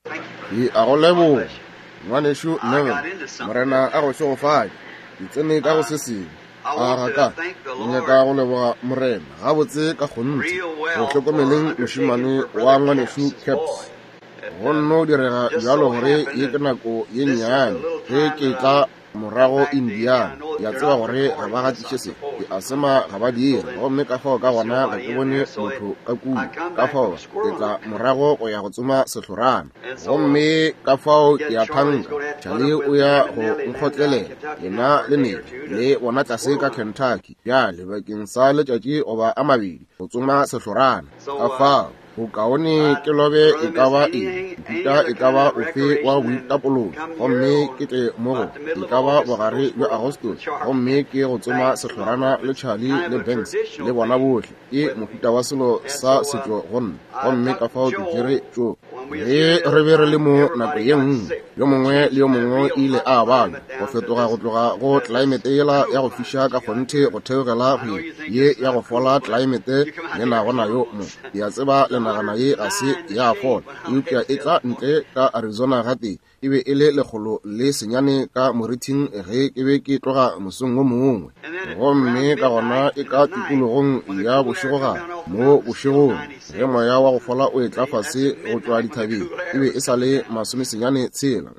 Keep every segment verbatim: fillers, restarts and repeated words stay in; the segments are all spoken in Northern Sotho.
Ke a go leboga, ngwanešu Neville. Morena a go šegofatše. Ke tsene ka go se sengwe. A ga ka ke nyaka go leboga Morena gabotse ka kgonthe go hlokomeleng mošemane wa ngwanešu Caps. Go nno direga bjalo gore ye ke nako ye nnyane ge ke tla morago Indiana. Ke a tseba gore ga ba gatiše se, ke a sema ga ba dire, gomme ka fao ka gona ga ke bone motho ka kua. Ka fao ke tla morago go ya go tsoma sehlorana, gomme ka fao ke a thanka Charlie o ya go nkgotlelela, yena le Nelly le bona tlase ka Kentucky bjale bakeng sa letšatši goba a mabedi go tsoma sehlorana. Ka fao bokaone ke lobe e ka ba eng, mohuta e ka ba ofe wa boitapološo, gomme ke tle mo go e ka ba bogare bja Agostose, gomme ke go tsoma sehlorana le Charlie le Banks le bona bohle. Ke mohuta wa selo sa setšo go nna, gomme ka fao ke tšere tšo. Ge re be re le mo nako ye nngwe, yo mongwe le yo mongwe ile a babja go fetoga go tloga go tlelaemete yela ya go fiša ka kgonthe go theogela go ye ya go fola tlelaemete le nago nayo mo. Ke a tseba le nagana ye ga se ya fola, eupša e tla ntle ka Arizona gatee. E be e le lekgolo le senyane ka morithing ge ke be ke tloga mosong wo mongwe, gomme ka gona e ka tikologong ya bošegogare mo bošegong ge moya wa go fola o etla fase go tšwa dithabeng, e be e sa le masomesenyane tshela.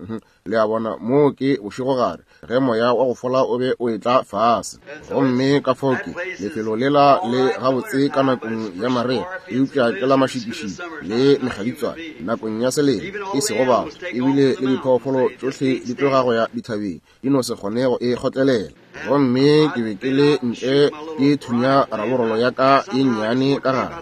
Le a bona, mo ke bošegogare ge moya wa go fola o be o etla fase. Gomme ka fao ke lefelo lela le gabotse ka nakong ya marea, eupša ke la mašikišiki le mekgaditswane nakong ya selemo, e sego batho, ebile le diphoofolo tšohle di tloga go ya dithabeng, di no se kgone go e kgotlelela. Gomme ke be ke le ntle ke thunya raborolo ya ka ye nnyane ka gare.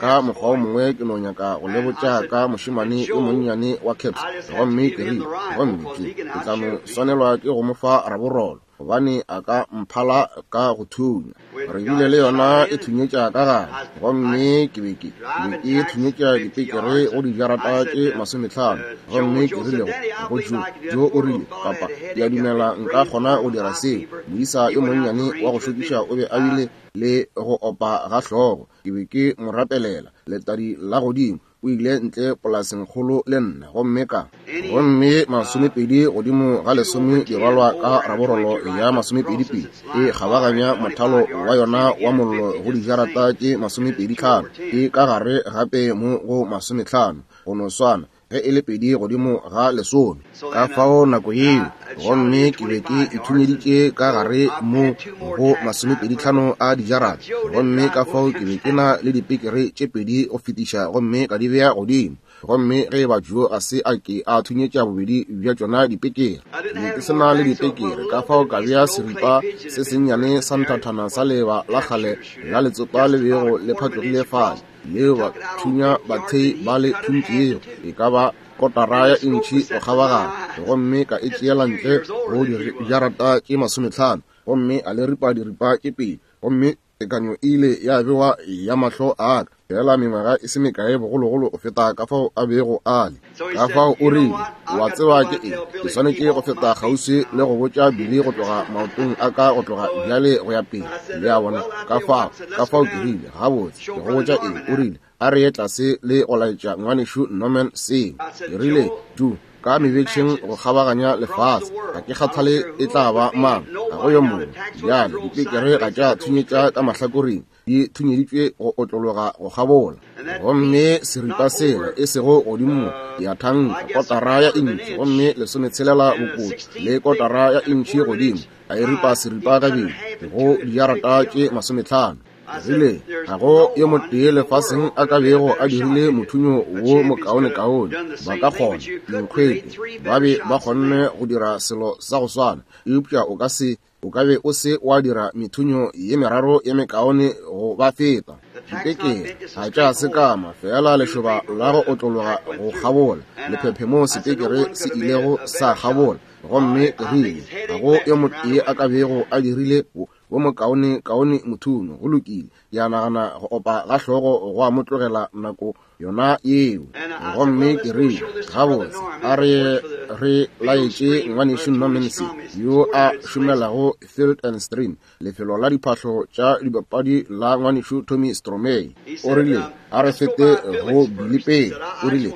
Ka mokgwa o mongwe ke no nyaka go le botša ka mošemane yo monnyane wa Caps, gomme ke rile, gomme ke ke tla no swanelwa ke go mo fa raborolo, gobane a ka mphala ka go thunya. Re bile le yona e thunyetša ka gare, gomme ke be ke be ke thunyetša dipekere go dijarata tše masometlhano. Gomme ke rile go Joe, Joe o rile, papa, ke a dumela nka kgona go dira seo. Moisa yo monnyane wa go šokiša o be a bile le go opa ga hlogo. Ke be ke mo rapelela letadi la godimo. O ile ntle polaseng kgolo le nna, gomme ka gomme masomepedi godimo ga lesome di rwalwa ka raborolo ya masomepedi pedi e kgabaganya mothalo wa yona wa mollo go dijarata tše masomepedi tlhano, e ka gare gape mo go masometlhano, go no swana ge e le pedi godimo ga lesome. Ka fao nako yeo, gomme ke be ke ithunyeditše ka gare mo go masomepedi tlhano a dijarata, gomme ka fao ke be ke na le dipekere tše pedi go fetiša, gomme ka di bea godimo. Gomme ge eba Joe a se a ke a thunyetša bobedi bja tšona dipekere, ke be ke se na le dipekere, ka fao ka bea seripa se sennyane sa nthathana sa leba la kgale la letsopa le bego le phatlogile fale, leo bathunya bathei ba le thuntšego e ka ba kotara ya intšhi go kgabaganya, gomme ka e tšeela ntle go dijarata tše masometlhano, gomme a le ripa diripa tše pedi, gomme tekanyo e ile ya bewa ya mahlo a ka, fela mengwaga e se mekae bogologolo go feta ka fao a bego a le. Ka fao o rile, wa tseba ke eng, ke swanetše go feta kgauswi le go botša Billy go tloga maotong a ka go tloga bjale go ya pele. Le a bona, ka fao ka fao ke rile, gabotse, ke go botša eng. O rile, a re ye tlase le go laetša ngwanešu Norman seo. Ke rile, Joe, ka mebetšheng go kgabaganya lefase, ga ke kgathale e tla ba mang, ga go yo mongwe. Bjale dipekere ga tša thunyetša ka mahlakoreng, di thunyeditšwe go otlologa go kgabola. Gomme seripa sela e sego godimo ya thanka kotara ya intšhi, gomme lesometshelela bokoti le kotara ya intšhi godimo, a e ripa seripa kabedi go dijarata tše masometlhano. Rile, ga go yo motee lefaseng a ka bego a dirile mothunyo wo mokaonekaone. Ba ka kgona dinkgwete, ba be ba kgonne go dira selo sa go swana, eupša o ka se o ka be o se wa dira methunyo ye meraro ye mekaone go ba feta. Dipekere ga tša sekama, fela lešoba la go otlologa go kgabola lephephe mo sepekere se ilego sa kgabola. Gomme ke rile, ga go yo motee a ka bego a dirile wo mokaone kaone mothunyo. Go lokile, ke a nagana go opa ga hlogo go a mo tlogela nako yona yeo. Gomme ke rile, gabotse, a re re laetše ngwanešu Norman se yo a šomelago Field and Stream, lefelo la diphahlo tša dibapadi la ngwanešu Tommy Stromey. O rile a re fete go Billy pele. O rile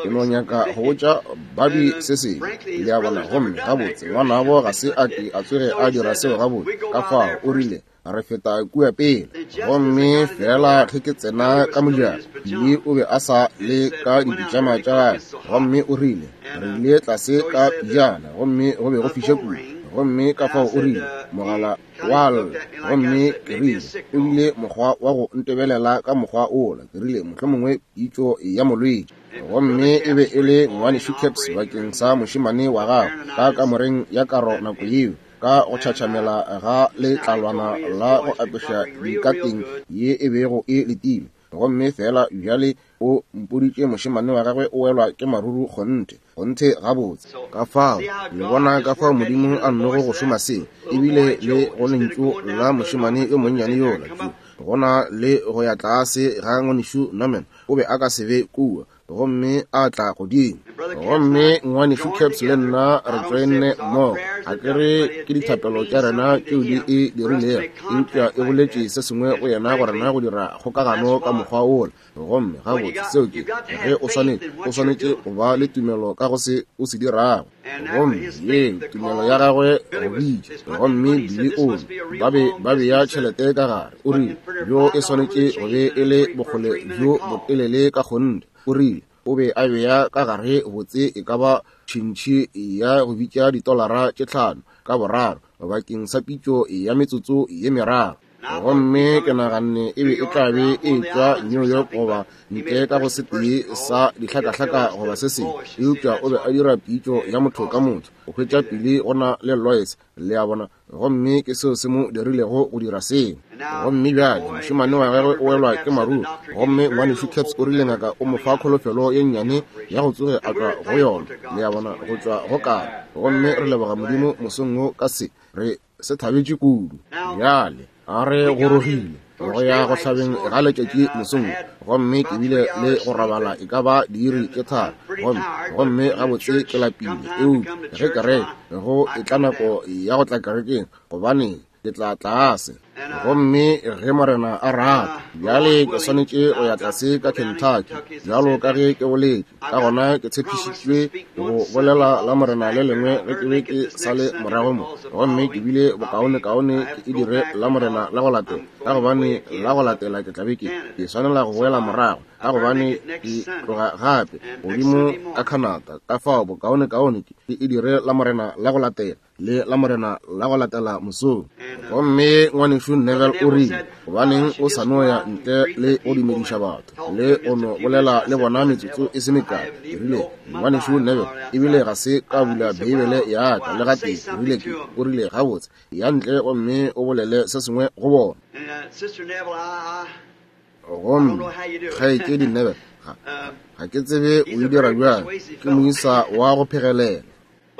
ke no nyaka go botša Bobby se sengwe, le a bona. Gomme gabotse ngwanabo ga se a ke a tsoge a dira seo gabotse, ka fao o rile re feta kua pele. Gomme fela ge ke tsena ka mojako, Billy o be a sa le ka dipitšama tša gagwe, gomme o rile re ile tlase ka pijana, gomme go be go fiša kudu. Gomme ka fao o rile mogala wa lla, gomme ke rile o bile mokgwa wa go ntebelela ka mokgwa ola. Ke rile mohlomongwe pitšo ya molwetši. Gomme e be e le ngwanešu Caps bakeng sa mošemane wa gagwe ka kamoreng ya karo nako yeo, ka go tšhatšhamela ga letlalwana la go apeša dikateng ye e bego e letile. Gomme fela bjale o mpoditše mošemane wa gagwe o welwa ke maruru kgonthe, kgonthe gabotse. Ka fao le bona ka fao Modimo a nnogo go šoma se, ebile le go lentšu la mošemane yo monnyane yola jo gona le go ya tlase ga ngwanešu Norman, o be a ka se be kua, gomme a tla godimo. Gomme ngwanešu Caps le nna re tšoenne mmogo. Ga ke re ke dithapelo tša rena tšeo di e dirilego, eupša e boletše se sengwe go yena go rena go dira kgokagano ka mokgwa ola. Gomme gabotse seo ke ge o swanetše o swanetše go ba le tumelo ka go se o se dirago. Gomme ye tumelo ya gagwe go bitša. Gomme Billy o ba be ba bea tšhelete ka gare. O rile bjo e swanetše go be e le bokgole bjo botelele ka kgonthe. O rile o be a bea ka gare botse e ka ba tšhintšhi ya go bitša ditolara tše tlhano ka boraro bakeng sa pitšo ya metsotso ye meraro. Gomme ke naganne e be e tla be e tšwa New York goba ntle ka go setee sa dihlakahlaka goba se sengwe, eupša o be a dira pitšo ya motho ka motho go hwetša Billy go na le Lois, le a bona. Gomme ke seo se mo dirilego go dira seo. Gomme bjale mošemane wa gagwe o welwa ke maruru, gomme ngwanešu Caps o rile ngaka o mo fa kholofelo ye nnyane ya go tsoge a tšwa go yona, le a bona, go tšwa go kare. Gomme re leboga Modimo mosong wo ka se, re se thabetše kudu. Bjale a re gorogile go ya go hlabeng ga letšatši mosong, gomme ke bile le go robala e ka ba diiri tše tharo, gomme gomme gabotse ke lapile. Eupša ge kereke go etla nako ya go tla kerekeng, gobane ke tla tlase. Gomme ge Morena a rata, bjale ke swanetše go ya tlase ka Kentucky, bjalo ka ge ke boletše. Ka gona ke tshepišitšwe go bolela la Morena le lengwe ge ke be ke sa le morago mo, gomme ke bile bokaonekaone ke e dire la Morena la go latela, ka gobane la go latela ke tla be ke ke swanela go boela morago, ka gobane ke tloga gape godimo ka Canada. Ka fao bokaonekaone ke e dire la Morena la go latela le la Morena la go latela mosong. Gomme ngwanešu Neville o rile, gobaneng o sa no ya ntle le go dumediša batho le go no bolela le bona metsotso e se mekae? Ke rile, ngwanešu Neville, ebile ga se ka bula Beibele ya ka le gatee. Ke rile ke o rile gabotse ya ntle gomme o bolele se sengwe go bona. Gomme kgaetšedi Neville, ga, ga ke tsebe o e dira bjang, ke moisa wa go phegelela.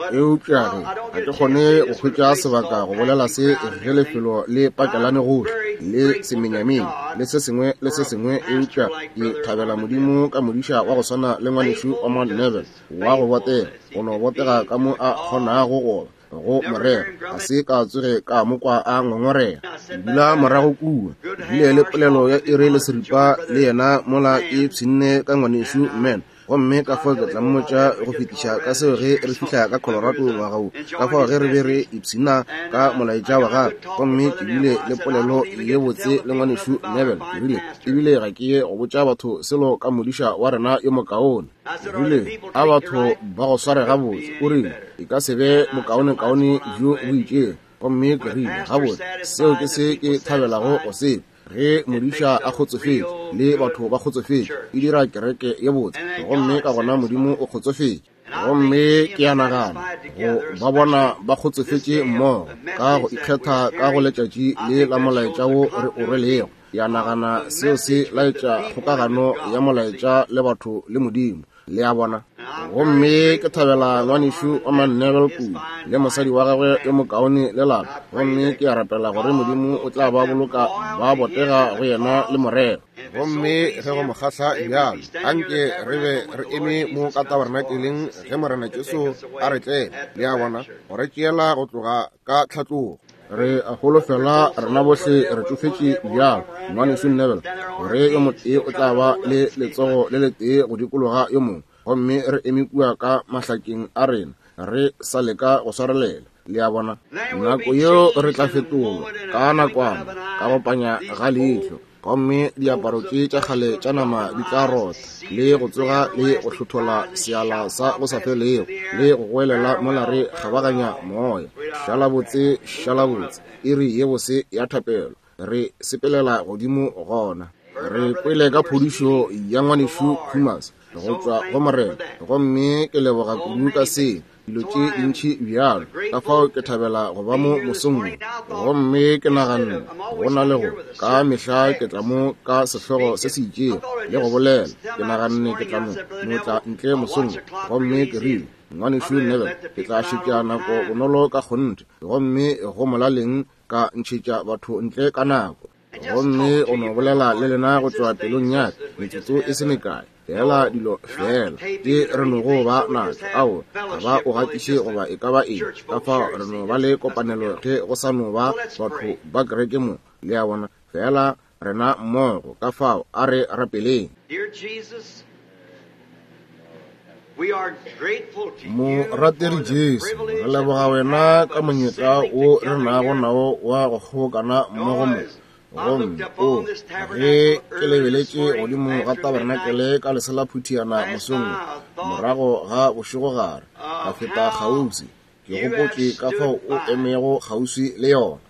Eupša ge ga ke kgone go hwetša sebaka go bolela se ge lefelo le pakelane gohle le semenyamenya le se sengwe le se sengwe, eupša ke thabela Modimo ka modiša wa go swana le ngwanešu Orman Neville wa go botega, go no botega ka mo a kgonago go ba go morero. Ga se ka tsoge ka mo kwa a ngongorega. Ke dula morago kua, ke bile le polelo ya iri le seripa le yena mola ke pshinne ka ngwanešu Man. Gomme ka fao ke tla mmotša go fetiša ka seo ge re fihla ka Colorado ngwaga wo. Ka fao ge re be re ipshina ka molaetša wa gagwe, gomme ke bile le polelo ye botse le ngwanešu Neville. Ke rile ebile ga ke ye go botša batho selo ka modiša wa rena yo mokaone. Ke rile a batho ba go sware gabotse. O rile e ka se be bokaonekaone bjo bo itšego. Gomme ke rile gabotse, seo ke se ke thabelago go se. Ge modiša a kgotsofetše le batho ba kgotsofetše, e dira kereke ye botse, gomme ka gona Modimo o kgotsofetše. Gomme ke a nagana go ba bona ba kgotsofetše mmogo ka go ikgetha ka go letšatši le la molaetša wo re o rwelego. Ke a nagana seo se laetša kgokagano ya molaetša le batho le Modimo, le a bona. Gomme ke thabela ngwanešu wa Neville kudu le mosadi wa gagwe yo mokaone le lapa. Gomme ke a rapela gore Modimo o tla ba boloka ba botega go yena le morero. Gomme ge go mo kgahla bjalo, anke re be re eme mo ka tabernakeleng ge Morena Jesu a re tlela, le a bona, go re tšeela go tloga ka tlhatlogo. Re a holofela rena bohle re tšofetše bjalo, ngwanešu Neville, gore yo motee o tla ba le letsogo le letee go dikologa yo mongwe, gomme re eme kua ka mahlakeng a rena re sa leka go swarelela. Le a bona, nako yeo re tla fetolwa ka nakwana ka go panya ga leihlo, gomme diaparo tše tša kgale tša nama di tla rotha le go tsoga le go hlothola seala sa go sa felego le go goelela mola re kgabaganya moya. Šala botse, šala botse, iri ye bose ya thapelo, re sepelela godimo gona. Re kwele ka phodišo ya ngwanešu Khumas go tšwa go Morena, gomme ke leboga kudu ka se dilo tše dintši bjalo. Ka fao ke thabela go ba mo mosong wo. Gomme ke naganne go na le go ka mehla ke tla mo ka sehlogo se se itšego le go bolela. Ke naganne ke tla mo no tla ntle mosong wo, gomme ke rile, ngwanešu Neville, ke tla šetša nako bonolo ka kgonthe, gomme go molaleng ka ntšhetša batho ntle ka nako. Gomme o no bolela le lena go tšwa pelong ya ka metsotso e se mekae, fela dilo fela tše re nogo ba natšo, ao ga ba o gatiše goba e ka ba eng. Ka fao re no ba le kopanelo ge go sa no ba batho ba kereke mo, le a bona, fela rena mmogo. Ka fao a re rapeleng. Morategi Jesu, re leboga wena ka monyetla wo re nago nao wa go kgobokana mmogo mo. Gomme o ge ke lebeletše godimo ga tabernakele ka lesela phuthiana mosong morago ga bošegogare, ka feta kgauswi, ke gopotše ka fao o emego kgauswi le yona.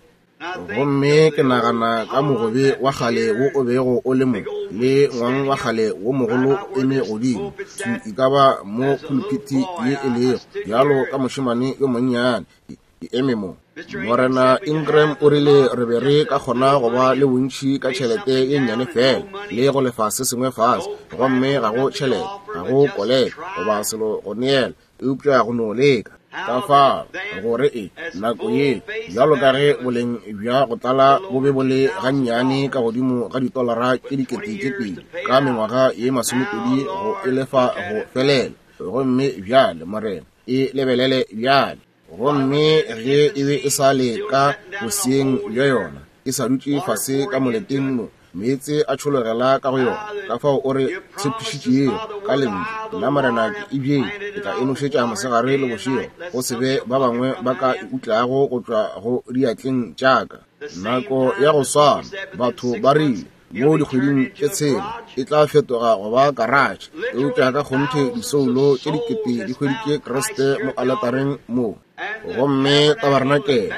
Gomme ke nagana ka mogobe wa kgale wo o bego o le mo, le ngwang wa kgale wo mogolo eme godimo e ka ba mo pulpiti ye e lego, bjalo ka mošemane yo monnyane ke eme mo. Morena Ingram o rile re be re ka kgona go ba le bontši ka tšhelete ye nnyane fela le go lefa se sengwe fase, gomme ga go tšhelete, ga go koleka goba selo go neela, eupša go no leka. Ka fao gore e nako ye bjalo ka ge boleng bja go tlala bo be bo le gannyane ka godimo ga ditolara tše dikete tše pedi ka mengwaga ye masomepedi go e lefa go felela. Gomme bjale Morena e lebelele bjale. Gomme ge e be e sa le ka boseeng bja yona, e sa dutše fase ka moleteng mo, meetse a tšhologela ka go yona. Ka fao o re tshepišitšego ka lentšu, nna Morena ke e bjeng, ke tla e nošetša mosegare le bošego, go se be ba bangwe ba ka e utlago go tšwa go diatleng tša ka. Nako ya go swana batho ba rile mo dikgweding tše tshela e tla fetoga go ba karatšhe, eupša ka kgonthe disoulo tše dikete di hweditše Kriste mo aletareng mo. Gomme tabernakele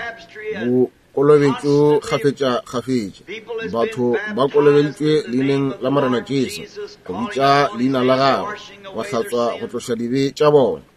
bokolobetšo kgafetša-kgafetša, batho ba kolobeditšwe leineng la Morena Jesu, go bitša leina la gagwe, go hlatswa go tloša dibe tša bona.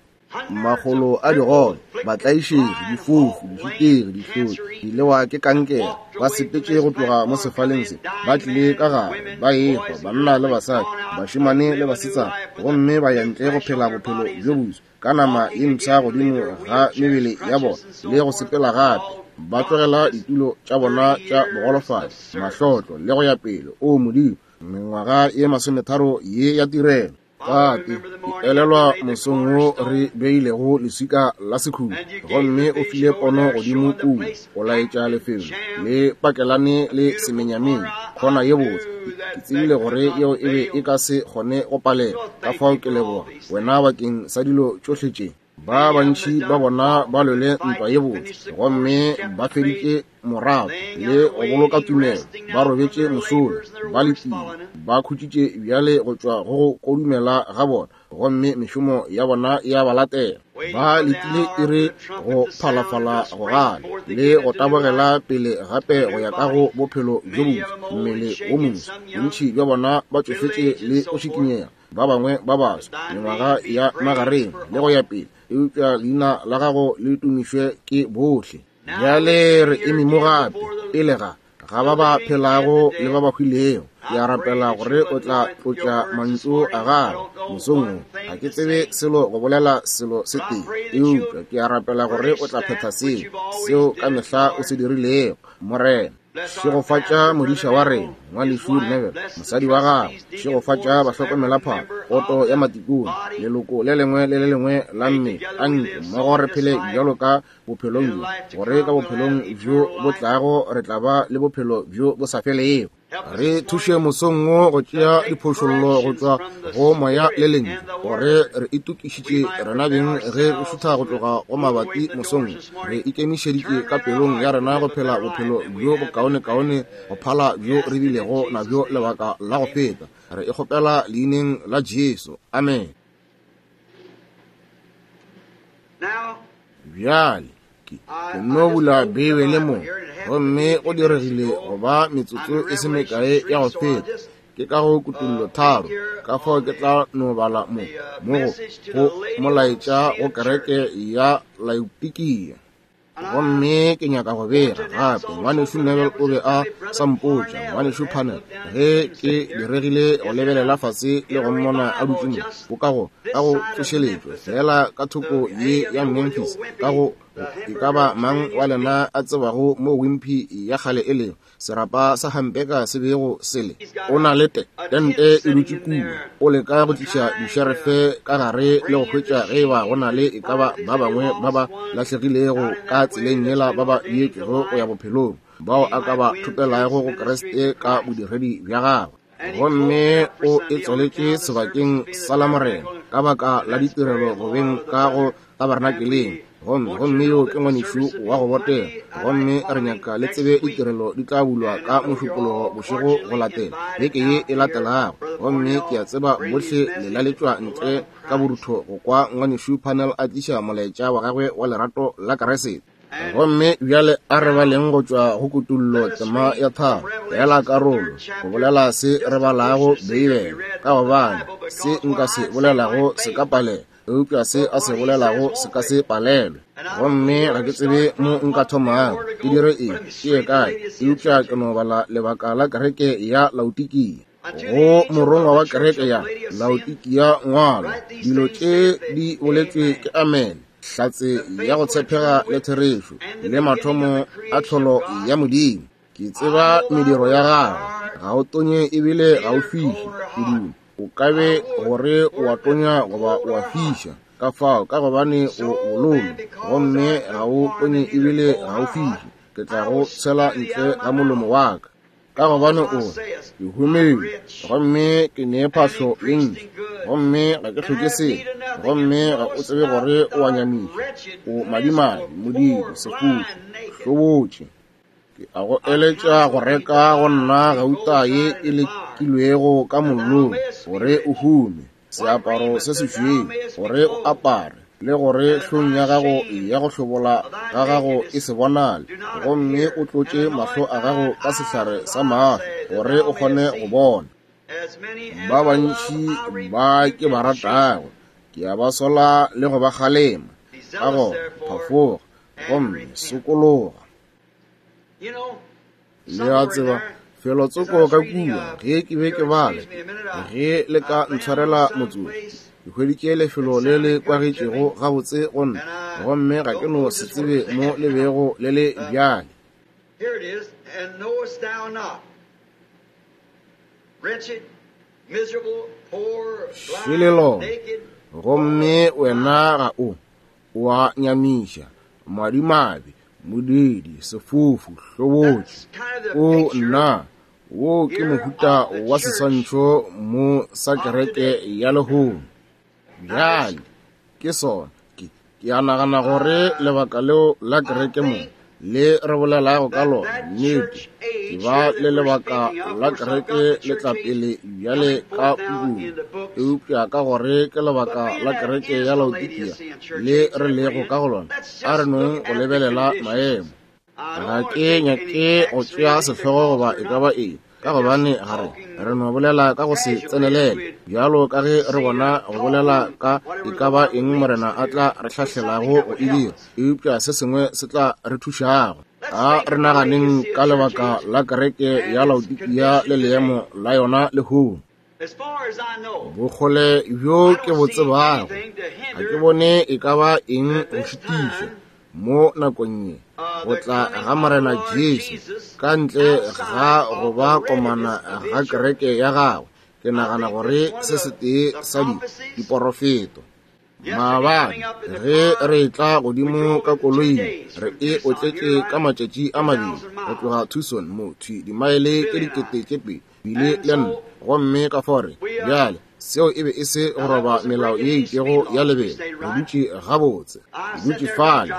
Makgolo a digole, batlaišegi, difofu, dišutegi, dihlodi, dilewa ke kankere, ba sepetše go tloga mo sefaleng se, ba tlile ka gare, ba ehwa, banna le basadi, bašemane le basetsana, gomme ba ya ntle go phela bophelo bjo boso ka nama ye mpsha godimo ga mebele ya bona le go sepela gape, ba tlogela ditulo tša bona tša bogolofadi, mahlotlo le go ya pele. O Modimo, mengwaga ye masometharo ye ya tirelo. Tate, ke elelwa mosong wo re beilego leswika la sekhutlo, gomme o file pono godimo kua go laetša lefelo le pakelane le semenyameng, kgona ye botse. Ke tsebile gore yeo e be e ka se kgone go palela. Ka fao ke leboga wena bakeng sa dilo tšohle tše. Ba bantši ba bona ba lwele ntwa ye botse, gomme ba feditše morago le go boloka tumelo, ba robetše mosola, ba letile, ba khutšitše bjale go tšwa go go kodumela ga bona, gomme mešomo ya bona ya ba latela. Ba letile iri go phalafala go gana le go tabogela pele gape go ya ka go bophelo bjo boswa, mmele wo moswa. Bontši bja bona ba tšofetše le go šikinyega, ba bangwe ba baswa, mengwaga ya magareng le go ya pele, eupša leina la gago le tumišwe ke bohle. Bjale re eme mo gape pele ga ga ba ba phelago le ba ba hwilego. Ke a rapela gore o tla tlotša mantšu a gago mosong wo. Ga ke tsebe selo go bolela selo se tee, eupša ke a rapela gore o tla phetha seo, seo ka mehla o se dirilego, Morena. Šegofatša modiša wa rena, ngwanešu Neville, mosadi wa gagwe. Šegofatša bahlokomelaphahlo, poto ya matikone, leloko le lengwe le le lengwe la mmele. Anke mmogo re phele bjalo ka bophelong bjo, gore ka bophelong bjo bo tlago re tla ba le bophelo bjo bo sa felego. Re thuše mosong wo go tšea diphošollo go tšwa go moya le lentšu, gore re itokišitše rena beng ge re šutha go tloga go mabati mosong. Re ikemišeditše ka pelong ya rena go phela bophelo bjo bokaonekaone go phala bjo re bilego nabjo lebaka la go feta. Re e kgopela leineng la Jesu. Amen. Bjale ke nno bula Beibele mo, gomme go diregile go ba metsotso e se mekae ya go feta. Ke ka go Kutullo tharo, ka fao ke tla no bala mo mo go molaetša go kereke ya Laodikia. Gomme ke nyaka go bega gape, ngwanešu Neville o be a sa mpotša, ngwanešu Parnell, ge ke diregile go lebelela fase le go mmona a dutše mo, bo ka go ka go tsošeletšwa fela ka thoko ye ya Memphis, ka go e ka ba mang wa lena a tsebago mo Wimpy ya kgale e lego, serapa sa Hampeka se bego se le. O na le te tente e dutše kua, o leka go tliša dišerefe ka gare le go hwetša ge eba go na le e ka ba ba bangwe ba ba lahlegilego ka tseleng yela ba ba beetšwego go ya bophelong, bao a ka ba thopelago go Kriste ka bodiredi bja gagwe. Gomme o e tswaletše sebakeng sa Lamorena ka baka la ditirelo go beng ka go tabernakeleng. Gomme gomme yo ke ngwanešu wa go botega, gomme re nyaka le tsebe ditirelo di tla bulwa ka Mošupologo bošego go latela beke ye e latelago. Gomme ke a tseba bohle le laletšwa ntle ka borutho go kwa ngwanešu Parnell a tliša molaetša wa gagwe wa lerato la Kriste. Gomme bjale a re baleng go tšwa go Kutullo tema ya tharo, fela karolo go bolela se re balago Beibele, ka gobane se nka se bolelago se ka palela, eupša se a se bolelago se ka se palelwe. Gomme ga ke tsebe mo nka thomago, ke dire eng, ke ye kae, eupša ke no bala lebaka la kereke ya Laodikia. Go morongwa wa kereke ya Laodikia ngwala, dilo tše di boletšwe ke Amen, hlatse ya go tshepega le therešo, le mathomo a tlholo ya Modimo. Ke tseba mediro ya gago, ga o tonye ebile ga o fiše kudu. O ka be gore o a tonya goba o a fiša, ka fao ka gobane o bololo, gomme ga o tonye ebile ga o fiše, ke tla go tshela ntle ga molomo wa ka. Ka gobane o re, ke humile, gomme ke ne phahlo ye ntši, gomme ga ke hloke selo, gomme ga o tsebe gore o a nyamiša, o madimabe, modiidi, sefufu, hlobotše. Ke a go eletša go reka go nna gauta ye e lekilwego ka mollong, gore o hume, seaparo se sešweu, gore o apare, le gore hlong ya gago ya go hlobola ga gago e se bonale, gomme o tlotše mahlo a gago ka sehlare sa mahlo, gore o kgone go bona. Ba bantši ba ke ba ratago, ke a ba sola le go ba kgalema, ka gona phafoga gomme sokologa. Le a tseba, felotsoko ka kua, ge ke be ke bala, ge le ka ntshwarela motsotso, ke hweditše lefelo le le kwagetšego gabotse go nna, gomme ga ke no se tsebe mo le bego le le bjale. Šele lona, gomme wena ga o, o a nyamiša, madimabe, modiidi, sefofu, hlobotše. O nna, wo ke mohuta wa seswantšho mo sa kereke ya lehono. Bjale ke sona, ke ke a nagana gore lebaka leo la kereke mo le re bolelago ka lona, nnete, ke ba le lebaka la kereke le tla pele bjale ka pukung, eupša ka gore ke lebaka la kereke ya Laodikia le re lego ka go lona, a re nong go lebelela maemo. Ga ke nyake go tšea sehlogo goba e ka ba eng, ka gobane ga re re no bolela ka go se tsenelele, bjalo ka ge re bona go bolela ka e ka ba eng Morena a tla re hlahlelago go e dira, eupša se sengwe se tla re thušago. A re naganeng ka lebaka la kereke ya Laodikia le leemo la yona lehono. Bokgole bjo ke bo tsebago, ga ke bone e ka ba eng go šitiša mo nakong ye go tla ga Morena Jesu ka ntle ga go ba komana ga kereke ya gagwe. Ke nagana gore se setee sa di diporofeto. Maabane ge re tla godimo ka koloing, re e otletše ka matšatši a mabedi go tloga Tucson mo thwi dimaele tše dikete tše pedi bile le nne, gomme ka fao re bjale seo e be e se go roba melao ye itšego ya lebelo. Re dutše gabotse, re dutše fale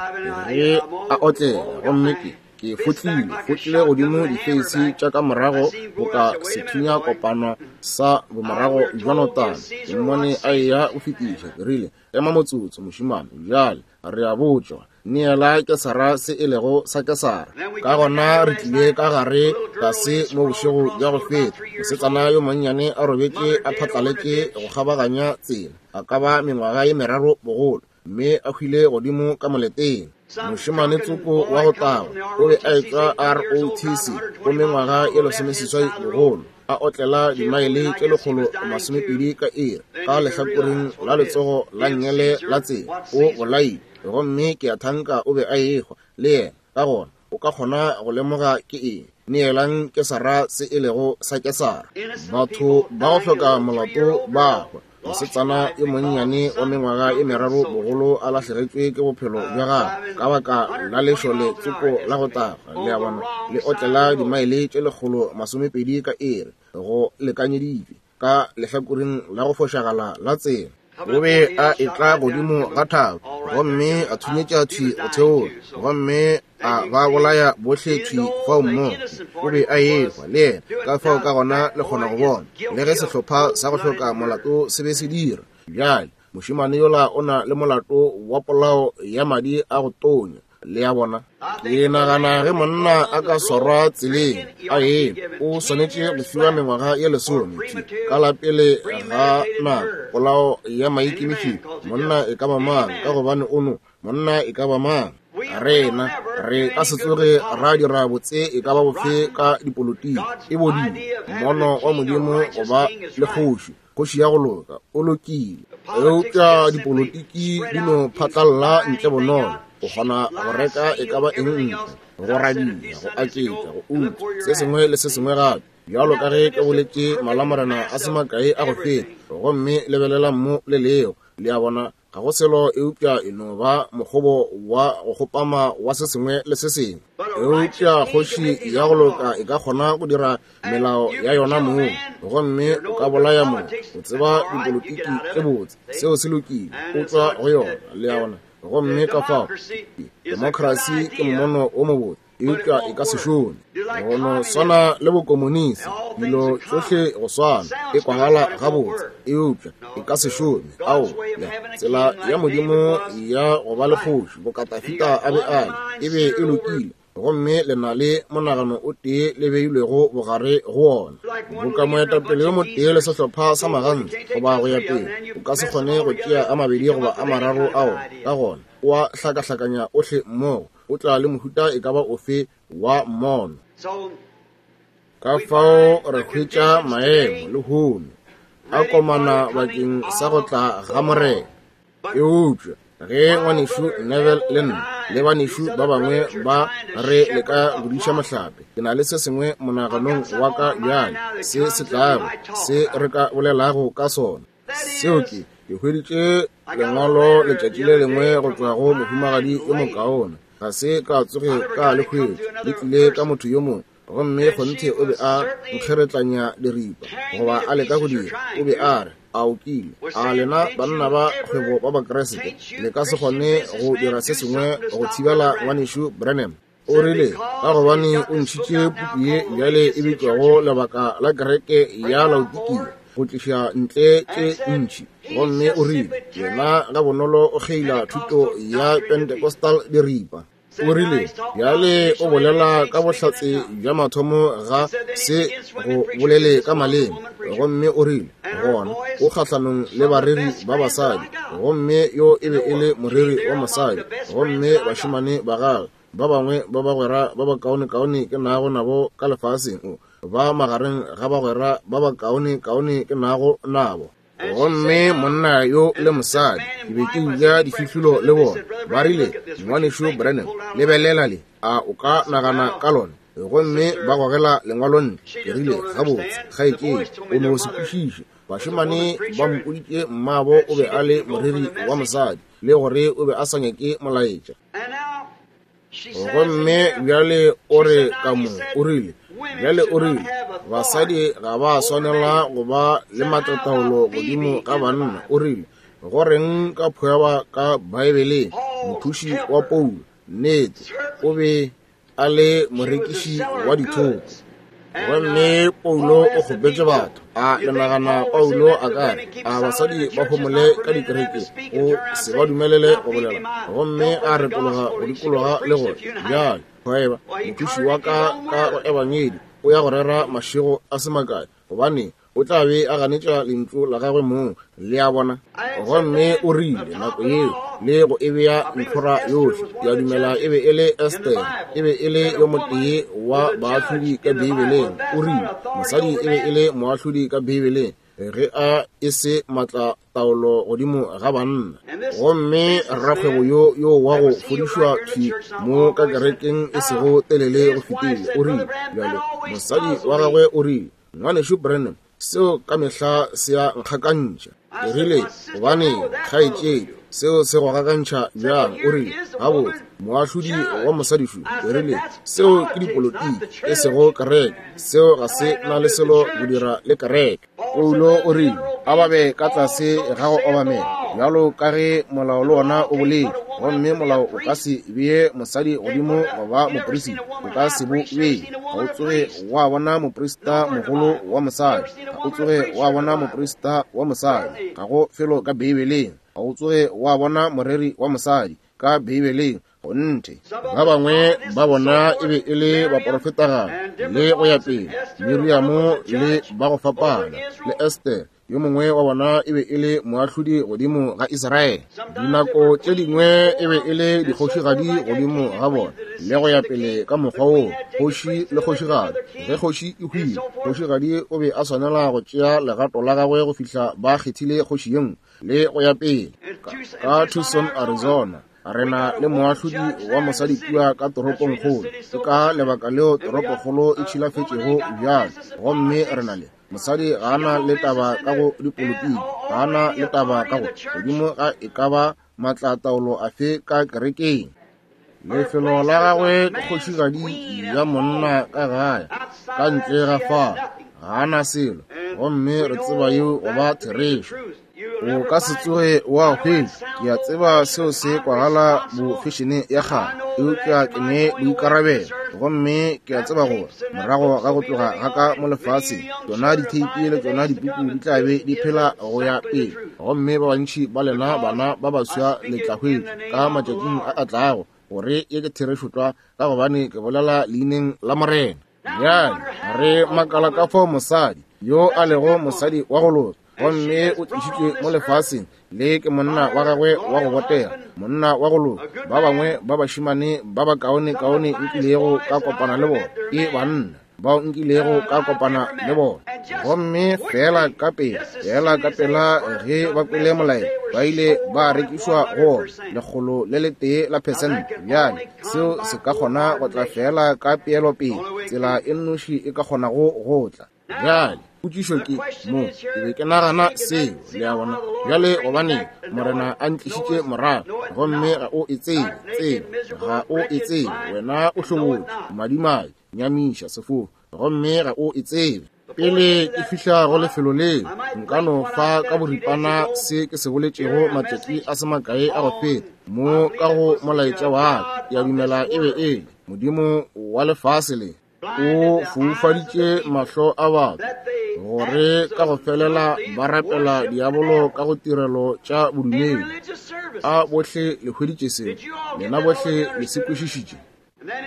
ge a otlela, gomme ke ke fotlile fotlile godimo difeisi tša ka morago boka sethunya kopano sa bomorago bja notana. Ke mmone a eya go fetiša, ke rile, ema motsotso mošemane, bjale re a botšwa, neela Kesara se e lego sa Kesara. Ka gona re tlile ka gare tlase mo bošego bja go feta, mosetsana yo monnyane a robetše a phatlaletše go kgabaganya tsela, a ka ba mengwaga ye meraro bogolo, mme a hwile godimo ka moleteng. Mošemane tsoko wa go tagwa o be a etšwa R O T C go mengwaga ye lesomeseswai bogolo, a otlela dimaele tše lekgolo masomepedi ka iri ka lehlakoreng la letsogo la nngele la tsela. O bolaile, gomme ke a thanka o be a ehwa le yena. Ka gona o ka kgona go lemoga ke eng. Neelang Kesara se e lego sa Kesara. Batho ba go hloka molato ba hwa. Mosetsana yo monnyane wa mengwaga ye meraro bogolo a lahlegetšwe ke bophelo bja gagwe ka baka la lešole tsoko la go tagwa, le a bona, le otlela dimaele tše lekgolo masomepedi ka iri go lekanyeditšwe ka lehlakoreng la go fošagala la tsela. O be a etla godimo ga thaba gomme a thunyetša thwi go theola, gomme a ba bolaya bohle thwi fao mmogo. O be a ehwa le yena, ka fao ka gona le kgona go bona le ge sehlopha sa go hloka molato se be se dira. Bjale mošemane yola o na le molato wa polao ya madi a go tonya, le a bona. Ke nagana ge monna a ka swarwa tseleng a eme, o swanetše go fiwa mengwaga ye lesome thwi ka la pele ga nako polao ya maikemišetšo. Monna e ka ba mang, ka gobane o no monna e ka ba mang. Rena re ka se tsoge ra dira botse e ka ba bofe ka dipolotiki. E bodile mmono wa Modimo go ba le kgoši, kgoši ya go loka, o lokile. Eupša dipolotiki di no phatlalla ntle bonolo. O kgona go reka e ka ba eng ntle, go radia, go aketša, go utswa, se sengwe le se sengwe gape. Bjalo ka ge ke boletše malamorena a se makae a go feta, gomme lebelela mo le leo, le a bona, ga go selo eupša e no ba mokgobo wa go kgopama wa se sengwe le se sengwe. Eupša kgoši ya go loka e ka kgona go dira melao ya yona mong, gomme o ka bolaya mong. O tseba dipolotiki tše botse, seo se lokile, o tšwa go yona, le a bona. Gomme ka fao demokrasi ke mmono o mobotse, eupša e ka se šome. Go no swana le bokomonisi, dilo tšohle go swana, e kwagala gabotse, eupša e ka se šome. Ao, tsela ya Modimo ya go ba le kgoši boka Dafida a be a le, e be e lokile, gomme le na le monagano o tee le beilwego bogare go ona. Boka moetapele yo motee le sehlopha sa magantsi goba go ya pele, o ka se kgone go tšea a mabedi goba a mararo ao, ka gona o a hlakahlakanya ohle mmogo, o tla le mohuta e ka ba ofe wa mmono. Ka fao re hwetša maemo lehono a komana bakeng sa go tla ga Morena. Eupša ge ngwanešu Neville le nna le banešu ba bangwe ba re leka go diša mohlape, ke na le se sengwe monaganong wa ka bjale se se tlago, se re ka bolelago ka sona. Seo ke, ke hweditše lengwalo letšatši le lengwe go tšwa go mohumagadi yo mokaone. Ga se ka tsoge ka le hwetša, le tlile ka motho yo mongwe, gomme kgonthe o be a nkgeretlanya diripa goba a leka go dira. O be a re, a o kile a lena banna ba kgwebo ba Bakreste le ka se kgone go dira se sengwe go thibela ngwanešu Branham? O rile, ka gobane o ntšhitše puku ye bjale e bitšwago Lebaka la Kereke ya Laodikia go tliša ntle tše ntši. Gomme o rile, yena ga bonolo o kgeila thuto ya Pentecostal diripa. O rile, bjale o bolela ka bohlatse bja mathomo ga se go bolele ka maleme. Gomme o rile, gona o kgahlanong le bareri ba basadi, gomme yo e be e le moreri wa mosadi, gomme bašemane ba gagwe Ba bangwe ba bagwera ba bakaonekaone ke nago nabo ka lefaseng, o ba magareng ga bagwera ba bakaonekaone ke nago nabo. Gomme monna yo le mosadi, ke be ke uja difihlolo le bona. Ba rile, Ngwanešu Branham, lebelela le, a o ka nagana ka lona? Gomme ba gogela lengwalo ntle. Ke rile, gabotse, kgaetšedi, o no se kwešiše. Bašemane ba mpoditše mmabo o be a le moreri wa mosadi, le gore o be a sa nyake molaetša. Gomme bjale o re ka mo, o rile, bjale o rile, basadi ga ba swanela go ba le matlataolo godimo ga banna. O rile, go reng ka phoeba ka Baebeleng, mothuši wa Paulo, nnete, o be a le morekiši wa dithoto. Gomme Paulo o kgopetše batho. A le nagana Paulo a ka re, a basadi ba homole ka dikerekeng, o se ba dumelele go bolela? Gomme a retologa go dikologa le gore, bjale, phoeba, mothuši wa ka ka go ebangedi, o ya go rera mašego a se makae, gobane o tla be a ganetša lentšu la gagwe mong, le a bona. Gomme o rile nako yeo le go e bea ntlhora yohle. Ke a dumela e be e le Esther, e be e le yo motee wa baahlodi ka Beibeleng. O rile mosadi e be e le moahlodi ka Beibeleng, ge a e se matla taolo godimo ga banna. Gomme rakgwebo yo yo wa go fodišwa thwi mo ka kerekeng e sego telele go fetile, o rile bjale mosadi wa gagwe o rile, Ngwanešu Branham, seo ka mehla se a nkgakantšha. Ke rile, gobane kgaetšedi, seo se go gakantšha bjang? O rile, gabotse, moahlodi wa mosadišu. Ke rile, seo ke dipolotiki, e sego kereke. Seo ga se na le selo go dira le kereke. Paulo o rile, a ba be ka tlase ga go obamela, bjalo ka ge molao le wona o boletše. Gomme molao o ka se bee mosadi godimo goba moprista, o ka se bo bee. Ga o tsoge wa bona moprista mogolo wa mosadi, ga o tsoge wa bona moprista wa mosadi, ga go felo ka Beibeleng. Ga o tsoge wa bona moreri wa mosadi ka Beibeleng. Gonthe ba bangwe ba bona e be e le baprofetagadi le go ya pele, Miriamo le ba go fapana, le Esther, yo mongwe wa bona e be e le moahlodi godimo ga Israele. Dinako tše dingwe e be e le dikgošigadi godimo ga bona, le go ya pele ka mokgwa woo, kgoši le kgošigadi. Ge kgoši e hwile, kgošigadi o be a swanela go tšea legato la gagwe go fihla ba kgethile kgoši ye nngwe, le go ya pele. Ka Tucson, Arizona, re na le moahlodi wa mosadi kua ka toropongkgolo. Ke ka lebaka leo toropokgolo e tšhilafetšego bjalo. Gomme re na le mosadi ga ana le taba ka go dipolotiki, ga ana le taba ka go godimo ga e ka ba matlataolo afe ka kerekeng. Lefelo la gagwe ke kgošigadi ya monna ka gae, ka ntle ga fao ga ana selo. Gomme re tseba yeo go ba therešo. O ka se tsoge wa hwetša. Ke a tseba seo se kwagala bofešene ya kgale, eupša ke ne boikarabelo. Gomme ke a tseba gore morago ga go tloga ga ka mo lefaseng, tšona ditheipi le tšona dipuku di tla be di phela go ya pele. Gomme ba bantši ba lena bana ba baswa le tla hwetša ka matšatšing a a tlago gore ye ke therešo tlwa, ka gobane ke bolela leineng la Morena. Bjale re makala ka fao mosadi yo a lego mosadi wa go loka, gomme o tlišitšwe mo lefaseng le ke monna wa gagwe wa go botega, monna wa go loka. Ba bangwe ba bašemane ba bakaonekaone nkilego ka kopana le bona ke banna bao nkilego ka kopana le bona. Gomme fela ka pela, fela ka pela ge ba kwele molaetša, ba ile ba rekišwa go lekgolo le letee la phesente. Bjale seo se ka kgona go tla fela ka peelopele, tsela e nnoši e ka kgonago go tla. Bjale potšišo ke mo, ke be ke nagana seo, le a bona. Bjale gobane Morena a ntlišitše morago, gomme ga o e tsebe, tsebe ga o e tsebe, wena o hlobotše, madimabe, nyamiša, sefofu, gomme ga o e tsebe. Pele ke fihla go lefelo leo, nka no fa ka boripana se ke se boletšego matšatši a se makae a go feta mo ka go molaetša wa ka. Ke a dumela e be e le Modimo wa lefase le o foufaditše mahlo a batho gore ka go felela ba rapela diabolo ka go tirelo tša bodumedi. A bohle le hweditše seo? Lena bohle le se kwešišitše?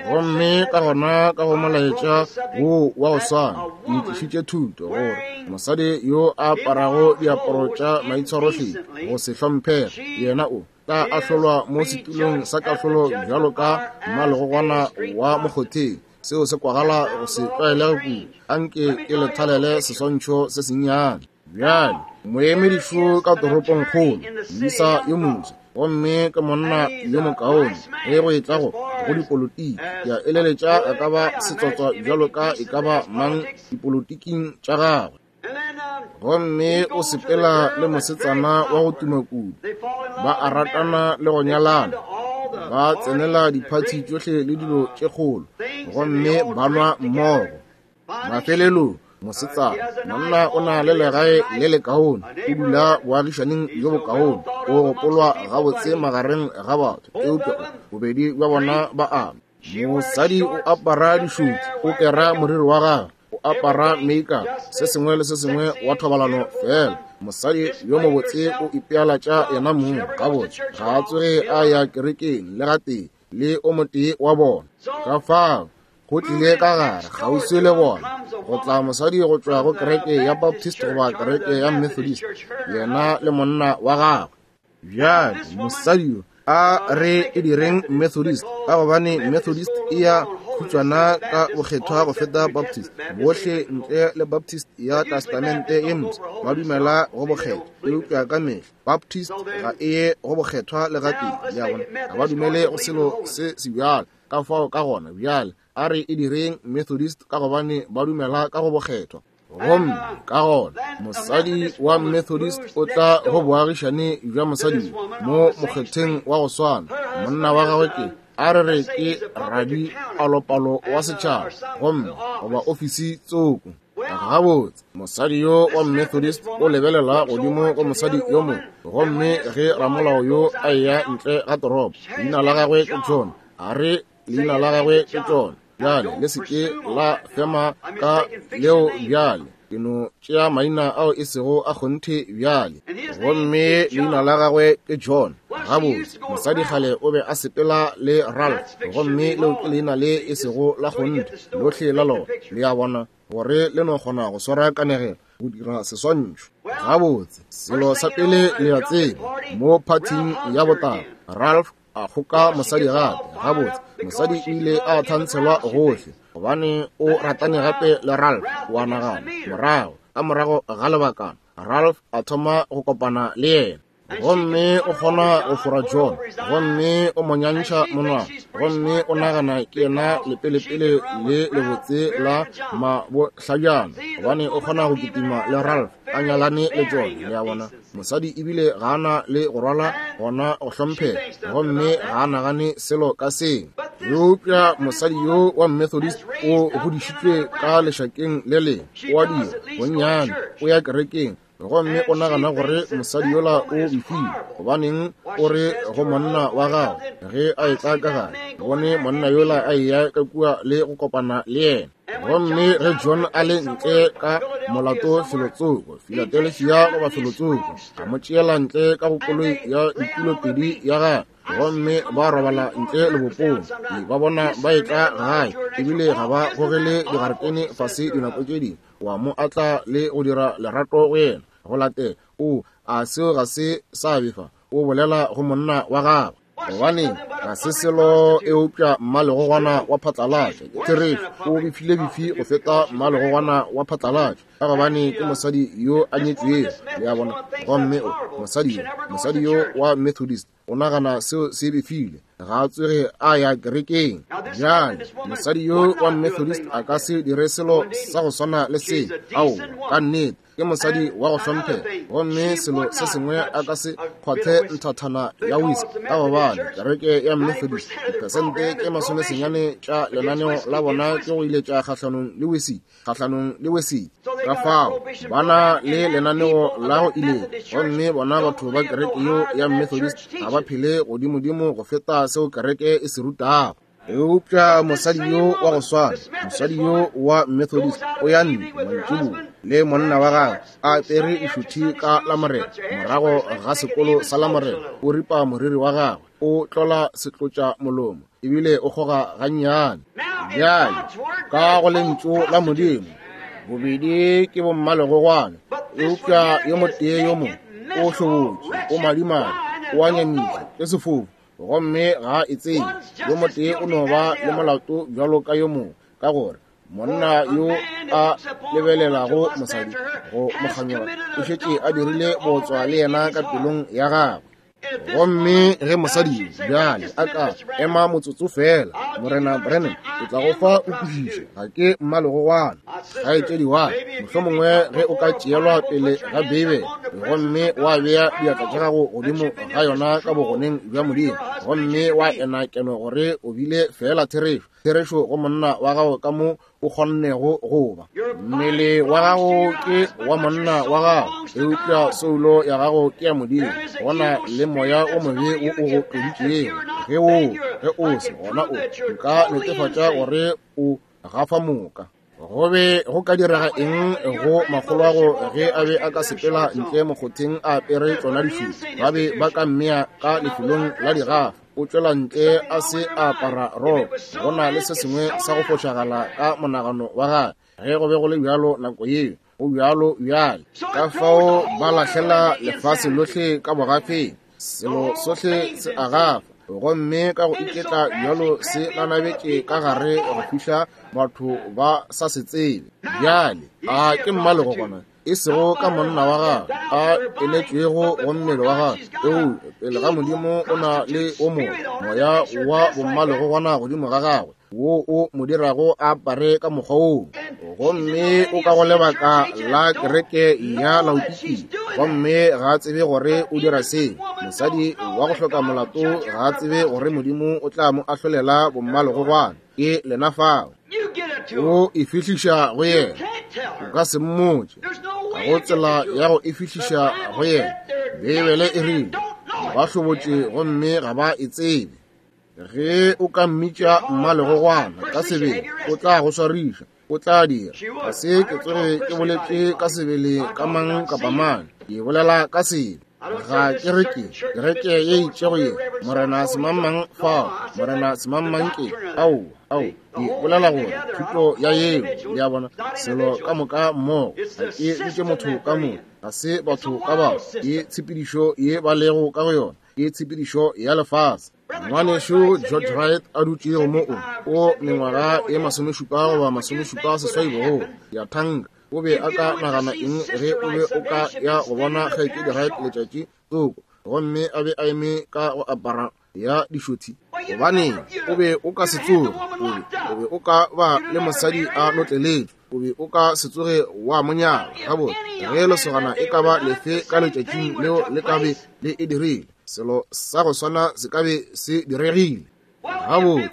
Gomme ka gona ka go molaetša wo wa go swana, ke tlišitše thuto gore Mosadi yo a aparago diaparo tša maitshwarohlephi go se hlomphege, yena o tla ahlolwa mo setulong sa kahlolo bjalo ka mmalegogwana wa mokgotheng. Seo se kwagala go se tlwaelege kudu. Anke ke le thalele seswantšho se sennyane. Bjale, moemedišo ka toropongkgolo, moisa yo moswa, gomme ke monna yo mokaone ge go etla go go dipolotiki. Ke a eleletša a ka ba setsotswa bjalo ka e ka ba mang dipolotiking tša gagwe. Gomme o sepela le mosetsana wa go tuma kudu, ba a ratana le go nyalana, ba tsenela diphathi tšohle le dilo tše kgolo, gomme ba nwa mmogo. Mafelelong, mosetsana, monna o na le legae le lekaone, o dula boagišaneng bjo bokaone, o gopolwa gabotse magareng ga batho, eupša bobedi bja bona ba ama. Mosadi o apara dišuti, o kera moriri wa gagwe, o apara makeup, se sengwe le se sengwe wa thobalano fela. Mosadi yo mobotse o ipealatša yena mong gabotse, ga a tsoge a ya kerekeng le gatee le o motee wa bona. Ka fao go tlile ka gare kgauswi le bona go tla mosadi go tšwa go kereke ya Baptist goba kereke ya Methodist, yena le monna wa gagwe. Bjale mosadi yo a re e direng Methodist, ka gobane Methodist e ya khutšwana ka bokgethwa go feta Baptist. Bohle ntle le Baptist ya Testamente ye Mpsha ba dumela go bokgethwa, eupša ka mehla Baptist ga e ye go bokgethwa le gatee. Le a bona, ga ba dumele go selo se se bjalo. Ka fao ka gona bjale a re e direng Methodist, ka gobane ba dumela ka go bokgethwa. Gomme ka gona mosadi wa Methodist o tla go boagišane bja mosadi mo mokgetheng wa go swana. Monna wa gagwe ke, a re re ke radipalopalo wa setšhaba, gomme goba ofisi tsoko. Gabotse, mosadi yo wa Methodist o lebelela godimo go mosadi yo mongwe, gomme ge ramolao yo a eya ntle ga toropo, leina la gagwe ke John, a re leina la gagwe ke John. Bjale le se ke la fema ka leo bjale, ke no tšea maina ao e sego a kgonthe bjale. Gomme leina la gagwe ke John. Gabotse, mosadi kgale o be a sepela le Ralph, gomme leo ke leina le e sego la kgonthe lohle la lona. Le a bona gore le no kgona go swara kanegelo go dira seswantšho. Gabotse, selo sa pele le a tseba, mo phathing ya botala, Ralph a kgoka mosadi gape. Gabotse, mosadi o ile a thantshelwa gohle, gobane o ratane gape le Ralph. Wa nagana, morago ka morago ga lebakana, Ralph a thoma go kopana le yena, gomme o kgona go fora John, gomme o mo nyantšha monwana, gomme o nagana ke yena lepelepele le lebotse la mabohlabjana, gobane o kgona go kitima le Ralph a nyalane le John. Le a bona, mosadi ebile ga ana le go rwala gona go hlomphega, gomme ga a nagane selo ka seng. Eupša mosadi yo wa Methodist o godišitšwe ka lešakeng le lengwe, o a dira bonnyane, o ya kerekeng, gomme o nagana gore mosadi yola o befile. Gobaneng o re go monna wa gagwe ge a etla ka gare, bone monna yola a eya ka kua le go kopana le yena. Gomme ge John a le ntle ka molato felotsoko, Philadelphia goba felotsoko, a mo tšeela ntle ka go koloi ya ditulopedi ya gagwe, gomme ba robala ntle lebopong. Ba bona ba etla gae, ebile ga ba gogele digaretene fase dinako tše dingwe. Wa mo atla le go dira lerato go yena. Go latela, o a seo ga se sa befa, o bolela go monna wa gagwe. Gobane ga se selo eupša mmalegogwana wa phatlalatša. Ke therešo, o befile befi go feta mmalegogwana wa phatlalatša, ka gobane ke mosadi yo a nyetšwego. Le a bona, gomme o mosadi yo, mosadi yo wa Methodist o nagana seo se befile, ga a tsoge a ya kerekeng. Bjale mosadi yo wa Methodist a ka se dire selo sa go swana le se. Ao, ka nnete ke mosadi wa go hlomphega, gomme selo se sengwe a ka se kgwathe nthathana ya whisky, ka gobane kereke ya Methodist dipersente tše masomesenyane tša lenaneo la bona ke go iletša kgahlanong le whisky, kgahlanong le whisky. Ka fao ba na le lenaneo la go iletša, gomme bona batho ba kereke yo ya Methodist ga ba phele godimodimo go feta seo kereke e se rutago. Eupša mosadi yo wa go swana, mosadi yo wa Methodist, o ya ntle mantšiboa le monna wa gagwe a apere dišuthi ka Lamorena, morago ga sekolo sa Lamorena, o ripa moriri wa gagwe, o tlola setlotša molomo, ebile o kgoga gannyane. Bjale ka go lentšu la Modimo, Bobedi ke bommalegogwana, eupša yo motee yo mongwe o hlobotše, o madimadi, o a nyamiša, ke sefofu, gomme ga e tsebe. Yo motee o no ba le molato bjalo ka yo mongwe, ka gore monna yo a lebelelago mosadi go mokganyoga o šetše a dirile botswa le yena ka pelong ya gagwe. Gomme ge mosadi bjale a ka ema motsotso fela, Morena Branham, ke tla go fa o kwešiše, ga ke mmalegogwana, kgaetšedi wa ka. Mohlomongwe ge o ka tšeelwa pele ga Beibele gomme wa bea diatla tša gago godimo ga yona ka bogoneng bja Modimo, gomme wa ena keno gore o bile fela therešo, therešo go monna wa gago ka mo o kgonnego go ba. Mmele wa gago ke wa monna wa gago, eupša soulo ya gago ke ya Modimo. Go na le moya o mobe wo o go tloditšego. Ge o ge o se gona, o nka netefatša gore o gafa moka. Go be go ka direga eng go makgolwago ge a be a ka sepela ntle mokgotheng a apere tšona dišupo? Ba be ba ka mmea ka lefelong la digafa. O tšwela ntle a se a apara roko. Go na le se sengwe sa go fošagala ka monagano wa gagwe. Ge go be go le bjalo nako yeo, go bjalo bjale. Ka fao ba lahlela lefase lohle ka bogafeng. Selo sohle se a gafa, gomme ka go iketla bjalo se nanabetše ka gare go fihla batho ba sa se tsebe. Bjale a ke mmalegogwana, e sego ka monna wa gagwe a eletšwego go mmele wa gagwe, eupša pele ga Modimo o na le o mongwe moya wa bommalegogwana godimo ga gagwe wo o mo dirago a apare ka mokgwa woo. Gomme o ka go lebaka la kereke ya Laodikia, gomme ga a tsebe gore o dira seo. Mosadi wa go hloka molato ga a tsebe gore Modimo o tla mo ahlolela bommalegogwana. Ke lena fao. O e fihliša go yena, o ka se mmotše. Ga go tsela ya go e fihliša go yena. Beibele e rile ba hlobotše gomme ga ba e tsebe. Ge o ka mmitša mmalegogwana ka sebele, o tla go swariša, o tla dira. Ga se ke tsoge ke boletše ka sebele ka mang kapa mang, ke bolela ka sebe. Ga ke re ke kereke ye itšego ye, Morena semangmang fao, Morena semangmang ke ao, ao, ke bolela gore thuto ya yeo, le a bona, selo ka moka mmogo. Ga ke bitše motho ka motho, ga se batho ka batho, ke tshepedišo ye ba lego ka go yona, ke tshepedišo ya lefase. Ngwanešu George Wright a dutšego mo o o mengwaga e masomešupa goba masomešupa seswai bogolo ya thanka, o be a ka nagana eng ge o be o ka ya go bona kgaetšedi Wright letšatši tsoko, gomme a be a eme ka go apara ya dišothi? Gobaneng, o be o ka se tsoge, o be o be o ka ba le mosadi a notleletšwe, o be o ka se tsoge wa mo nyala. Gabotse, ge lesogana e ka ba lefe ka letšatšing leo le ka be le e dirile, selo sa go swana se ka be se diregile. Gabotse,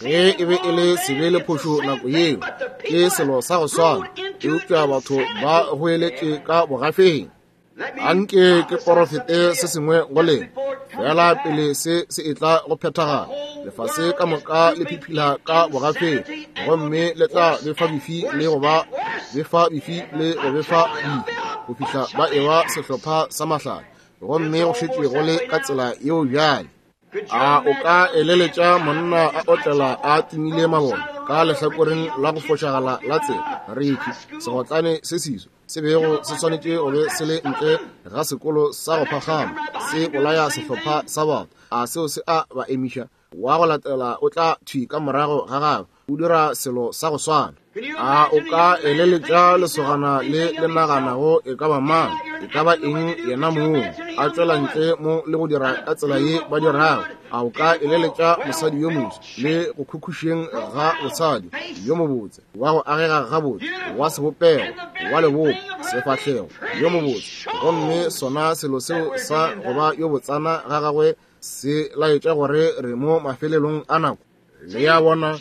ge e be e le sebe le phošo nako yeo, ke selo sa go swana, eupša batho ba goeletše ka bogafeng. Anke ke porofete se sengwe go lena fela pele se se etla go phethagala. Lefase ka moka le phiphila ka bogafeng, gomme le tla befa bifi le go ba befa bifi le go befa bifi go fihla ba ewa sehlopha sa mahlale, gomme go šetše go le ka tsela yeo bjale. A o ka eleletša monna a otlela a timile mabone ka lehlakoreng la go fošagala la tsela, rethi segotlane se seso se bego se swanetše go be se le ntle ga sekolo sa go phagama, se bolaya sehlopha sa batho? A seo se a ba emiša? Wa go latela o tla thwi ka morago ga gagwe, o dira selo sa go swana. A o ka eleletša lesogana le le naganago e ka ba mang, e ka ba eng yena mong, a tšwela ntle mo le go dira ka tsela ye ba dirago? A o ka eleletša mosadi yo moso le go khukhušeng ga bosadi yo mobotse, wa go agega gabotse, wa sebopego, wa lebopo, sefahlego, yo mobotse, gomme sona selo seo sa go ba yo botsana ga gagwe se laetša gore re mo mafelelong a nako? Le a bona,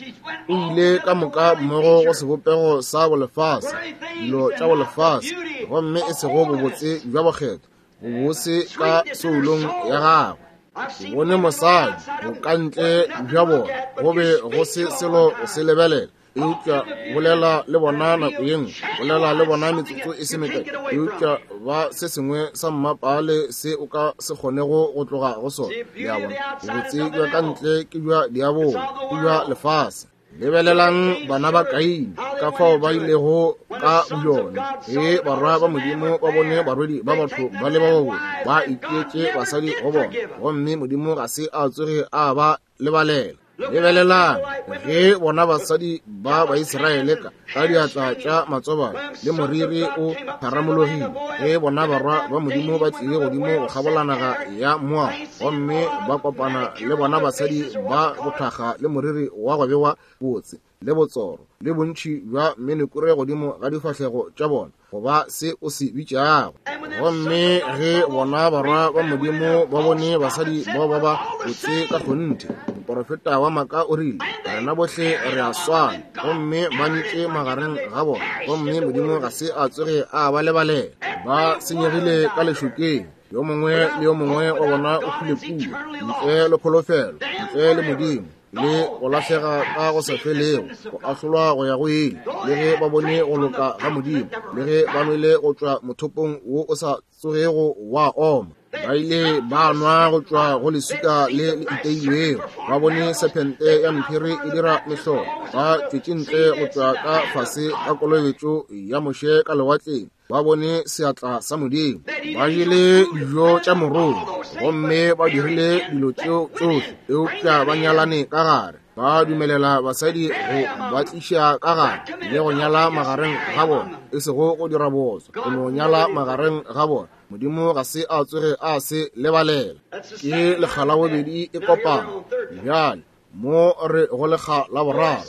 o ile ka moka mmogo go sebopego sa bolefase, dilo tša bolefase, gomme e sego bobotse bja bokgethwa, bobose ka soulong ya gagwe. Ke bone mosadi bokantle bja bona, go be go se selo go se lebelela, eupša bolela le bona nako ye nngwe, bolela le bona metsotso e se mekae, eupša ba se sengwe sa mmapale se o ka se kgonego go tloga go sona. Le a bona, bobotse bja ka ntle ke bja diabolo, ke bja lefase. Lebelelang bana ba Kaine Ka fao ba ilego ka bjona ge barwa ba Modimo ba bone barwedi ba batho ba le ba babotse, ba itšeetše basadi go bona, gomme Modimo ga se a tsoge a ba lebalela. Lebelelang ge bona basadi ba Baisraele ka ka diatla tša matsobane le moriri o pharamologile, ge bona barwa ba Modimo ba tlile godimo go kgabola naga ya Moab, gomme ba kopana le bona basadi ba bothakga le moriri wa go bewa botse le botsoro le bontši bja menekure godimo ga difahlego tša bona, goba se o se bitšago. Gomme ge bona barwa ba Modimo ba bone basadi bao ba ba botse ka kgonthe, moporofeta wa maaka o rile, rena bohle re a swana, gomme ba ntše magareng ga bona, gomme Modimo ga se a tsoge a ba lebalela. Ba senyegile ka lešokeng, yo mongwe le yo mongwe wa bona o hwile kua, ntle le kholofelo, ntle le Modimo, le go lahlega ka go sa felego, go ahlolwa go ya go ile, le ge ba bone go loka ga Modimo, le ge ba nwele go tšwa mothopong wo o sa tsogego wa oma. Ba ile ba nwa go tšwa go leswika le le iteilwego, ba bone sephente ya mphiri e dira mehlolo, ba tšwetše ntle go tšwa ka fase ga kolobetšo ya Moshe ka lewatleng, ba bone seatla sa Modimo, ba jele dijo tša morogo, gomme ba dirile dilo tšeo tšohle, eupša ba nyalane ka gare, ba dumelela basadi go ba tliša ka gare le go nyala magareng ga bona, e sego go dira botswa, go no nyala magareng ga bona. Modimo ga se a tsoge a se lebalela. Ke lekga la bobedi e kopana. Bjale mo re go lekga la boraro,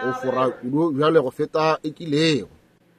o fora kudu bjale go feta e kilego.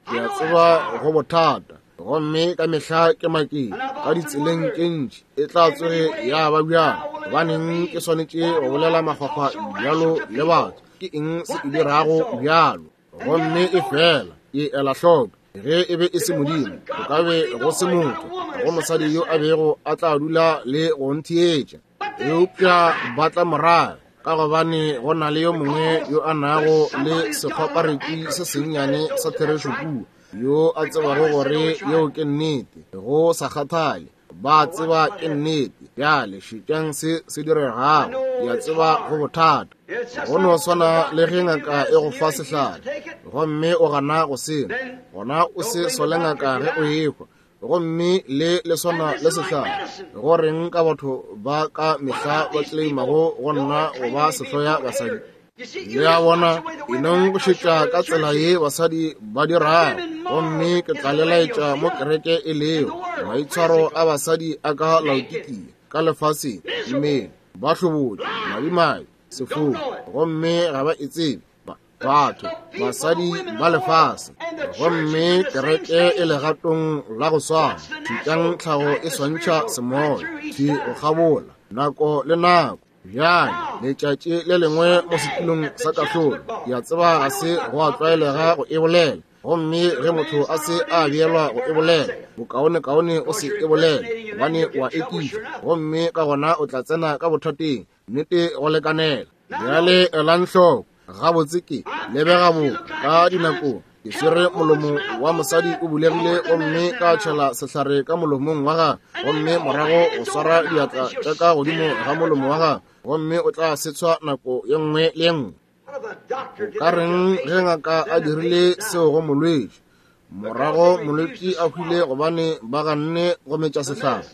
Ke a tseba go bothata, gomme ka mehla ke makeng ka ditseleng tše ntši e tla tsoge ya ba bjalo. Gobaneng ke swanetše go bolela makgwakgwa bjalo le batho? Ke eng se e dirago bjalo? Gomme e fela ke ela hloko, ge e be e se Modimo, go ka be go se motho, go mosadi yo a bego a tla dula le go ntheetša. Eupša ba tla morago, ka gobane go na le yo mongwe yo a nago le sekgwaparetši se sennyane sa therešo kua, yo a tsebago gore yeo ke nnete, go sa kgathale, ba tseba ke nnete. Bjale šetšang se se diregago, ke a tseba go bothata. Go no swana le ge ngaka e go fa sehlare, gomme o gana go se nwa, gona o se sole ngaka ge o ehwa, gomme le le swana le sehlare. Go reng ka batho ba ka mehla ba claimago go nna go ba sehloya basadi? Le a bona, e nong go šetša ka tsela ye basadi ba dirago, gomme ke tla le laetša mo kereke e lego. Maitshwaro a basadi a ka Laodikia, ka lefaseng, mmele, ba hlobotše, madimabe, sefofu, gomme ga ba e tsebe. Batho, basadi ba lefase, gomme kereke e legatong la go swana. Šetšang tlhago e swantšha semoya, thwi go kgabola, nako le nako. Bjale, letšatši le lengwe mo setulong sa kahlolo, ke a tseba ga se go a tlwaelega go e bolela, gomme ge motho a se a beelwa go e bolela, bokaonekaone o se e bolele, gobane o a ekiša, gomme ka gona o tla tsena ka bothateng, nnete go lekanela. Bjale elang hloko, gabotse ke lebega bo ka dinakong ke swere molomo wa mosadi o bulegile, gomme ka tšhela sehlare ka molomong wa gagwe, gomme morago o swara diatla tša ka godimo ga molomo wa gagwe, gomme o tla se tshwa nako ye nngwe le ye nngwe. O ka reng ge ngaka a dirile seo go molwetši, morago molwetši a hwile gobane ba ganne go metša sehlare?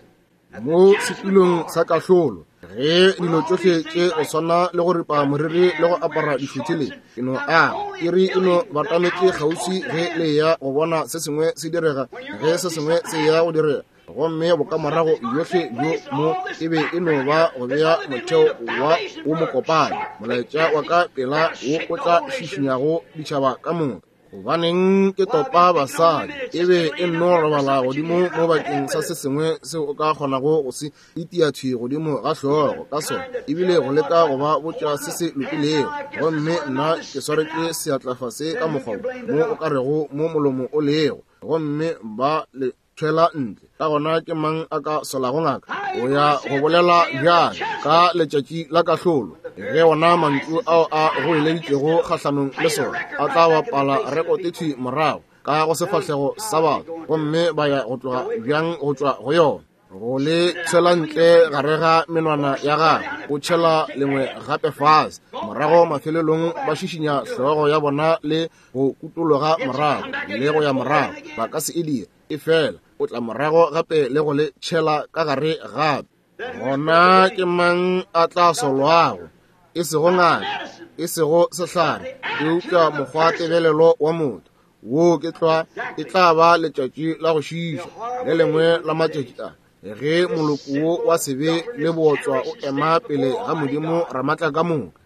Mo setulong sa kahlolo, ge dilo tšohle tše go swana le go ripa moriri le go apara dišuthi le ke no a iri e no batametše kgauswi ge le ya go bona se sengwe se direga, ge se sengwe se ya go direga, gomme bokamorago bjohle bjo mo e be e no ba go bea motheo wa wo mokopana, molaetša wa ka pela wo o tla šišinyago ditšhaba ka moka. Gobaneng ke topa basadi, e be e nno robala godimo mo bakeng sa se sengwe seo o ka kgonago go se itia thwi godimo ga hlogo ka sona, ebile go leka go ba botša se se lokilego, gomme nna ke swaretše seatla fase ka mokgwa mo o ka rego mo molomo o lego, gomme ba le tšwela ntle. Ka gona ke mang a ka solago ngaka? O ya go bolela bjang ka letšatši la kahlolo, ge ona mantšu ao a goeleditšego kgahlanong le sona a tla bapala rekote thwi morago ka go sefahlego sa batho, gomme ba ya go tloga bjang go tšwa go yona? Go le tshela ntle gare ga menwana ya gagwe, o tšhela lengwe gape fase. Morago mafelelong ba šišinya hlogo ya bona le go kutologa morago le go ya morago. Ba ka se e dire, efela o tla morago gape le go le tšhela ka gare gape. Gona ke mang a tla solwago? E sego ngaka, e sego sehlare, eupša mokgwa tebelelo wa motho. Wo ke tlwa e tla ba letšatši la go šiša, le lengwe la matšatši a ge moloko wo wa sebe le bootswa o ema pele ga Modimo Ramatla ka moka.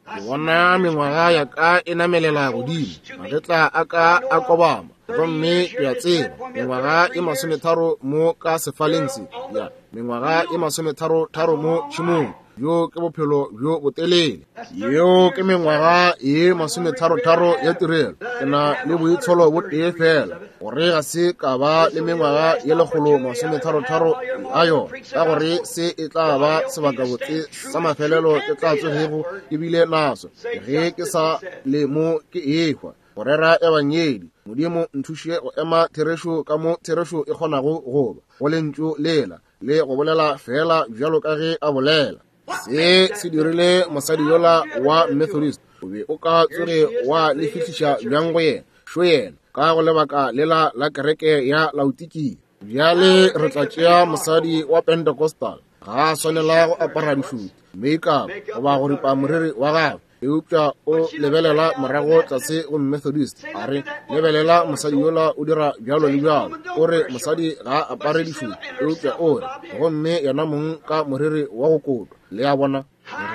Ke bona mengwaga ya ka e namelela godimo, magetla a ka a kobama, gomme ke a tseba mengwaga e masometharo mo ka sefaleng se, ya mengwaga e masometharo-tharo mo tšhemong. Bjo ke bophelo bjo botelele. Yeo ke mengwaga ye masometharo-tharo ya tirelo. Ke na le boitsholo bo tee fela, gore ga se ka ba le mengwaga ye lekgolo masometharo-tharo a yona, ka gore se e tla ba sebakabotse sa mafelelo ke tla tsogego ke bile naso ge ke sa le mo ke ehwa. Go rera ebangedi, Modimo nthuše go ema therešo ka mo therešo e kgonago go ba, go lentšu lela, le go bolela fela bjalo ka ge a bolela. Se se dirile mosadi yola wa Methodist. O be o ka tsoge wa le fihliša bjang go yena? Šo yena, ka go lebaka lela la kereke ya Laodikia. Bjale re tla tšea mosadi wa Pentecostal. Ga a swanela go apara dišuti, makeup, goba go ripa moriri wa gagwe, eupša o lebelela morago tlase go Methodist. A re, lebelela mosadi yola o dira bjalo le bjalo. O re mosadi ga a apare dišuti, eupša o re, gomme yena mong ka moriri wa go kotwa. Le a bona?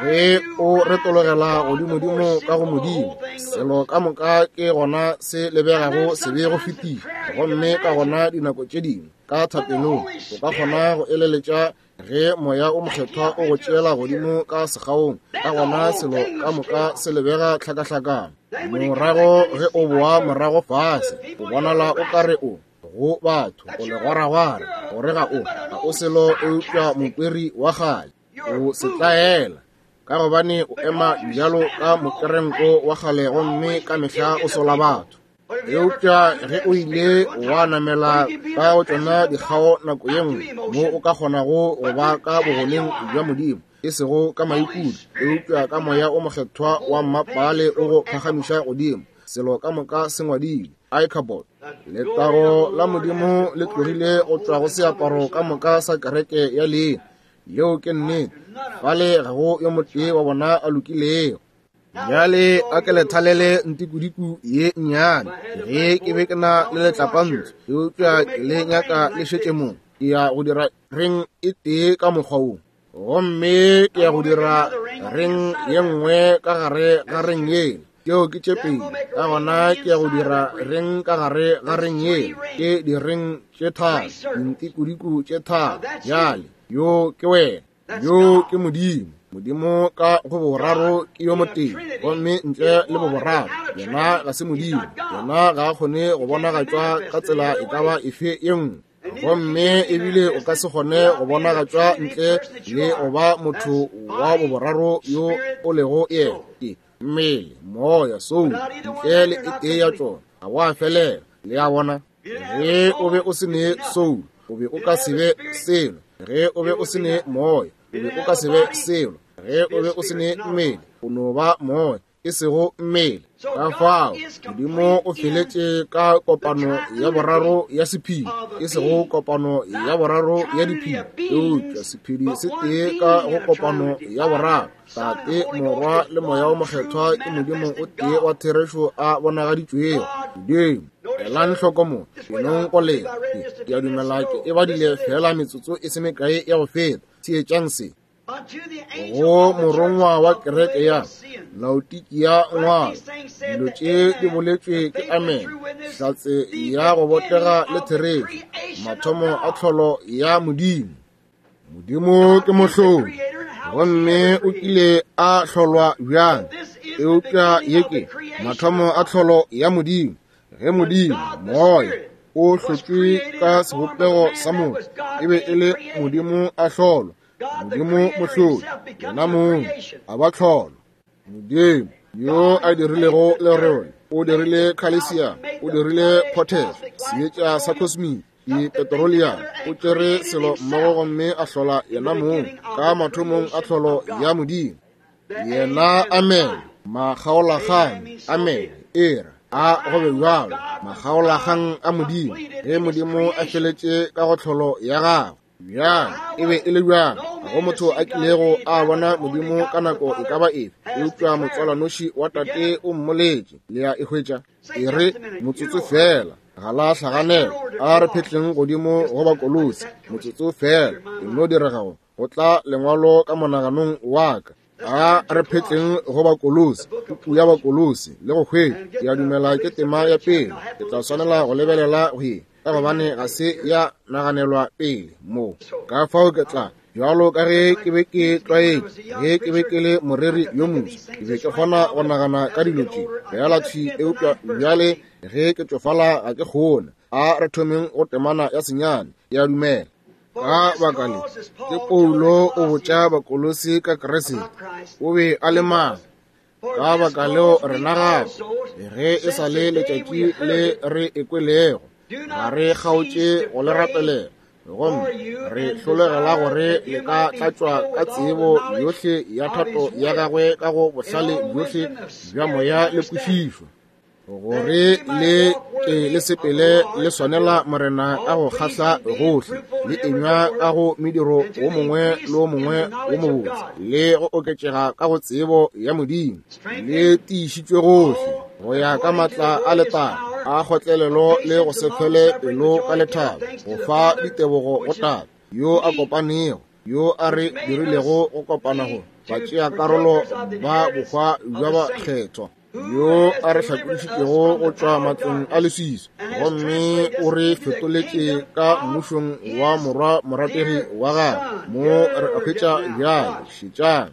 Ge o retologela godimodimo ka go Modimo, selo ka moka ke gona se lebegago sebe go fetiša. Gomme ka gona dinako tše dingwe ka thapelong o ka kgona go eleletša ge moya o mokgethwa o go tšeela godimo ka segaong, ka gona selo ka moka se lebega tlhakahlakano. Morago ge o boa morago fase, o bonala o ka re o go batho, o legwaragwara, gore ga o ga o selo eupša mokweri wa kgale. O setlaela, ka gobane o ema bjalo ka mokerenko wa kgale gomme ka mehla o sola batho. Eupša ge o ile wa namela ka go tšona dikgao nako ye nngwe, mo o ka kgonago go ba ka bogoneng bja Modimo, e sego ka maikutlo, eupša ka moya o mokgethwa wa mmapale o go phagamiša godimo, selo ka moka se ngwadilwe Ichabod. Letago la Modimo le tlogile go tšwa go seaparo ka moka sa kereke ya leina. Yeo ke nnete. Fale ga go yo motee wa bona a lokilego. Bjale a ke le thalele ntikudiku ye nnyane. Ge ke be ke na le letlapantsho, eupša ke le nyaka le šetše mo. Ke ya go dira reng e tee ka mokgwa wo, gomme ke ya go dira reng ye nngwe ka gare ga reng yela. Tšeo ke tše pedi. Ka gona ke ya go dira reng ka gare ga reng yela. Ke direng tše tharo, dintikudiku tše tharo. Bjale yo ke wena, yo ke Modimo. Modimo ka go boraro ke yo motee, gomme ntle le boboraro yena ga se Modimo. Yena ga a kgone go bonagatšwa ka tsela e ka ba efe ye nngwe, gomme ebile o ka se kgone go bonagatšwa ntle le go ba motho wa boboraro yo o lego yena. Ke mmele, moya, soul, ntle le e tee ya tšona ga wa felela. Le a bona? Ge o be o se ne soul, o be o ka se be selo. Ge o be o se ne moya, o be o ka se be selo. Ge o be o se ne mmele, o no ba moya, e sego mmele. Ka fao Modimo o feletše ka kopano ya boraro ya sephedi, e sego kopano ya boraro ya diphedi, eupša sephedi se tee ka go kopano ya boraro. Tate, Morwa le Moya o Mokgethwa ke Modimo o tee wa therešo a bonagaditšwego. Modimo, elang hloko mo, enong go lena. Ke a dumela ke e badile fela metsotso e se mekae ya go feta. Theetšang se. Go morongwa wa kereke ya Laodikia ngwala, dilo tše di boletšwe ke Amen, hlatse ya go botega le therešo, mathomo a tlholo ya Modimo. Modimo ke mohlodi, gomme o kile a hlolwa bjang? Eupša ye ke mathomo a tlholo ya Modimo. Ge Modimo, moya, o hlotšwe ka sebopego sa motho, e be e le Modimo a hlolwa. Modimo mohlodi, yena mong, a ba tlholo. Modimo yo a dirilego lerole, o dirile calcium, o dirile potash, seetša sa cosmic, Dipetroleum. O tšere selo mmogo gomme a hlola yena mong ka mathomong a tlholo ya Modimo. Yena amen, makgaolakgang, amen, era a go be bjalo, makgaolakgang a Modimo, ge Modimo a feletše ka go tlholo ya gagwe. Bjang e be e le bjang? Ga go motho a kilego a bona Modimo ka nako e ka ba efe, eupša motswalwanoši wa Tate o mmoletše. Le a e hwetša? E re motsotso fela, ga la hlaganela. A re phetleng godimo go Bakolosi motsotso fela, e no diregago go tla lengwalo ka monaganong wa ka. A re phetleng go Bakolosi, puku ya Bakolosi, le go hwetša. Ke a dumela ke tema ya pele. Ke tla swanela go lebelela go ye, ka gobane ga se ya naganelwa pele mo. Ka fao ke tla, bjalo ka ge ke be ke tlwaetše, ge ke be ke le moreri yo moswa, ke be ke kgona go nagana ka dilo tše fela thwi, eupša bjale ge ke tšofala ga ke kgone. A re thomeng go temana ya senyane, ke a dumela. Ka baka le, ke Paulo o botša Bakolosi ka Kriste, o be a le mang. Ka baka leo rena gape, ge e sa le letšatši le re ekwelego, ga re kgaotše go le rapelela, gomme re hlolegela gore le ka tlatšwa ka tsebo yohle ya thato ya gagwe ka go bohlale bjohle bja moya le kwešišo, gore le ke le sepele le swanela Morena ka go kgahla gohle, le enywa ka go mediro wo mongwe le wo mongwe wo mobotse, le go oketšega ka go tsebo ya Modimo, le tiišitšwe gohle go ya ka matla a letago a kgotlelelo le go se fele pelo ka lethabo, go fa ditebogo go Tate yo a kopanego, yo a re dirilego go kopana go batšeakarolo ba bohwa bja bakgethwa, yo a re hlakodišitšego go tšwa matlong a leswiswi, gomme o re fetoletše ka mmušong wa morwa morategi wa gagwe. Mo re hwetša bjale, šetšang.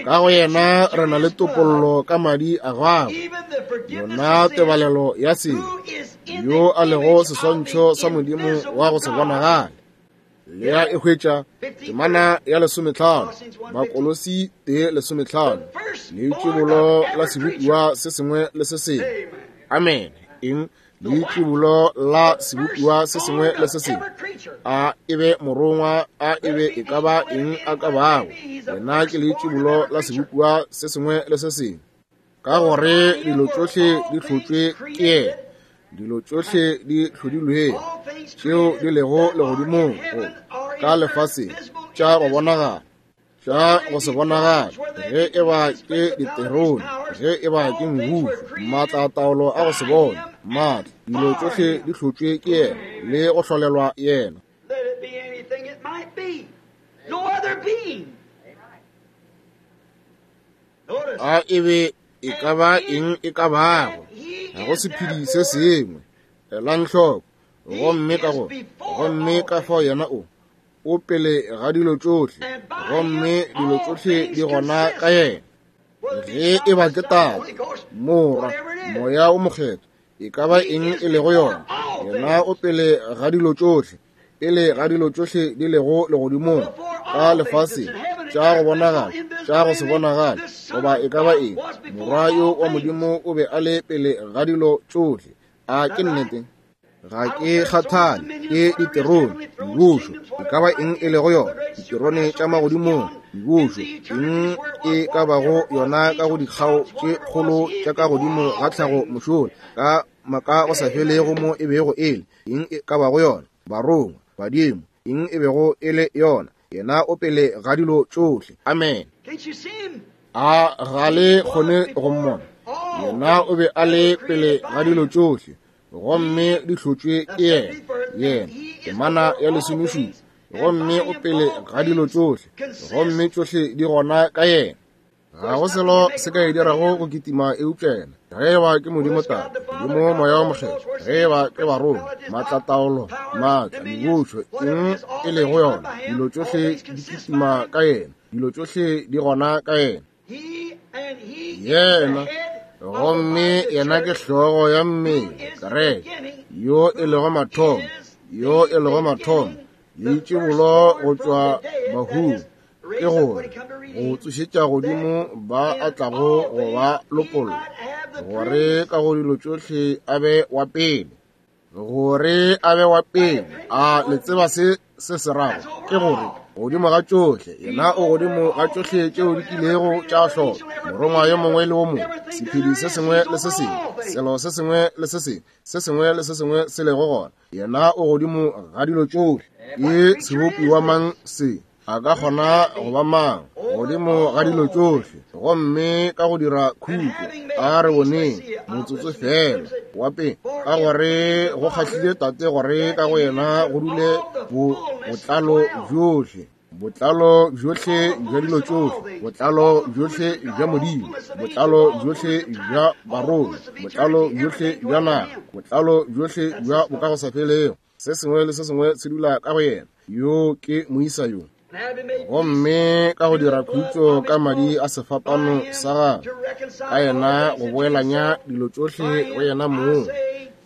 Ka go yena re na le topollo ka madi a gagwe, yona tebalelo ya sebe, yo a lego seswantšho sa Modimo wa go se bonagale. Le a e hwetša? Temana ya lesometlhano, Bakolosi tee lesometlhano, leitšibolo la sebopiwa se sengwe le se sengwe. Amen. Eng? Leitšibolo la sebopiwa se sengwe le se sengwe. A e be morongwa, a e be e ka ba eng a ka bago, yena ke leitšibolo la sebopiwa se sengwe le se sengwe. Ka gore dilo tšohle di hlotšwe ke yena, dilo tšohle di hlodilwego, tšeo di lego legodimong go ka lefaseng, tša go bonagala, tša go se bonagale, ge e ba ke diterone, ge e ba ke mebušo, maatla a taolo a go se bone, maatla, dilo tšohle di hlotšwe ke yena le go hlolelwa yena. Let it be anything it might be. No other being. Notice. A e be e ka ba eng e ka bago, ga go sephedi se sengwe. Elang hloko, gomme ka go, gomme ka fao yena o, o pele ga dilo tšohle, gomme dilo tšohle di gona ka yena. Ge e ba ke Tate, Morwa, Moya o Mokgethwa, e ka ba eng e lego yona, yena o pele ga dilo tšohle, pele ga dilo tšohle di lego legodimong, ka lefaseng, tša go bonagala, tša go se bonagale, goba e ka ba eng, Morwa yo wa Modimo o be a le pele ga dilo tšohle. A ke nnete? Ga ke kgathale ke diterone, mebušo, e ka ba eng e lego yona, diterone tša magodimong, mebušo, eng e ka bago yona ka go dikgao tše kgolo tša ka godimo ga tlhago mošola, ka maka go sa felego mo e bego e le, eng e ka bago yona, barongwa, badimo, eng e bego e le yona, yena o pele ga dilo tšohle. Amen. Can't you see him? A ga le kgone go mmona? Yena o be a le pele ga dilo tšohle, gomme di hlotšwe ke yena, yena, temana ya lesomešupa, gomme o pele ga dilo tšohle, gomme tšohle di gona ka yena. Ga go selo se ka e dirago go kitima eupša yena. Ge e ba ke Modimo Tate, Modimo Moya o Mokgethwa, ge e ba ke barongwa, maatlataolo, maatla, mebušo, eng e lego yona, dilo tšohle di kitima ka yena, dilo tšohle di gona ka yena. He and he is Yena, the head of the gomme body, the yena ke church, hlogo ya mmele, who is the kereke, beginning, yo e lego who mathomo, is yo the e lego mathomo, beginning, the leitšibolo go firstborn tšwa from the dead, that bahung, is, ke raised up gore when he come to go redeem, tsošetša godimo that ba in a tlago all go ba things he lopolla, might have gore ka go dilo tšohle a be wa pele. Gore a be wa pele. A le tseba se se se rago? Ke gore godimo ga tšohle, yena o godimo ga tšohle tšeo di kilego tša hlolwa, morongwa yo mongwe le wo mongwe, sephedi se sengwe le se sengwe, selo se sengwe le se sengwe, se sengwe le se sengwe se lego gona, yena o godimo ga dilo tšohle. Ke sebopiwa mang se? A ka kgona go ba mang godimo ga dilo tšohle? Gomme ka go dira khutšo, a re boneng motsotso fela wa pele, ka gore go kgahlile Tate gore ka go yena go dule botlalo bjohle, botlalo bjohle bja dilo tšohle, botlalo bjohle bja Modimo, botlalo bjohle bja barongwa, botlalo bjohle bja naga, botlalo bjohle bja bokagosafelego. Se sengwe le se sengwe se dula ka go yena. Yo ke moisa yo. Gomme ka go dira khutšo ka madi a sefapano sa gagwe, ka yena go boelanya dilo tšohle go yena mong,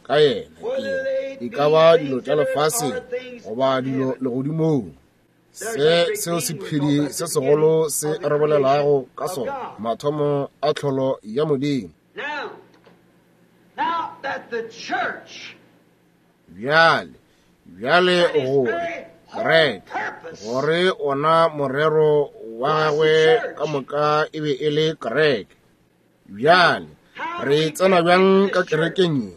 ka yena ke e ka ba dilo tša lefaseng goba dilo legodimong. Se seo sephedi se segolo se re bolelago ka sona, mathomo a tlholo ya Modimo. Bjale, bjale gore kereke, gore ona morero wa gagwe ka moka e be e le kereke. Bjale re tsena bjang ka kerekeng ye?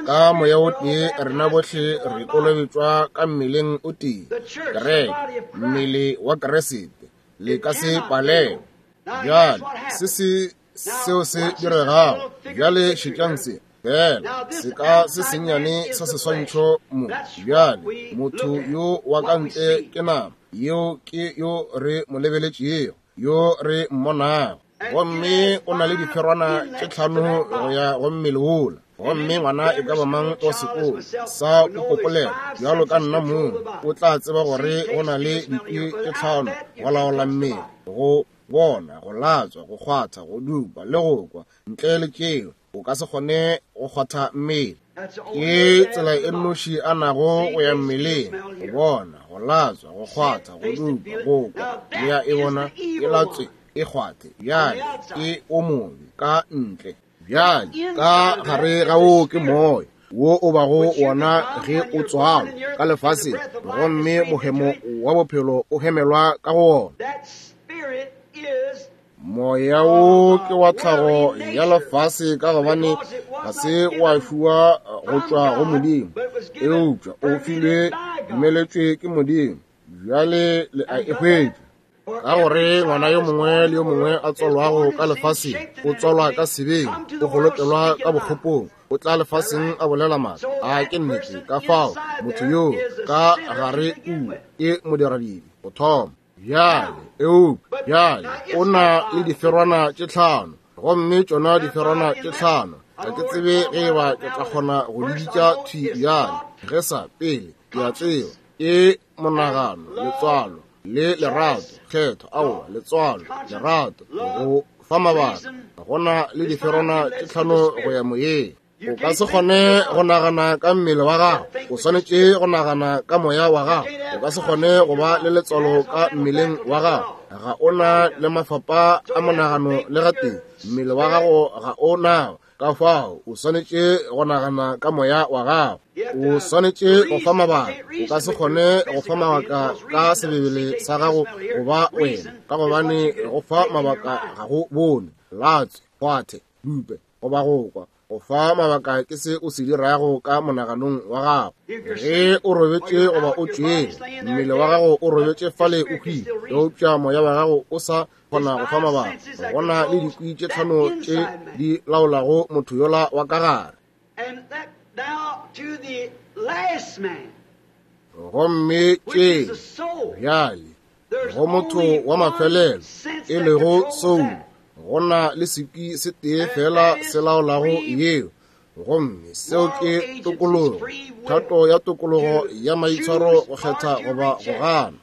Ka moya o tee rena bohle re kolobetšwa ka mmeleng o tee, kereke, mmele wa Kriste. Le ka se palelwe. Bjale se se seo se diregago. Bjale šetšang se fela, seka se sennyane sa seswantšho mo. Bjale motho yo wa ka ntle ke nama, yeo ke yo re mo lebeletšego, yo re mmonago. Gomme o na le diferwana tše tlhano go ya go mmele wola. Gomme ngwana e ka ba mang wa sekolo sa bopopolela bjalo ka nna mong o tla tseba gore go na le dikwi tše tlhano go laola mmele, go bona, go latswa, go kgwatha, go dupa le go kwa. Ntle le tšeo o ka se kgone go kgwatha mmele. Ke tsela e nnoši a nago go ya mmeleng, go bona, go latswa, go kgwatha, go dupa, go kwa. Le ya e bona e latswe, e kgwathe. Bjale ke o mobe ka ntle. Bjale ka gare ga wo ke moya wo o bago wona ge o tswalwa ka lefaseng, gomme mohemo wa bophelo o hemelwa ka go wona. Moya wo ke wa tlhago ya lefase ka gobane ga se wa fiwa go tšwa go Modimo, eupša o filwe dumeletšwe ke Modimo. Bjale le a e hwetša. Ka gore ngwana yo mongwe le yo mongwe a tswalwago ka lefaseng o tswalwa ka sebeng, o golokelwa ka bokgopong, o tla lefaseng a bolela maaka. A ke nnete? Ka fao motho yo ka gare kua ke modiradibe go thoma. Bjale eupša bjale o na le diferwana tše tlhano, gomme tšona diferwana tše tlhano ga ke tsebe ge e ba ke tla kgona go di bitša thwi bjale. Ge sa pele ke a tseba ke monagano, letswalo le lerato, kgetho, aowa, letswalo, lerato, go fa mabaka. Go na le diferwana tše tlhano go ya moyeng. O ka se kgone go nagana ka mmele wa gago, o swanetše go nagana ka moya wa gago. O ka se kgone go ba le letswalo ka mmeleng wa gago, ga o na le mafapa a monagano le gatee, mmele wa gago ga o nao. Ka fao o swanetše go nagana ka moya wa gago. O swanetše go fa mabaka. O ka se kgone go fa mabaka ka sebebele sa gago goba wena, ka gobane go fa mabaka ga go bone, latswe, kgwathe, dupe goba go kwa. Go fa mabaka ke se o se dirago ka monaganong wa gago. Ge o robetše goba o tšwele, mmele wa gago o robetše fale o hwile, eupša moya wa gago o sa kgona go fa mabaka. Go na le dikwi tše tlhano tše di laolago motho yola wa ka gare. Gomme tše bjale go motho wa mafelelo e lego soul, go na le sekwi se tee fela se laolago yeo, gomme seo ke tokologo, thato ya tokologo ya maitshwaro, go kgetha goba go gana.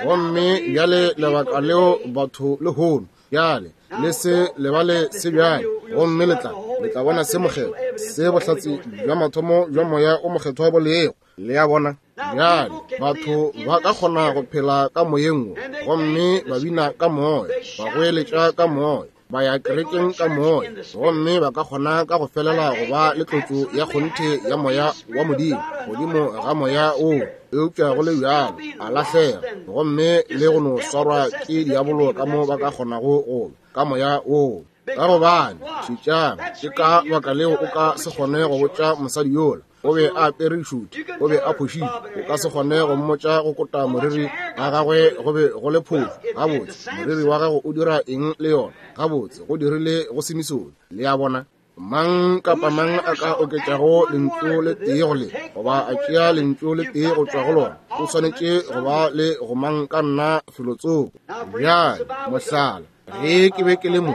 Gomme bjale lebaka leo batho lehono bjale le se lebale se bjale, gomme le tla le tla bona se mokgetho se bohlatse bja mathomo bja moya o mokgethwa bo lego. Le a bona? Bjale batho ba ka kgona go phela ka moyeng wo, gomme ba bina ka moya, ba goeletša ka moya, Ba ya kerekeng ka moya, gomme ba ka kgona ka go felela go ba le tlotšo ya kgonthe ya moya wa Modimo godimo ga moya woo, eupša go le bjalo a lahlega gomme le go no swarwa ke diabolo ka mo ba ka kgonago go ka moya woo. Ka gobane šetšang, ke ka baka leo o ka se kgone go botša mosadi yola o be a apere dišuti, o be a phošitše. O ka se kgone go mmotša go kota moriri ga gagwe go be go le phošo. Gabotse, moriri wa gago o dira eng le yona? Gabotse, go dirile go Simisone. Le a bona? Mang kapa mang a ka oketšago lentšu le tee go le, goba a tšea lentšu le tee go tšwa go lona, o swanetše go ba le go mang ka nna felotsoko. Bjale, mohlala, ge ke be ke le mo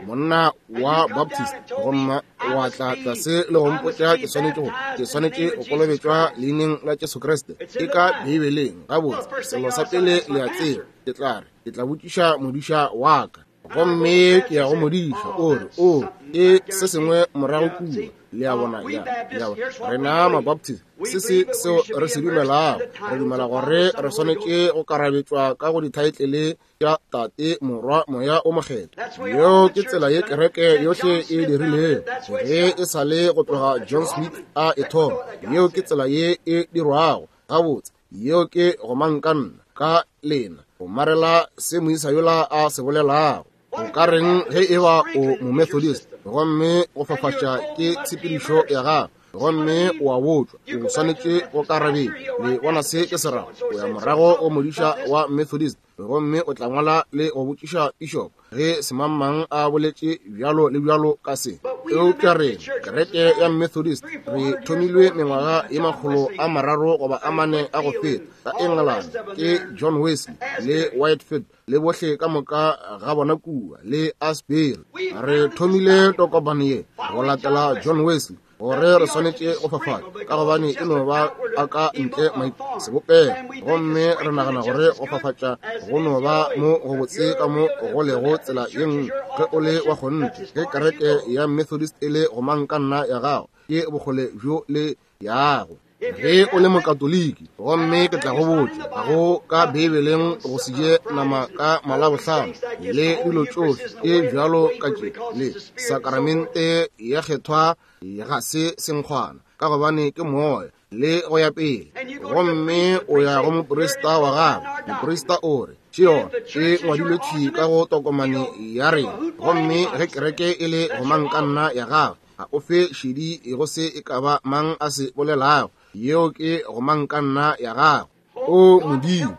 monna wa Baptist, gomme wa tla tlase le go mpotša ke swanetše go ke swanetše go kolobetšwa leineng la Jesu Kriste, e ka Beibeleng. Gabotse, selo sa pele le a tseba, ke tla re ke tla botšiša modiša wa ka, gomme ke ya go modiša, o re o ke se sengwe morago kua. Le a bona? Ya, ya, rena Mabaptist, se se seo re se dumelago, re dumela gore re swanetše go karabetšwa ka go dithaetlele tša Tate, Morwa, Moya o Mokgethwa. Yeo ke tsela ye kereke yohle e dirilego ge e sa le go tloga John Smith a e thoma. Yeo ke tsela ye e dirwago. Gabotse, yeo ke gomangkanna ka lena go marela se moisa yola a se bolelago. O ka reng ge e ba o Momethodist gomme go fafatša ke tshepedišo ya gago, gomme o a botšwa o swanetše go karabetša? Le bona se ke se rago? O ya morago go modiša wa Methodist gomme o tla ngwala le go botšiša bishop ge semangmang a boletše bjalo le bjalo ka se. Eupša re kereke ya Methodist re thomilwe mengwaga ye makgolo a mararo goba a mane a go feta ka England ke John Wesley le Whitefield le bohle ka moka ga bona kua le Asbury. Re thomile tokomane ye go latela John Wesley gore re swanetše go fafatša, ka gobane e no ba a ka ntle sebopego, gomme re nagana gore go fafatša go no ba mo go botse ka mo go lego tsela ye nngwe. Ge o le wa kgonthe, ge kereke ya Methodist e le gomangkanna ya gago, ke bokgole bjo le yago. Ge o le Mokatoliki, gomme ke tla go botša, ga go ka Beibeleng go se je nama ka Malabohlano le dilo tšohle tše bjalo ka tše, le sakramente ya kgethwa ga se senkgwana, ka gobane ke moya, le go ya pele. Gomme o ya go moprista wa gago, moprista o re tšeo e ngwadilwe thwi ka go tokomane ya rena, gomme ge kereke e le gomangkanna ya gago, ga o fe šedi go se e ka ba mang a se bolelago. Yeo ke gomangkanna ya gago. O Modimo,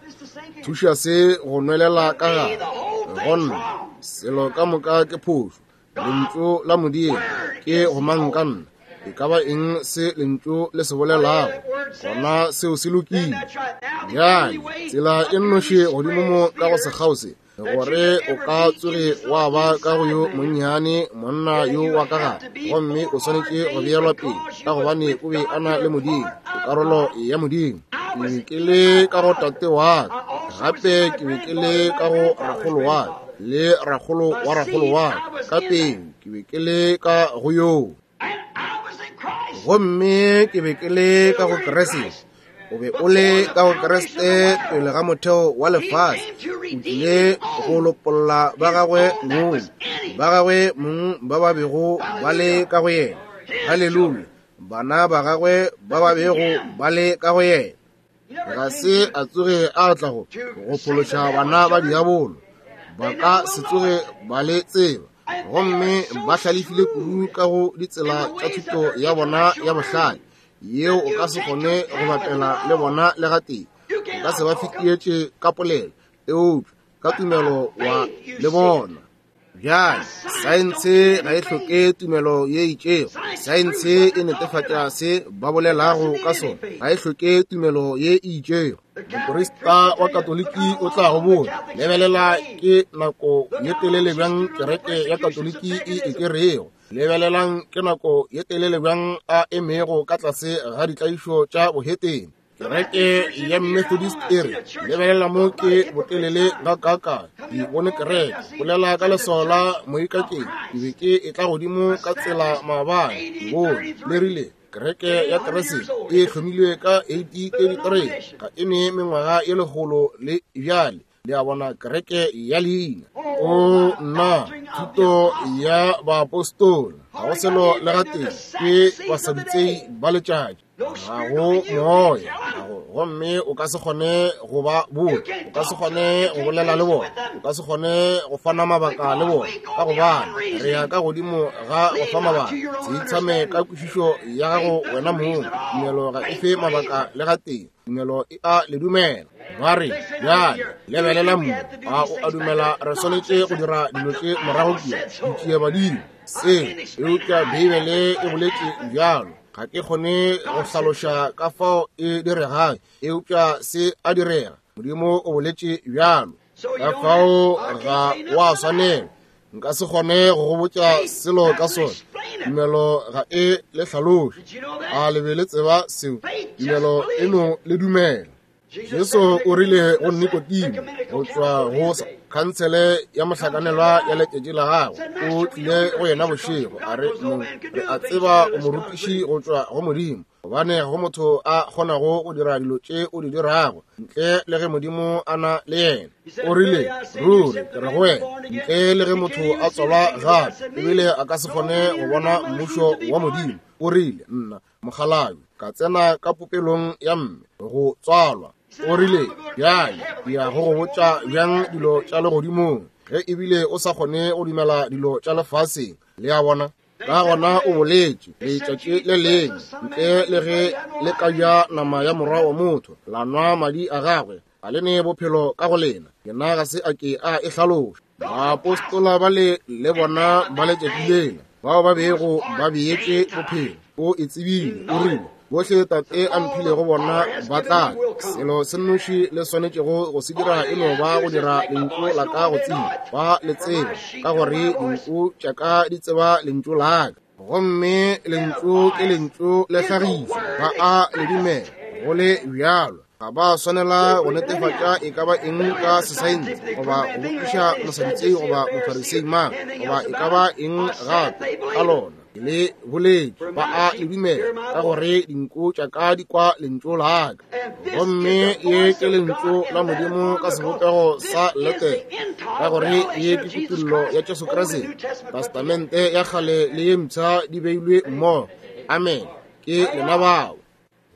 thuša se go nwelela ka gare go nna. Selo ka moka ke phošo. Lentšu la Modimo ke gomangkanna. E ka ba eng se lentšu le se bolelago, gona seo se lokile. Bjale tsela e nnoši godimo mo ka go sekgao se, gore o ka tsoge wa ba ka go yo monnyane monna yo wa ka gare, gomme o swanetše go beelwa pele, ka gobane o be a na le Modimo, o karolo ya Modimo. Ke be ke le ka go tate wa ka, gape ke be ke le ka go rakgolo wa ka, le rakgolo wa rakgolo wa ka, ka pele ke be ke le ka go yoo, gomme ke be ke le ka go Kriste. O be o le ka go Kriste pele ga motheo wa lefase. O tlile go lopolla ba gagwe mong, ba gagwe mong ba ba bego ba le ka go yena. Haleluya! Bana ba gagwe ba ba bego ba le ka go yena. Ga se a tsoge a tla go go phološa bana ba diabolo. Ba ka se tsoge ba le tseba, gomme ba hlalefile kudu ka go ditsela tša thuto ya bona ya bohlale, yeo o ka se kgone go bapela le bona le gatee. O ka se ba fetietše ka polelo, eupša ka tumelo wa le bona. Bjale, saense ga e hloke tumelo ye itšego. Saense e netefatša se ba bolelago ka sona. Ga e hloke tumelo ye e itšego. Moprista wa Katoliki o tla go botša, lebelela ke nako ye telele bjang kereke ya Katoliki e e kerego. Lebelelang ke nako ye telele bjang a emego ka tlase ga ditlaišo tša bohetene. Kereke ya Methodist e re, lebelela mo ke botelele ga kaka, ke bone kereke, bolela ka leswao la moikakeng, ke be ke e tla godimo ka tsela maabane, ke bone, le rile, kereke ya Kriste e hlomilwe ka eighteen thirty-three, ga e ne mengwaga ye lekgolo le bjale. Le a bona, kereke ya leina. O nna, thuto ya baapostola ga go selo le gatee, ke basadutsei ba letšatši. Ga go moya, gomme o ka se kgone go ba botša, o ka se kgone go bolela le bona, o ka se kgone go fana mabaka le bona, ka gobane re ya ka godimo ga go fa mabaka. Se itshame ka kwešišo ya gago wena mong. Tumelo ga e fe mabaka le gatee, tumelo e a le dumela. Ba re, bjale lebelela mo, a o a dumela re swanetše go dira dilo tše morago kua, ditšiebadimo se, eupša Beibele e boletše bjalo. Ga ke kgone go hlaloša ka fao e diregang, eupša se a direga. Modimo o boletše bjalo, ka fao ga wa swanela. Nka se kgone go go botša selo ka sona. Tumelo ga e le hlaloše. A le be le tseba seo? Tumelo e no le dumela. Jesu o rile go Nikodimo go tšwa go khansele ya mohlakanelwa ya letšatši la gagwe, o tlile go yena bošego, a re, Mong, re a tseba o morutiši go tšwa go Modimo, gobane go motho a kgonago go dira dilo tše o di dirago ntle le ge Modimo a na le yena. O rile, ruri ke re go wena, ntle le ge motho a tswalwa gape ebile a ka se kgone go bona mmušo wa Modimo. O rile, nna mokgalabje ka tsena ka popelong ya mme go tswalwa. O rile, bjale ke ya go go botša bjang dilo tša legodimong ge ebile o sa kgone go dumela dilo tša lefaseng. Le a bona? Ka gona o boletše letšatši le lengwe, ntle le ge le ka ja nama ya morwa wa motho la nwa madi a gagwe, ga le ne bophelo ka go lena. Yena ga se a ke a e hlaloša. Baapostola ba le le bona ba letšatši lela, bao ba bego ba beetše bophelo, o e tsebile. O rile, bohle Tate a mphilego bona ba tla. Selo se nnoši le swanetšego go se dira e no ba go dira lentšu la ka go tseba, ba le tseba, ka gore dinku tša ka di tseba lentšu la ka. Gomme lentšu ke lentšu le hlagišwa, ba a le dumela go le bjalo. Ga ba swanela go netefatša e ka ba eng ka sesaense, goba go botšiša mosadutsei goba mofarisei mang, goba e ka ba eng gape ka lona. Le boletše, ba a le dumela, ka gore dinku tša ka di kwa lentšu la ka. Gomme ye ke lentšu la Modimo ka sebopego sa letere, ka gore ye ke kutollo ya Jesu Kriste. Testamente ya kgale le ye mpsha di beilwe mmogo. Amen. Ke lena bao.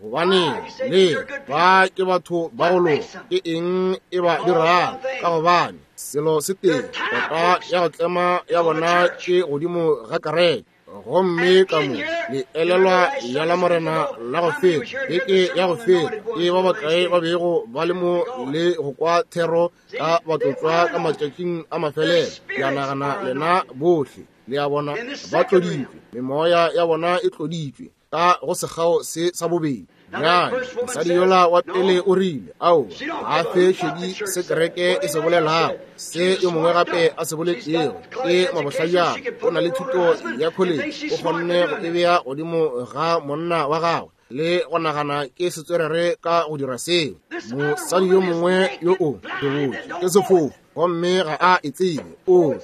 Gobane le ba ke batho ba go loka, ke eng e ba dirago? Ka gobane selo se tee, kota ya go tlema ya bona ke godimo ga kereke. Gomme ka mo le elelwa ya la Morena la go feta, beke ya go feta, ke ba bakae ba bego ba le mo le go kwa thero ka batlotswa ka matšatšing a mafelelo? Ke a nagana lena bohle le a bona ba tloditšwe, memoya ya bona e tloditšwe ka go sekgao se sa bobedi. Bjale mosadi yola wa pele o rile, ao, ga a fe šedi se kereke e se bolelago, se yo mongwe gape a se boletšego ke mabohlajana. O na le thuto ya college, o kgonne go e bea godimo ga monna wa gagwe le go nagana ke setswerere ka go dira seo. Mosadi yo mongwe yo o hlobotše ke sefofu, gomme ga a e tsebe. O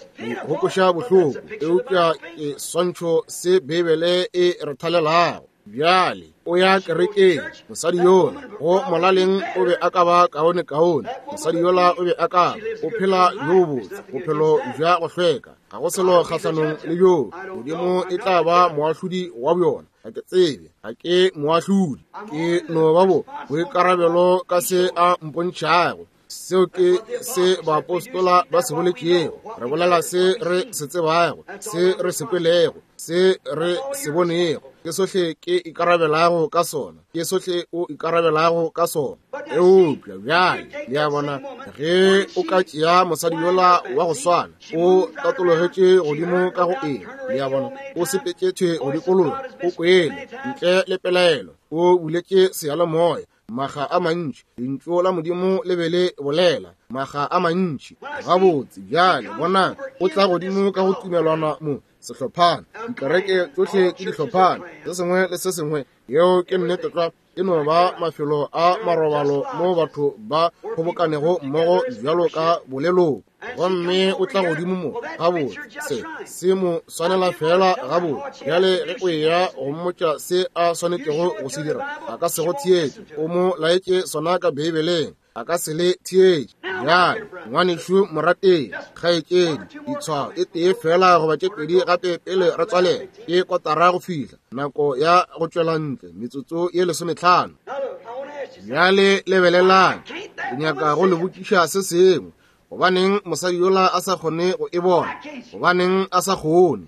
go koša bohloko, eupša ke swantšho se Beibele e re thalelago. Bjale o ya kerekeng, mosadi yola go molaleng o be a ka ba kaone kaone. Mosadi yola o be a ka o phela yo botse, bophelo bja go hlweka, ga go selo kgahlanong le bjoo. Modimo e tla ba moahlodi wa bjona. Ga ke tsebe, ga ke moahlodi, ke no ba bo boikarabelo ka se a mpontšhago. Seo ke se baapostola ba se boletšego. Re bolela se re se tsebago, se re se kwelego, se re se bonego. Ke sohle ke ikarabelago ka sona, ke sohle o ikarabelago ka sona. Eupša bjale le a bona, ge o ka tšea mosadi yola wa go swana, o tatologetše godimo ka go eng? Le a bona, o sepetše go dikologa, o kwele ntle le pelaelo, o buletše seyalemoya maga a mantši. Lentšu la Modimo le be le bolela maga a mantši. Gabotse bjale bonang, o tla godimo ka go tumelwana mo sehlophana, dikereke tšohle ke dihlophana, se sengwe le se sengwe. Yeo ke nnete tlwa. E no ba mafelo a marobalo mo batho ba kgobokanego mmogo bjalo ka boleloko. Gomme o tla godimo mo, gabotse se se mo swanela fela gabotse. Bjale ge o eya go mmotša se a swanetšego go se dira, a ka se go theetše. O mo laetše sona ka Beibeleng. A ka se le theetše. Bjale, ngwanešu morategi, kgaetšedi, ditshwao e tee fela goba tše pedi gape pele re tswalela. Ke kotara go fihla nako ya go tšwela ntle, metsotso ye lesometlhano. Bjale lebelelang, ke nyaka go le botšiša se sengwe. Gobaneng mosadi yola a sa kgone go e bona? Gobaneng a sa kgone?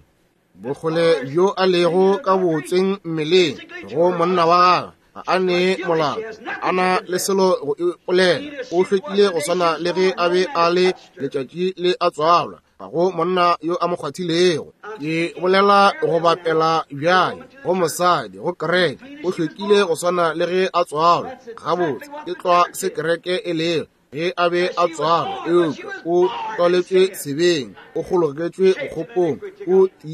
Bokgole bjo a lego ka botsweng mmeleng go monna wa gagwe, ga a ne molato, a na le selo go ipolela. O hlwekile go swana le ge a be a le letšatši le a tswalwa. Ga go monna yo a mo kgwathilego. Ke bolela go bapela bjale go mosadi, go kereke. O hlwekile go swana le ge a tswalwa. Gabotse, ke tlwa se kereke e lego. Ge a be a tswalwa, eupša o tswaletšwe sebeng, o kgologetšwe bokgopong,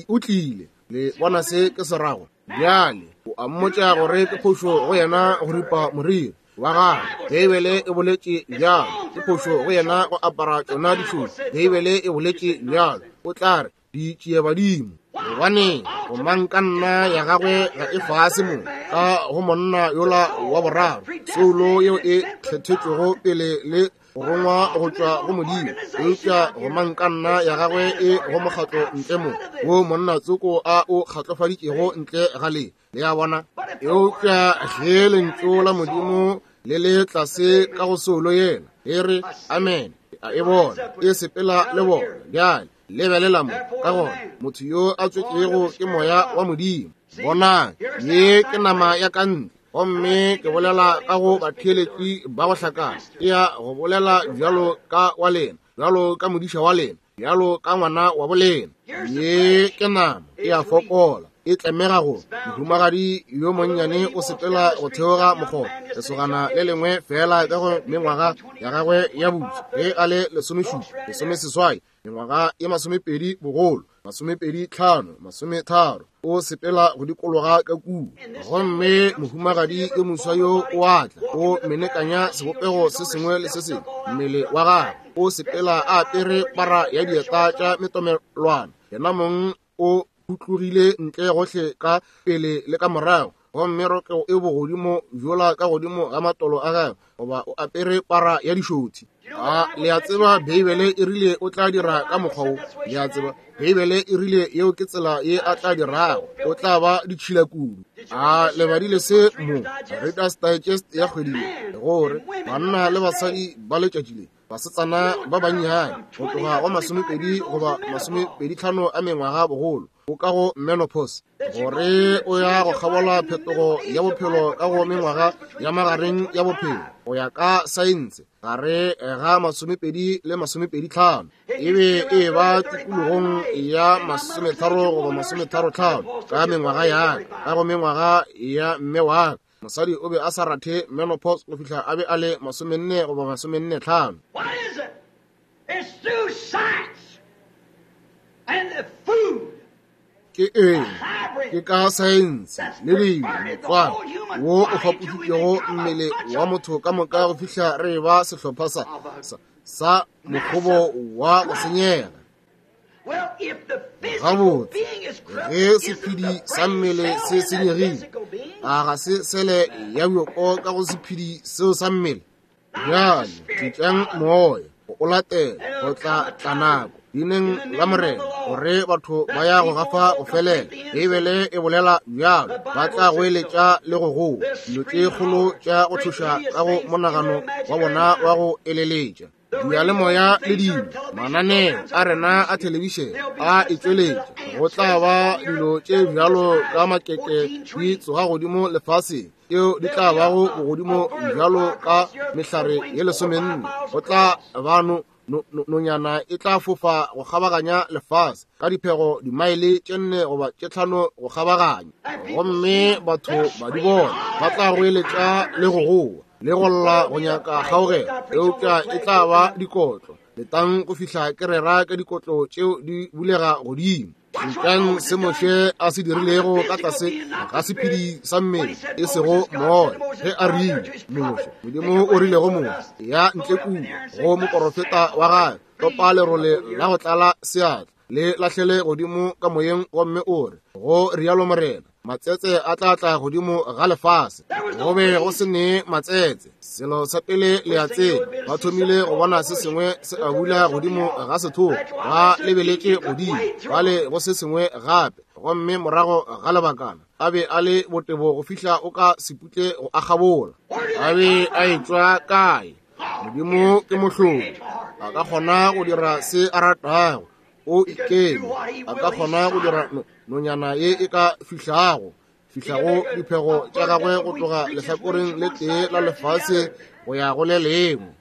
o tlile. Le bona se ke se rago? Bjale o a mmotša gore ke phošo go yena go ripa moriri wa gagwe. Beibele e boletše bjalo. Ke phošo go yena go apara tšona dišothi. Beibele e boletše bjalo. O tla re di tšee badimo. Gobane gomangkanna ya gagwe ga e fase mo ka go monna yola wa boraro, soulo yeo e kgethetšwego pele le go rongwa go tšwa go Modimo, eupša gomangkanna ya gagwe e go mokgatlo ntle mo, wo monna tsoko a o kgatlofaditšego ntle ga le. Le a bona? Eupša ge lentšu la Modimo le le tlase ka go soulo yela, e re amen, a e bona, e sepela le bona. Bjale lebelela mo, ka gona motho yo a tswetšego ke moya wa Modimo. Bonang, ye ke nama ya ka ntle, gomme ke bolela ka go batheeletši ba go hlakana. Ke ya go bolela bjalo ka wa lena, bjalo ka modiša wa lena, bjalo ka ngwana wa bolena. Ye ke nama e a fokola, e tlemega go mohumagadi yo monnyane o sepela go theoga mokgoba, lesogana le lengwe fela ka go mengwaga ya gagwe ya botse, ge a le lesomešupa, lesomeseswai, mengwaga ye masomepedi bogolo, masomepedi tlhano, masometharo, o sepela go dikologa ka kua. Gomme mohumagadi yo moswa yo o a tla, o menekanya sebopego se sengwe le se sengwe mmele wa gagwe, o sepela a apere para ya dieta tša metomelwana, yena mong o phutlogile ntle gohle ka pele le ka morago, gomme rokego e bogodimo bjola ka godimo ga matolo a gagwe, goba o apere para ya dišothi. A le a tseba Beibele e rile o tla dira ka mokgwa wo? Le a tseba Beibele e rile yeo ke tsela ye a tla dirago, o tla ba ditšhila kudu. A le badile se mo Reader's Digest ya kgwedi ye, gore banna le basadi ba letšatši le, basetsana ba bannyane go tloga go masomepedi goba masomepedi tlhano a mengwaga bogolo, o ka go menopause, gore o ya go kgabola phetogo ya bophelo ka go mengwaga ya magareng ya bophelo go ya ka saense, gare ga masomepedi le masomepedi tlhano, e be e ba tikologong ya masometharo goba masometharo tlhano ka mengwaga ya ka, ka go mengwaga ya mme wa ka. Mosadi o be a sa rathe menopause go fihla a be a le masomenne goba masomenne tlhano. What is it? It's through science and the food. Ke eng? Ke ka saense le dijo, motswako wo o fapošitšego mmele wa motho ka moka go fihla re ba sehlopha sa, sa, sa mokgobo wa go senyega. Well, if the physical Gabotse, being is corrupt, ge isn't the sephedi sa brain mmele cell se in that senyegile, physical being? a ga se sele ya bjoko ka go sephedi seo sa mmele? Bjale tlišang moya go o latela, go tla tla nako leineng la Morena gore batho ba ya go gafa go felela. Beibele e bolela bjalo, ba tla goeletša le go goa dilo tše kgolo tša go tšhoša ka go monagano wa bona wa go eleletša. Diyalemoya le dilo, mananeo a rena a thelebišene a e tšweletša, go tla ba dilo tše bjalo ka makeke di tsoga godimo lefaseng, tšeo di tla bago bogodimo bjalo ka mehlare ye lesomenne. Go tla ba no, no, no, nonyana e tla fofa go kgabaganya lefase ka diphego dimaele tše nne goba tše tlhano go kgabaganya, gomme batho ba di bona, ba tla goeletša le go goa le go lla go nyaka kgaogelo, eupša e tla ba dikotlo. Letang go fihla ke rera ka dikotlo tšeo di bulega godimo. Šetšang se Moshe a se dirilego ka tlase ga sephedi sa mmele, e sego moya, ge a rile Moshe, Modimo o rile go Moshe, ya ntle kua go moporofeta wa gagwe, topa lerole la go tlala seatla, le lahlele godimo ka moyeng, gomme o re Go rialo Morena, matsetse a tla tla godimo ga lefase. Go be go se ne matsetse. Selo sa pele le a tseba, ba thomile go bona se sengwe se abula godimo ga sethogo, ba lebeletše godimo, bale go se sengwe gape, gomme morago ga lebakana a be a le botebo go fihla o ka seputle go akgabola. A be a etšwa kae? Modimo ke mohlodi, a ka kgona go dira se a ratago. O ikeme, a ka kgona go dira nonyana ye e ka fihlago fihlago diphego tša gagwe go tloga lehlakoreng le tee la lefase go ya go le lengwe.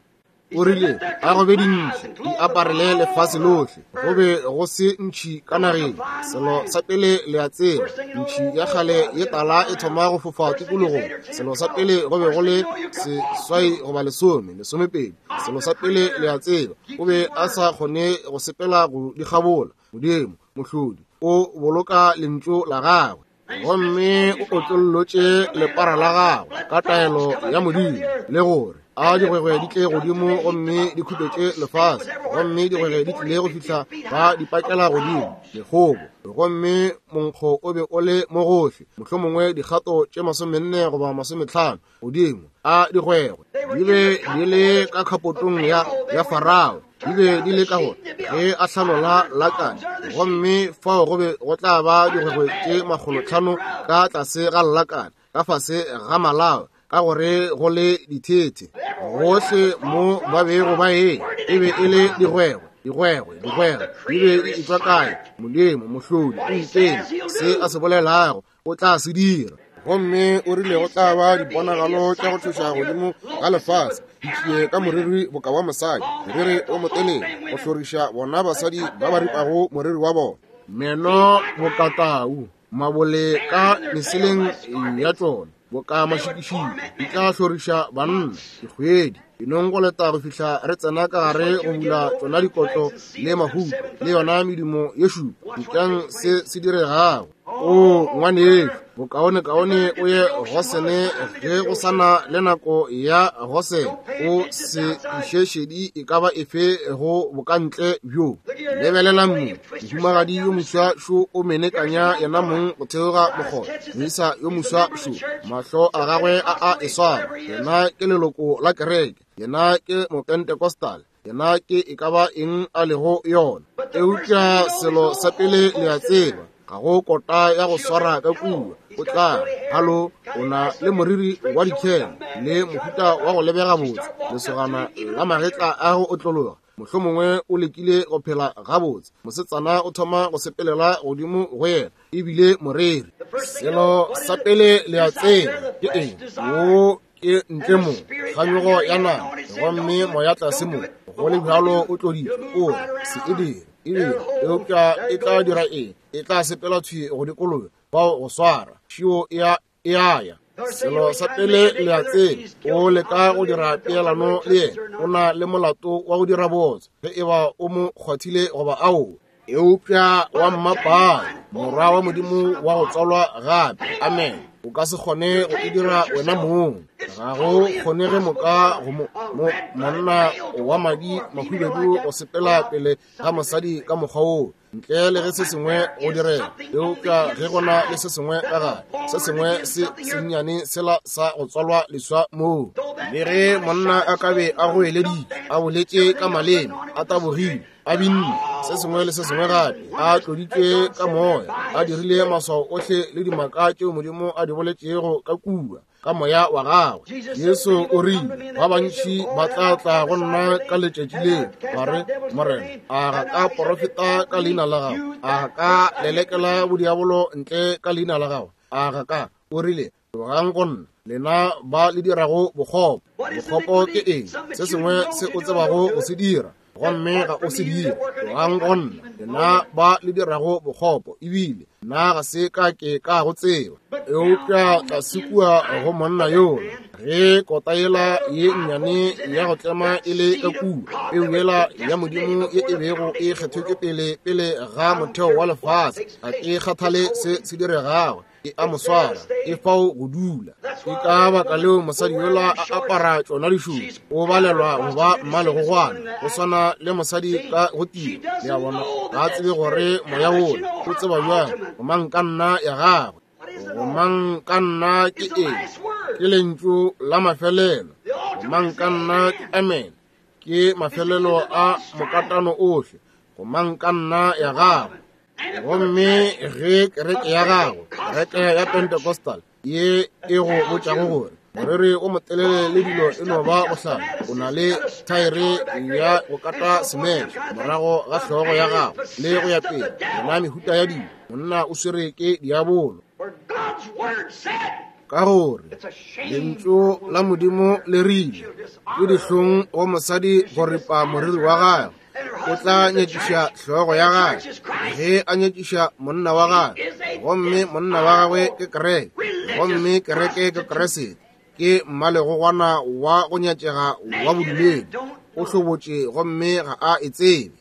O rile a go be dintši di aparele lefase lohle. Go be go se ntšhi ka nageng. Selo sa pele le a tseba, ntšhi ya kgale ye tala e thoma go fofa tikologong. Selo sa pele go be go le seswai goba lesome, lesomepedi. Selo sa pele le a tseba, o be a sa kgone go sepela go di kgabola. Modimo mohlodi o boloka lentšu la gagwe, gomme o otlollotše lepara la gagwe ka taelo ya Modimo, le gore a digwegwe di tle godimo gomme di khupetše lefase. Gomme digwegwe di tlile go fihla ba di pakela godimo mekgobo, gomme monkgo o be o le mo gohle, mohlomongwe dikgato tše masomenne goba masometlhano godimo a digwegwe. Di be di le ka khapotong ya ya Farao, di be di le ka gore ge a hlanola lakane, gomme fao go be go tla ba digwegwe tše makgolotlhano ka tlase ga lakane, ka fase ga malao, ka gore go le dithethe gohle mo ba bego ba e e be e le digwegwe, digwegwe, digwegwe. Di be di etšwa kae? Modimo mohlodi o ikeme, se a se bolelago o tla se dira. Gomme o rile go tla ba diponagalo tša go tšhoša godimo ga lefase, di tlie ka moriri boka wa mosadi, moriri o motelele, go hloriša bona basadi ba ba ripago moriri wa bona, meno bokatau, mabole ka meseleng ya tšona boka mašikišiki, di tla hloriša banna dikgwedi. Dinong go leta go fihla re tsena ka gare go bula tšona dikotlo le mahuto le yona medumo ye šupa. Etšang se se diregago. O ngwanešu, bokaonekaone o ye Gosene ge go sana le nako ya Gosene. O se iše šedi e ka ba efe go bokantle bjo. Lebelela mo, mohumagadi yo moswa šo o menekanya yena mong go theoga mokgotha. Moisa yo moswa šo, mahlo a gagwe a a e swara. Yena ke leloko la kereke, yena ke mopentecostal, yena ke e ka ba eng a lego yona. Eupša selo sa pele le a tseba, ga go kota ya go swara ka kua. O tla halo, o na le moriri wa dikhele le mohuta wa go lebega botse, lesogana la magetla a go otlologa, mohlomongwe o lekile go phela gabotse. Mosetsana o thoma go sepelela godimo go yena, ebile moreri. Selo sa pele le a tseba ke eng? Wo ke ntle mo kganyogo ya nama, gomme moya tlase mo go le bjalo o tloditšwe, o re se e dire, e dire. Eupša e tla dira eng? E tla sepela thwi go dikologa bao go swara šio e a e a ya. Selo sa pele le a tseba, o leka go dira peelano le yena, o na le molato wa go dira botse ge e ba o mo kgwathile goba ao. Eupša wa mmapaa, morwa wa Modimo wa go tswalwa gape, amen, o ka se kgone go e dira wena mong. Ga go kgonege moka go mo, mo, monna wa madi mahubedu go sepela pele ga mosadi ka mokgwa woo, ntle le ge se sengwe go direga. Eupša ge go na le se sengwe ka gare, se sengwe se sennyane sela sa go tswalwa leswa moo, le ge monna a ka be a goeleditše, a boletše ka maleme, a tabogile, a binne, se sengwe le se sengwe gape, a tloditšwe ka moya, a dirile maswao ohle le dimaka tšeo Modimo a di boletšego ka kua ka moya wa gagwe. Jesu o rile, ba bantši ba tla tla go nna ka letšatši leo, ba re, Morena, a ga ka porofeta ka leina la gago? A ga ka lelekela bodiabolo ntle ka leina la gago? A ga ka? O rile, tlogang go nna, lena ba le dirago bokgopo. Bokgopo ke eng? Se sengwe se o tsebago go se dira, gomme ga o se dire. Tlogang go nna, lena ba le dirago bokgopo, ebile nna ga se ka ke ka go tseba. Eupša tlase kua go monna yola, ge kota yela ye nnyane ya go tlema e le ka kua, peu yela ya Modimo ye e bego e kgethetšwe pele pele ga motheo wa lefase, ga ke kgathale se se diregago. E a mo swara, e fao go dula. Ke ka baka leo mosadi yola a apara tšona dišupo, o balelwa go ba mmalegogwana, go swana le mosadi ka go tira. Le a bona, ga a tsebe gore moya wola o tseba bjang gomang ka nna ya gagwe. Gomang ka nna ke eng? Ke lentšu la mafelelo. Gomang ka nna ke amen. Ke mafelelo a mokatano ohle. Gomang ka nna ya gagwe. Gomme ge kereke ya gago, kereke ya Pentecostal ye e go botšago gore moriri o motelele le dilo e no ba bohlale, o na le thaere ya go kata semete morago ga hlogo ya gago le go ya pele, yona mehuta ya dilo, monna o swere ke diabolo. Ka gore lentšu la Modimo le rile, ke dihlong go mosadi go ripa moriri wa gagwe, o tla nyetšiša hlogo ya gagwe ge a nyetšiša monna wa gagwe, gomme monna wa gagwe ke kereke, gomme kereke ke Kriste, ke mmalegogwana wa go nyatšega wa bodumedi, o hlobotše gomme ga a e tsebe.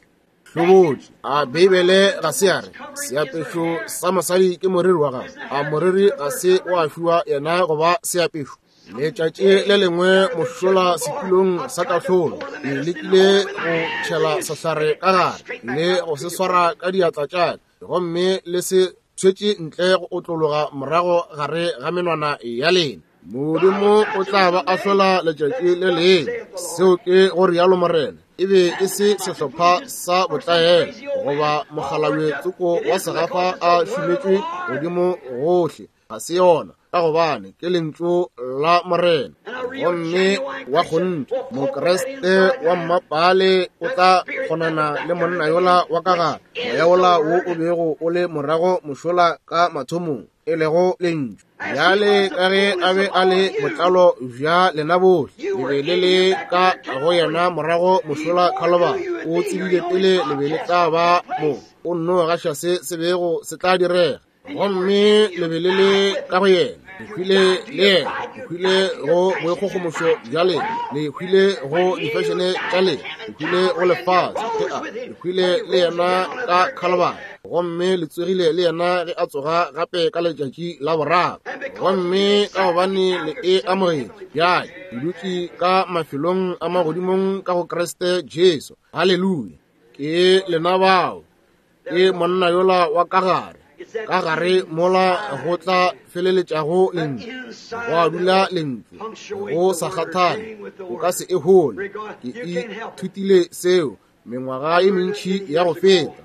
Hlobotše. A Beibele ga se ya re seapešo sa mosadi ke moriri wa gagwe? A moriri ga se wa fiwa yena goba seapešo? Letšatši le lengwe mošola setulong sa kahlolo, ke lekile go tšhela sehlare ka gare le go se swara ka diatla tša ka, gomme le se tshwetše ntle go otlologa morago gare ga menwana ya lena. Modimo o tla ba ahlola letšatši le lengwe. Seo ke go rialo Morena. E be e se sehlopha sa botlaela goba mokgalabje tsoko wa segafa a šumetšwe godimo gohle. Ga se yona, ka gobane ke lentšu la Morena. Gomme wa kgonthe Mokriste wa mmapale o tla kgonana le monna yola wa ka gare, moya wola wo o bego o le morago mošola ka mathomong, e lego lentšu. Bjale ka ge a be a le botlalo bja lena bohle, le be le le ka go yena morago mošola Khalobari. O tsebile pele le be le tla ba mo, o nno gaša se se bego se tla direga. Gomme le be le le ka go yena, le hwile le yena, le hwile go boikgogomošo bja lena, le hwile go difešene tša lena, le hwile go lefase, le hwile le yena ka Khalobari, gomme le tsogile le yena ge a tsoga gape ka letšatši la boraro. Gomme ka gobane le e amogetše, bjale le dutše ka mafelong a magodimong ka go Kriste Jesu. Haleluya! Ke lena bao, ke monna yola wa ka gare, ka gare mola go tla feleletšago lentšu, gwa dula lentšu, go sa kgathale, o ka se e hole. Ke ithutile seo mengwaga e mentši ya go feta.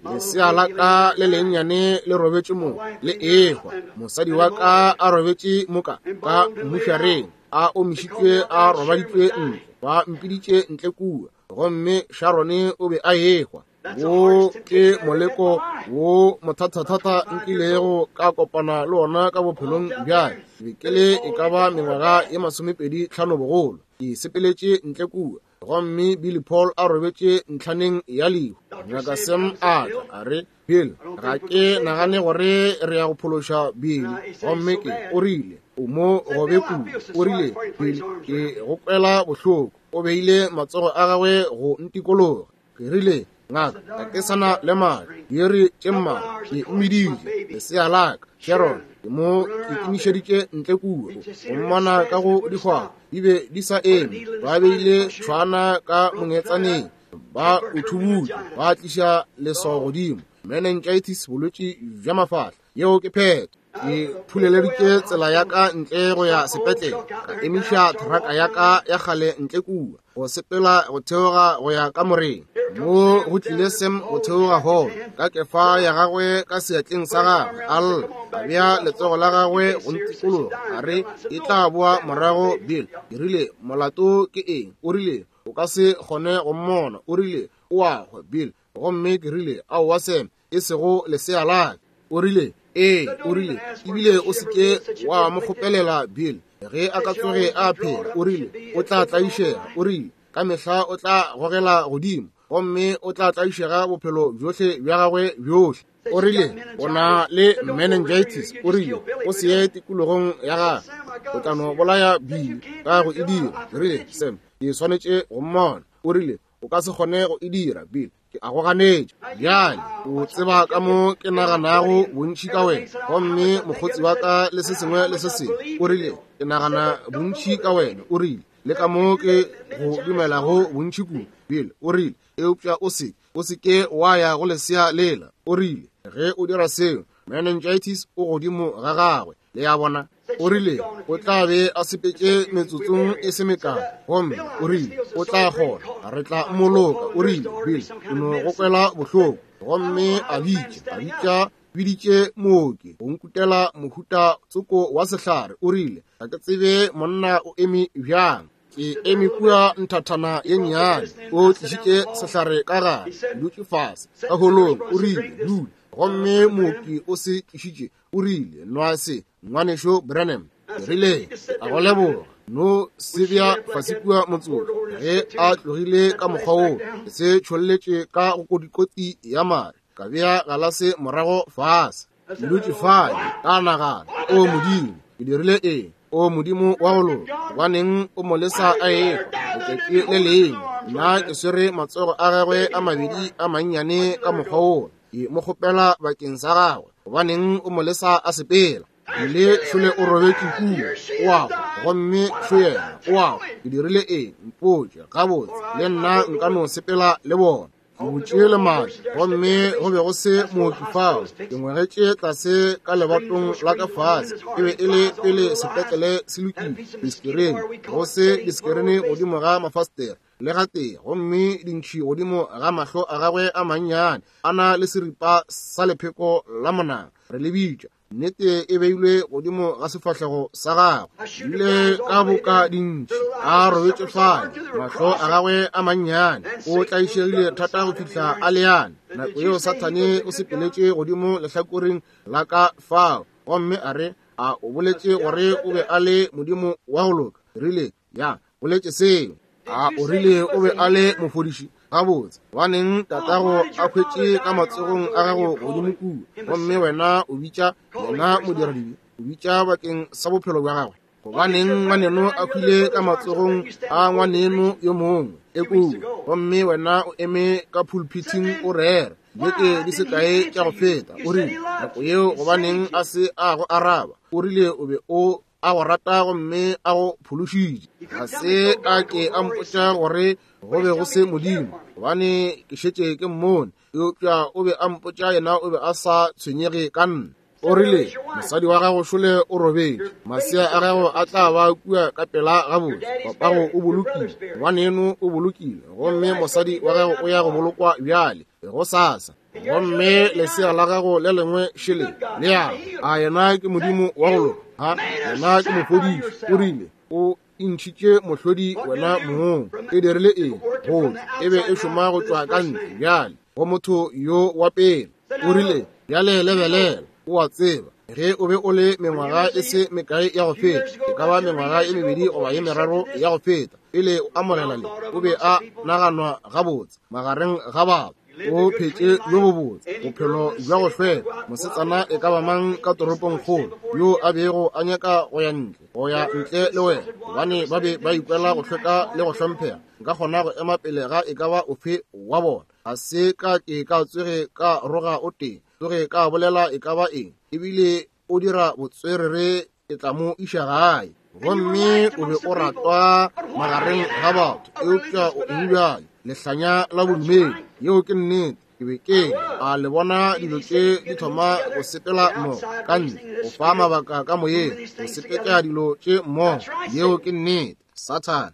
Lesea la ka le lennyane le robetše mo, le ehwa. Mosadi wa ka a robetše moka ka mmušareng, a omišitšwe, a robaditšwe ntle, ba mpiditše ntle kua, gomme Sharone o be a ehwa. Wo ke moleko wo mothathathata nkilego ka kopana le ona ka bophelong bja ka. Be ke le e ka ba mengwaga ye masomepedi tlhano bogolo. Ke sepeletše ntle kua, gomme Billy Paul a robetše ntlhaneng ya lehu. Ngaka Sam a tla, a re, Bill, ga ke nagane gore re ya go phološa Billy. Gomme ke o rile, o mo gobe kudu. O rile, Bill, ke go kwela bohloko. O beile matsogo a gagwe go ntikologa. Ke rile, ngaka, ga ke sana le madi, diiri tše mmalwa, ke mmiditše lesea la ka, Sharon, ke mo ke kimišeditše ntle kua, go mmona ka go dihwaba, di be di sa eme, ba beile tšhwana ka mongetsaneng, ba o thubutše, ba tliša leswao godimo, meningitis, bolwetši bja mafahla. Yeo ke phetho. Ke phuleleditše tsela ya ka ntle go ya sepetlele, ka emiša thraka ya ka ya kgale ntle kua, go sepela go theoga go ya kamoreng. Mo go tlile Sam go theoga hall, ka kefa ya gagwe ka seatleng sa gagwe, a lla, a bea letsogo la gagwe go ntikologa, a re, e tla boa morago Bill. Ke rile, molato ke eng? O rile, o ka se kgone go mmona. O rile, o a hwa Bill. Gomme ke rile, aowa Sam, e sego lesea la ka. O rile, ee, o rile, ebile o se ke wa mo kgopelela Bill. Ge a ka tsoge a phela, o rile, o tla tlaišega. O rile, ka mehla o tla gogela godimo, gomme o tla tlaišega bophelo bjohle bja gagwe bjohle. O rile, o na le meningitis. O rile, o se ye tikologong ya gagwe, o tla no bolaya Bill ka go e dira. Ke rile, Sam, ke swanetše go mmona. O rile, O ka se kgone go e dira, Bill. Ke a go ganetša. Bjale, o tseba ka mo ke naganago bontši ka wena. Gomme mokgotsi wa ka le se sengwe le se sengwe. O rile, ke nagana bontši ka wena. O rile, le ka mo ke go dumelago bontši kudu, Bill. O rile, eupša o se, o se ke wa ya go lesea lela. O rile, ge o dira seo, meningitis o godimo ga gagwe. Le a bona? O rile, o tla be a sepetše metsotsong e se mekae. Gomme o rile, o tla kgona, re tla mmoloka. O rile, Bill, o no go kwela bohloko. Gomme a bitša, a bitša, biditše mooki go nkutela mohuta tsoko wa sehlare. O rile, ga ke tsebe monna o eme bjang. Ke eme kua nthathana ye nnyane. O tlišitše sehlare ka gare, dutše fase ka holong. O rile, dula. Gomme mooki o se tlišitše. O rile, nwa se, ngwanešo Branham. Ke rile, a go leboga. No se bea fase kua motsotso. Ge a tlogile ka mokgwa woo, ke se tšholletše ka go kodikoti ya mare. Ka bea galase morago fase. Ke dutše fale, ka nagana, o Modimo, ke dirile eng? O Modimo wa go loka, gobaneng o mo lesa a ehwa letšatši le lengwe? Nna ke swere matsogo a gagwe a mabedi a mannyane ka mokgwa woo. Ke mo kgopela bakeng sa gagwe. Gobaneng o mo lesa a sepela? Ile šole o robetše kua, o a hwa, gomme šo yena o a hwa. Ke dirile eng? Mpotše gabotse, le nna nka no sepela le bona. Ke butše lemati, gomme go be go se mooki fao. Ke ngwegetše tlase ka lebatong la ka fase. E be e le pele sepetlele se lokile, disekerene, go se disekerene godimo ga mafastere le gatee, gomme dintšhi godimo ga mahlo a gagwe a mannyane, a na le seripa sa lepheko la monang, re le bitša. Nnete e beilwe godimo ga sefahlego sa gagwe. Ile ka boka dintšhi a robetše fale, mahlo a gagwe a mannyane. O tlaišegile thata go fihla a leane. Nako yeo Sathane o sepeletše godimo lehlakoreng la ka fao, gomme a re, a o boletše gore o be a le Modimo wa go loka? Rile, ya, boletše seo. A o rile o be a le mofodiši? Gabotse, gobaneng tatago a hwetše ka matsogong a gago godimo kua, gomme wena o bitša yena modiradibe, o bitša bakeng sa bophelo bja gagwe? Gobaneng ngwaneno a hwile ka matsogong a ngwaneno yo mongwe e kua, gomme wena o eme ka pulpiting o rera beke di se kae tša go feta? O rile, nako yeo gobaneng a se a go araba? O rile o be o a go rata gomme a go phološitše. Ga se a ke a mpotša gore go be go se Modimo, gobane ke šetše ke mmone, eupša o be a mpotša yena o be a sa tshwenyege ka nna. O rile, mosadi wa gago šole o robetše, masea a gago a tla ba kua ka pela gabotse, papago o bolokile, ngwaneno o bolokile, gomme mosadi wa gago o ya go bolokwa bjale go sasa, gomme lesea la gago le lengwe šele le ya. A yena ke Modimo wa go loka? Ha, yena ke mofodiši. O rile, o intšhitše mohlodi wena mong. E dirile eng? Go e be e šoma go tšwa ka ntle bjale go motho yo wa pele. O rile, bjale lebelela, o a tseba, ge o be o le mengwaga e se mekae ya go feta, e ka ba mengwaga e mebedi goba ye meraro ya go feta, pele o amogela le, o be a naganwa gabotse magareng ga batho. O phetše bjo bobotse bophelo bja go hlweka. Mosetsana e ka ba mang ka toropongkgolo yo a bego a nyaka go ya ntle, go ya ntle le wena, gobane ba be ba ikwela go hlweka le go hlomphega. Nka kgona go ema pele ga e ka ba ofe wa bona. Ga se ka ke ka tsoge ka roga o tee, tsoge ka bolela e ka ba eng, ebile o dira botswerere, ke tla mo iša gae. Gomme o be o ratwa magareng ga batho, eupša o eng bjale? Lehlanya la bodumedi. Yeo ke nnete. Ke be ke a le bona dilo tše di thoma go sepela mmogo ka ntle, go fa mabaka ka moyeng, go sepetša dilo tše mmogo. Yeo ke nnete, Sathane.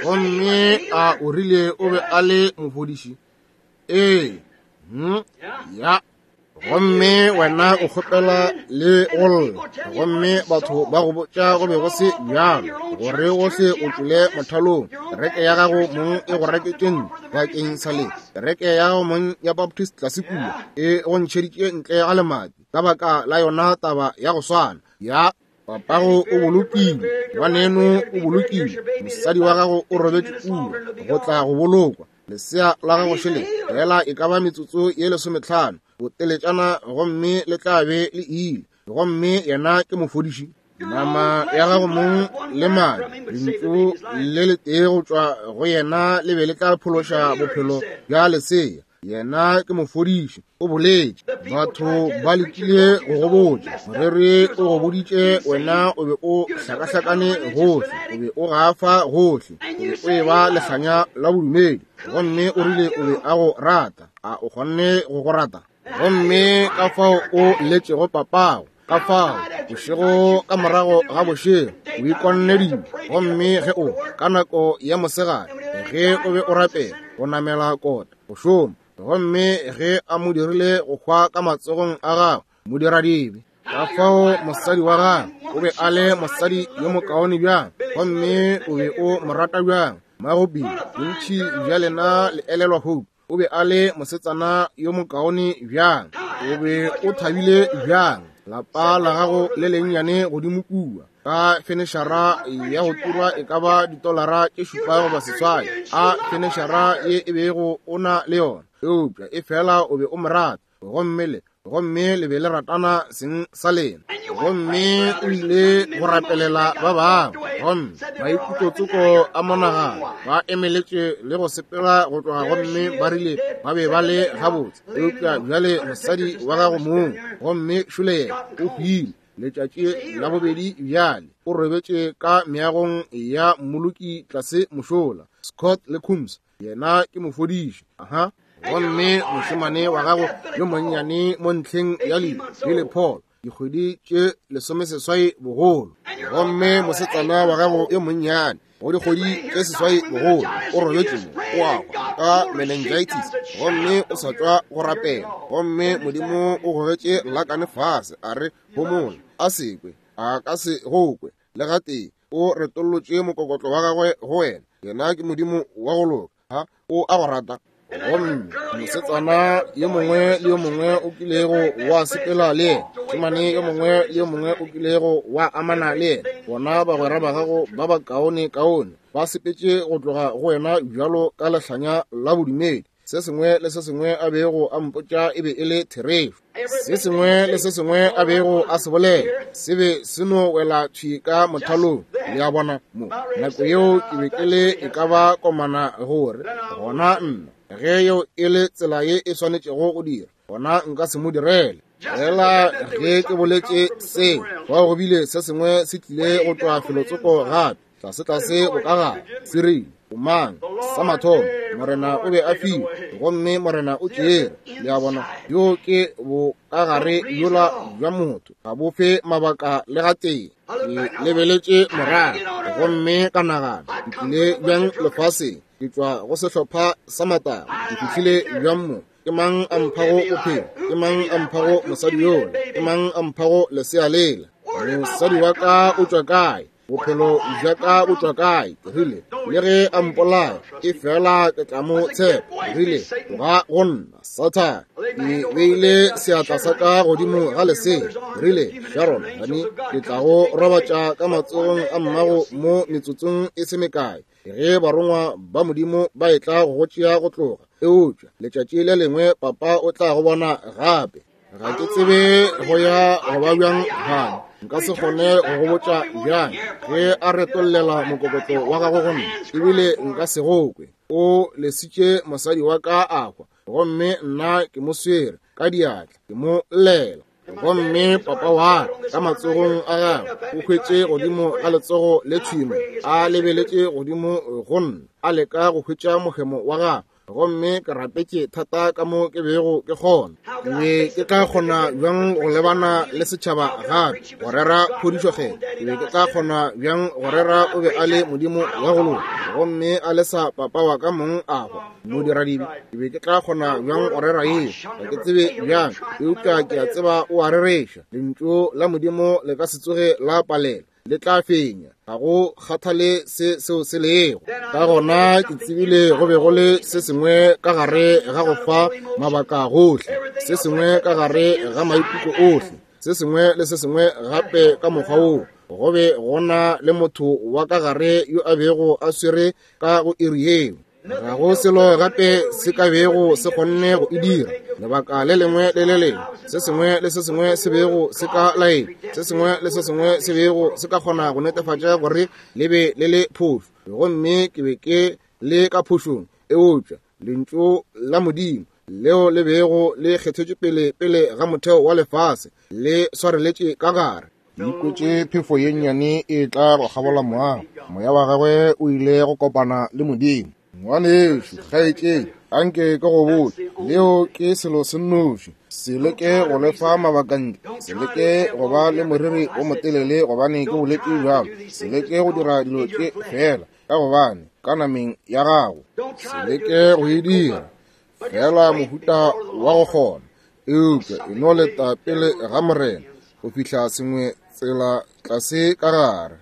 Gomme a o rile o be a le mofodiši? Ee, hm, ya. Gomme wena o kgopela le go lla, gomme batho ba go botša go be go se bjalo, gore gohle o tšwele mothalong. Kereke ya gago mong e go reketše ntlo bakeng sa le. Kereke ya gago mong ya Baptist tlase kua e go ntšheditše ntle ga lemati ka baka la yona taba ya go swana. Ya, papago o bolokile, ngwaneno o bolokile, mosadi wa gago o robetše kua go tla go bolokwa, lesea la gago šele fela e ka ba metsotso ye lesometlhano boteletšana, gomme le tla be le ile. Gomme yena ke mofodiši. Nama ya gago mong le madi, lentšu le letee go tšwa go yena le be le tla phološa bophelo bja lesea. Yena ke mofodiši, o boletše. Batho ba lekile go go botša, moreri o go boditše wena o be o hlakahlakane gohle, o be o gafa gohle, o be o eba lehlanya la bodumedi, gomme o rile o be a go rata. A o kgonne go go rata? Gomme ka fao o letšego papago, ka fao bošego ka morago ga bošego o ikonne dilo, gomme ge o ka nako ya mosegare ge o be o rapela o namela kota go šoma, gomme ge a mo dirile go hwa ka matsogong a gagwe modiradibe. Ka fao mosadi wa gagwe o be a le mosadi yo mokaone bjang, gomme o be o mo rata bjang. Magopi bontši bja lena le elelwa Hope, o be a le mosetsana yo mokaone bjang, o be o thabile bjang. Lapa la gago le lennyane godimo kua ka fenešara ya go turwa e ka ba ditolara tše šupa goba seswai, a fenešara ye e bego o na le yona, eupša e fela o be o mo rata, gomme le gomme le be le ratana seng sa lena. Gomme o ile go rapelela ba bangwe, gomme maikutlotsoko a monagano ba emeletše le go sepela go tloga, gomme ba rile ba be ba le gabotse. Eupša bjale mosadi wa gago mong, gomme šole yena o hwile letšatši la bobedi bjale, o robetše ka meagong ya mmoloki tlase mošola, Scott le Coombs, yena ke mofodiši. Aha. Gomme mošemane wa gago yo monnyane mo ntlheng ya lehu, Billy Paul, dikgwedi tše lesomeseswai bogolo, gomme mosetsana wa gago yo monnyane go dikgwedi tše seswai bogolo o robetše mo, o a hwa ka meningitis, gomme o sa tšwa go rapela, gomme Modimo o gogetše lakane fase a re homola, a se kwe, a ka se go kwe le gatee, o retollotše mokokotlo wa gagwe go wena. Yena ke Modimo wa go loka, ha o a go rata. Gomme mosetsana yo mongwe le yo mongwe o kilego wa sepela le yena, mošemane yo mongwe le yo mongwe o kilego wa amana le yena, bona bagwera ba gago ba bakaone kaone ba sepetše go tloga go wena bjalo ka lehlanya la bodumedi. Se sengwe le se sengwe a bego a mpotša e be e le therešo, se sengwe le se sengwe a bego a se bolela se be se no wela thwi ka mothalong. Le a bona mo nako yeo ke be ke le e ka ba komana gore gona nna ge yeo e le tsela ye e swanetšego go dira, gona nka se mo direle. Fela ge ke boletše seo, fao go bile se sengwe se tlile go tšwa felotsoko gape, tlase-tlase bokagare, se rile, o mang? Sa mathomo, Morena o be a fiwe, gomme Morena o tšere. Le a bona, yo ke bokagare yola bja motho, ga bo fe mabaka le gatee. Ke lebeletše morago, gomme ka nagana, ke tlile bjang lefaseng? Ke tšwa go sehlopha sa mataba, ke fihlile bjang mo? Ke mang a mphago bophelo? Ke mang a mphago mosadi yola? Ke mang a mphago lesea lela? Mosadi wa ka o tšwa kae? Bophelo bja ka bo tšwa kae? Ke rile, le ge a mpolaya, e fela ke tla mo tshepa. Ke rile, tloga go nna, Sathane. Ke beile seatla sa ka godimo ga lesea. Ke rile, Sharon, honey, ke tla go robatša ka matsogong a mmago mo metsotsong e se mekae, ge barongwa ba Modimo ba etla go go tšea go tloga. Eupša letšatši le lengwe papa o tla go bona gape. Ga ke tsebe go ya go ba bjang, honey. Nka se kgone go go botša bjang ge a retollela mokokotlo wa gagwe go nna, ebile nka se go kwe. O lesitše mosadi wa ka a hwa, gomme nna ke mo swere ka diatla, ke mo llela. Gomme papa wa ka matsogong a gagwe o hwetše godimo ga letsogo le thwimo, a lebeletše godimo go nna, a leka go hwetša mohemo wa gagwe. Gomme ke rapetše thata ka mo ke bego ke kgona. Ke be ke tla kgona bjang go lebana le setšhaba gape go rera phodišo kgetho? Ke be ke tla kgona bjang go rera o be a le Modimo wa go loka, gomme a lesa papa wa ka mong a hwa modiradibe? Ke be ke tla kgona bjang go rera yeo? Ga ke tsebe bjang, eupša ke a tseba o a rereša. Lentšu la Modimo le ka se tsoge la palela, le tla fenya, ga go kgathale se seo se lego. Ka gona ke tsebile go be go le se sengwe ka gare ga go fa mabaka gohle, se sengwe ka gare ga maikutlo ohle, se sengwe le se sengwe gape ka mokgwa woo. Go be go na le motho wa ka gare yo a bego a swere ka go iri yeo. Ga go selo gape se ka bego se kgonne go e dira. Lebaka le lengwe le le lengwe, se sengwe le se sengwe se bego se ka laela, se sengwe le se sengwe se bego se ka kgona go netefatša gore le be le le phošo. Gomme ke be ke le ka phošong, eupša lentšu la Modimo leo le bego le kgethetšwe pele pele ga motheo wa lefase le swareletše ka gare. Ke ikwetše phefo ye nnyane e tla go kgabola moago. Moya wa gagwe o ile go kopana le Modimo. Ngwanešu, kgaetšedi, anke ke go botše, leo ke selo se nnoši. Se leke go lefa mabaka ntle, se leke go ba le moriri o motelele gobane ke boletše bjalo, se leke go dira dilo tše fela ka gobane ka nameng ya gago. Se leke go e dira fela mohuta wa go kgona, eupša e no leta pele ga Morena go fihla sengwe tsela tlase ka gare.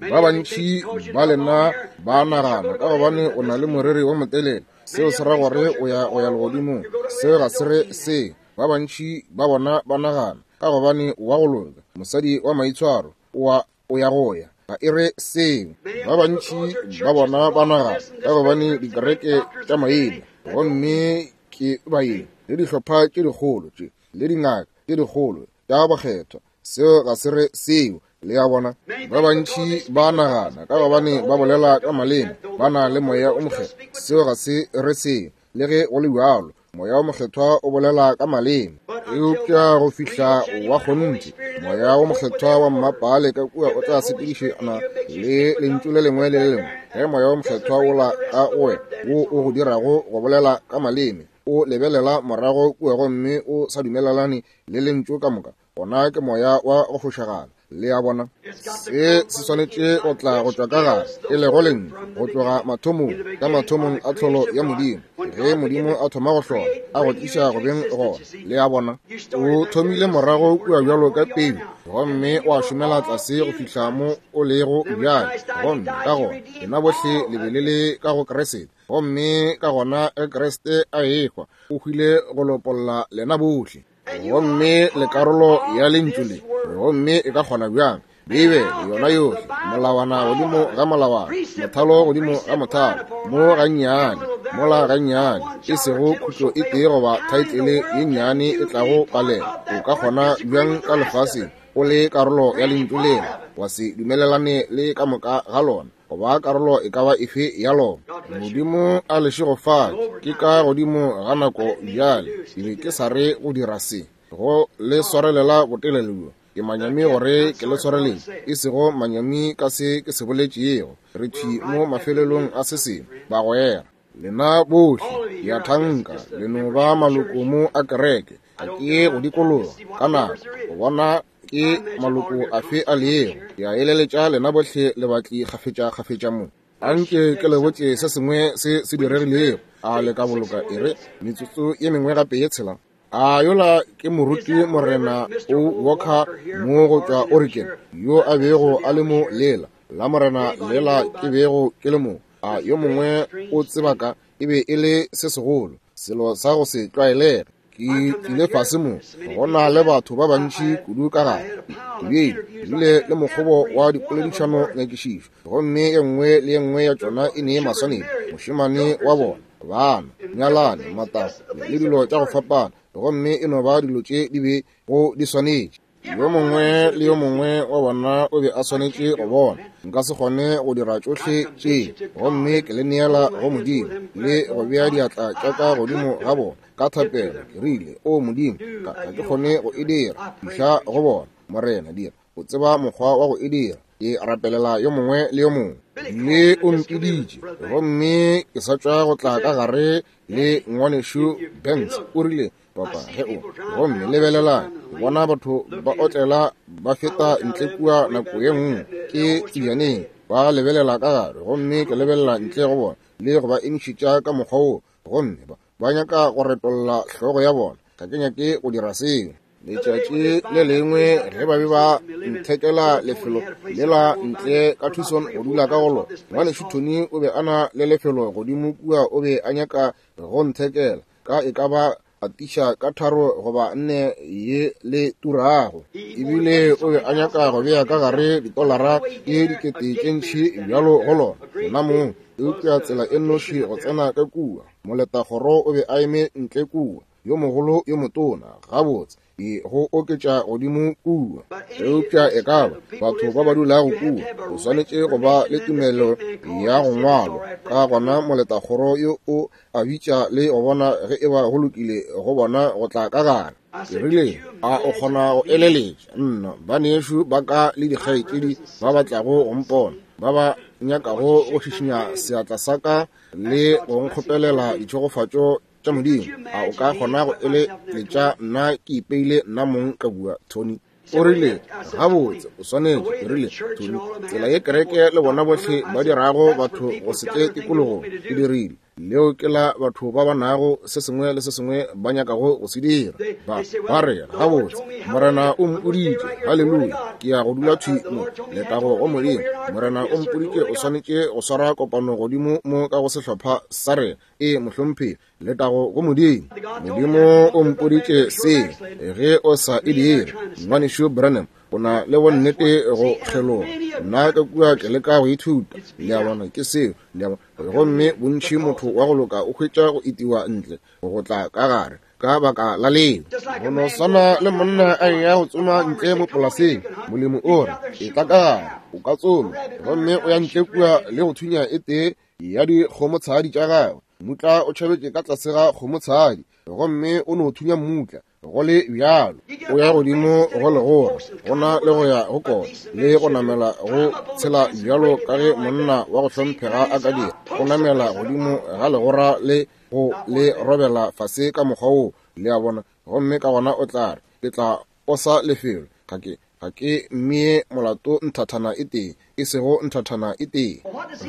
Ba bantši ba lena ba nagana ka gobane o na le moriri wo motelele, seo se ra gore o ya go ya legodimong. Seo ga se re se. Ba bantši ba bona ba nagana ka gobane wa go loka, mosadi wa maitshwaro, o o ya go ya, ga e re seo. Ba bantši ba bona ba nagana ka gobane dikereke tša maina, gomme ke baeng le dihlopha tše dikgolo tše le dingaka tše dikgolo tša bakgethwa, seo ga se re seo. Le a bona, ba bantši ba nagana ka gobane ba bolela ka maleme, ba na le moya o mokgethwa, seo ga se re seo. Le ge go le bjalo, moya o mokgethwa o bolela ka maleme, eupša go fihla wa kgonthe moya o mokgethwa wa mmapale ka kua o tla sepedišana le lentšu le lengwe le le lengwe. Ge moya o mokgethwa wola ka go wena wo o go dirago go bolela ka maleme, o lebelela morago kua gomme o sa dumelelane le lentšu ka moka, gona ke moya wa go fošagala. Le a bona, se se swanetše go tla go tšwa ka gare, e lego lentšu, go tloga mathomong, ka mathomong a tlholo ya Modimo. Ge Modimo a thoma go hlola, a go tliša go beng gona. Le a bona, o thomile morago kua bjalo ka peu, gomme wa šomela tlase go fihla mo o lego bjale. Gomme ka gona lena bohle le be le le ka go Kriste, gomme ka gona ge Kriste a ehwa, o hwile go lopolla lena bohle. Gomme le karolo ya lentšu le, gomme e ka kgona bjang Beibele yona yohle, molawana godimo ga molawana, mothalo godimo ga mothalo, mo gannyane, mola gannyane, e sego khutlo e tee goba thaetlele ye nnyane e tlago palela. O ka kgona bjang ka lefaseng o le karolo ya lentšu lela, wa se dumelelane le ka moka ga lona, goba karolo e ka ba efe ya lona? Modimo a le šegofatše. Ke ka godimo ga nako bjale, ke be ke sa re go dira se, go le swarelela botelele bjo. Ke manyami gore ke le swareletše, e sego manyami ka se ke se boletšego. Re thwi mo mafelelong a se sengwe, bagwera. Lena bohle ke a thanka le no ba maloko mo a kereke. Ga ke ye go dikologa ka nako go bona ke maloko afe a lego. Ke a eleletša lena bohle le batli kgafetša-kgafetša mo. Anke ke le botše se sengwe se se diregilego. A le ka boloka e re metsotso ye mengwe gape ye tshela? A yola ke moruti Morena O Walker mo go tšwa Oregon, yo a bego a le mo lela la Morena lela ke bego ke le mo. A yo mongwe o tseba ka e be e le se segolo, selo sa go se tlwaelege. Ke tlile fase mo, go na le batho ba bantši kudu ka gare. Ke bile le mokgobo wa dipoledišano nyakišišo, gomme ye nngwe le ye nngwe ya tšona e ne maswanedi. Mošemane wa bona, bana, nyalane, matako le dilo tša go fapana, gomme e no ba dilo tše di be go di swanetše. Yo mongwe le yo mongwe wa bona o be a swanetše go bona. Nka se kgone go dira tšohle tše, gomme ke le neela go Modimo le go bea diatla tša ka godimo ga bona ka thapelo. Ke rile, o Modimo, ga ke kgone go e dira, fihla go bona. Morena, dira, o tseba mokgwa wa go e dira. Ke rapelela yo mongwe le yo mongwe. Le o mpiditše, gomme ke sa tšwa go tla ka gare le ngwanešu Banks. O rile, papa, ge o, gomme lebelelang, ke bona batho ba otlela ba feta ntle kua nako ye nngwe ke tsejaneng, ba lebelela ka gare, gomme ke lebelela ntle go bona le go ba emišetša ka mokgwa wo, gomme ba, ba nyaka go retolla hlogo ya bona. Ga ke nyake go dira seo. Letšatši le lengwe ge ba be ba nthekela lefelo lela ntle ka Tucson go dula ka go lona, ngwanešu Tony o be a na le lefelo godimo kua, o be a nyaka go nthekela ka e ka ba atiša ka tharo goba nne ye le turago. Ebile o be a nyaka go bea ka gare ditolara tše dikete tše ntši bjalo go lona, nna mong. Eupša tsela e nnoši go tsena ka kua, moletakgoro o be a eme ntle kua, yo mogolo yo motona, gabotse, e go oketša godimo kua. Eupša e ka ba batho ba ba dulago kua, o swanetše go ba le tumelo ya go ngwalwa. Ka gona moletakgoro yo o a bitša le go bona ge e ba go lokile go bona go tla ka gare. Ke rile, a o kgona go eleletša nna banešu ba ka le dikgaetšedi ba ba tlago go mpona, ba ba nyakago go šišinya seatla sa ka le go nkgopelela ditšhegofatšo tša Modimo? A o ka kgona go eleletša nna ke ipeile nna mong ka bua, Tony? O rile, gabotse, o swanetše. Ke rile, Tony, tsela ye kereke le bona bohle ba dirago batho go se tle tikologong, ke dirile. Leo ke la batho ba ba nago se sengwe le se sengwe ba nyakago go se dira. Ba ba re, gabotse, Morena o mpoditše, haleluya, ke ya go dula thwi mo, letago go Modimo. Morena o mpoditše o swanetše go swara kopano godimo mo ka go sehlopha sa rena. E mohlomphegi, letago go Modimo. Modimo o mpoditše se, ge o sa e dire, ngwanešu Branham, o na le bonnete go kgeloga. Nna ka kua ke leka go ithuta, le a bona, ke seo, le a bona. Gomme bontši motho wa go loka o hwetša go itiwa ntle go tla ka gare ka baka la leo. Go no swana le monna a eya go tsoma ntle mo polaseng, molemi o re, etla ka gare, o ka tsoma, gomme o ya ntle kua le go thunya e tee ya dikgomotshadi tša gagwe. Mmutla o tšhabetše ka tlase ga kgomotshadi, gomme o no thunya mmutla. Go le bjalo, o ya godimo go legora, go na le go ya go kota le go namela go tshela bjalo ka ge monna wa go hlomphega a ka dira. O namela godimo ga legora le go le robela fase ka mokgwa woo, le a bona, gomme ka gona o tla re, ke tla posa lefelo, ga ke ga ke mmee molato nthathana e tee, e sego nthathana e tee.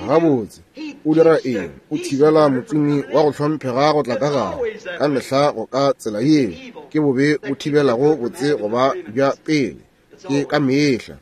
Gabotse, o dira eng? O thibela motsomi wa go hlomphega go tla ka gare. Ka mehla go ka tsela yeo ke bobe bo thibelago botse go ba bja pele, ke ka mehla.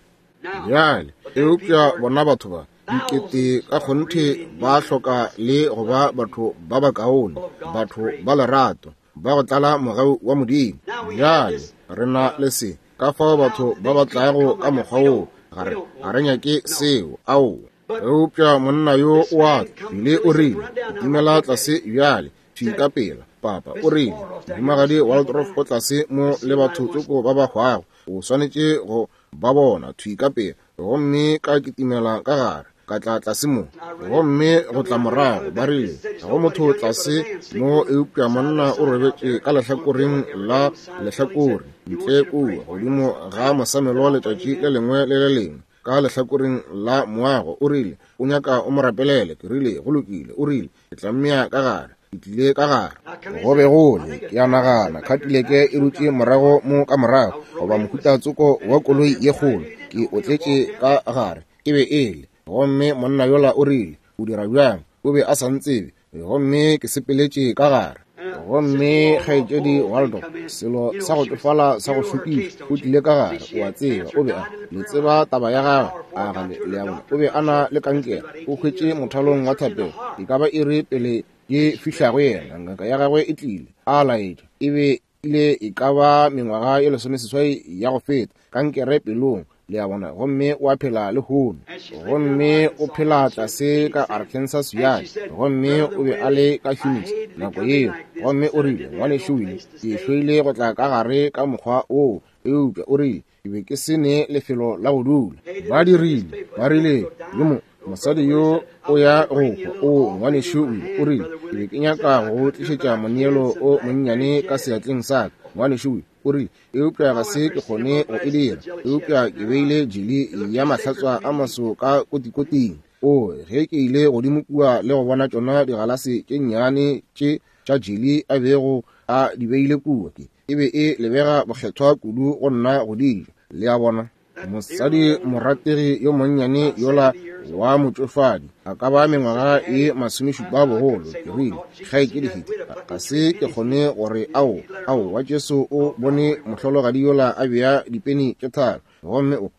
Bjale, eupša bona batho ba dikete ka kgonthe ba hloka le go ba batho ba bakaone, batho ba lerato, ba go tlala mogau wa Modimo. Bjale, re na le se, ka fao batho ba ba tlago ka mokgwa woo, ga re ga re nyake seo, ao. Eupša monna yo o a tla, o rile, dumela tlase bjale, thwi ka pela, papa, o rile, mohumagadi Waldorf o tlase mo le batho tsoko ba ba hwago, o swanetše go ba bona thwi ka pela. Gomme ka kitimela ka gare, ka tla tlase mo, gomme go tla morago, ba rile, ga go motho tlase mo eupša monna o robetše ka lehlakoreng la lehlakore ntle kua godimo ga mosamelo letšatši le lengwe le le lengwe ka lehlakoreng la moago. O rile, o nyaka o mo rapelele. Ke rile, go lokile. O rile, ke tla mmea ka gare. Ke tlile ka gare. Go be go le, ke a nagana, Cadillac e dutše morago mo ka morago, goba mohuta tsoko wa koloi ye kgolo. Ke otletše ka gare, e be e le. Gomme monna yola o rile, o dira bjang? O be a sa ntsebe. Gomme ke sepeletše ka gare. Gomme kgaetšedi Waldorf, selo sa go tšofala sa go šokiša, o tlile ka gare, o a tseba, o be a le tseba taba ya gagwe, a ga le, le a bona, o be a na le kankere, o hwetše mothalong wa thapelo, e ka ba iri pele ke fihla go yena, ngaka ya gagwe e tlile, a laetša, e be ile e ka ba mengwaga ye lesomeseswai ya go feta, kankere pelong, le a bona, gomme o a phela lehono. Gomme o phela tlase ka Arkansas bjale, gomme o be a le ka Phoenix nako yeo. Gomme o rile, ngwanešu Willie, ke hloile go tla ka gare ka mokgwa woo, eupša o rile, ke be ke se ne lefelo la go dula. Ba dirile, ba rile, yo mo mosadi yo o ya go hwa, o ngwanešu Willie, o rile, ke be ke nyaka go tlišetša moneelo o monnyane ka seatleng sa ka, ngwanešu Willie. O rile, eupša ga se ke kgone go e dira, eupša ke beile jeli ya mahlatswa a maso ka kotikoting. O, ge ke ile godimo kua le go bona tšona digalase tše nnyane tše tša jeli a bego a di beile kua, ke e be e lebega bokgethwa kudu go nna go di ja. Le a bona, mosadi morategi yo monnyane yola wa motšofadi, a ka ba mengwaga e masomešupa bogolo. Ke rile, kgaetšedi Hiti, ga se ke kgone gore ao, ao wa Jesu o bone mohlologadi yola a bea dipeni tše tharo, gomme o,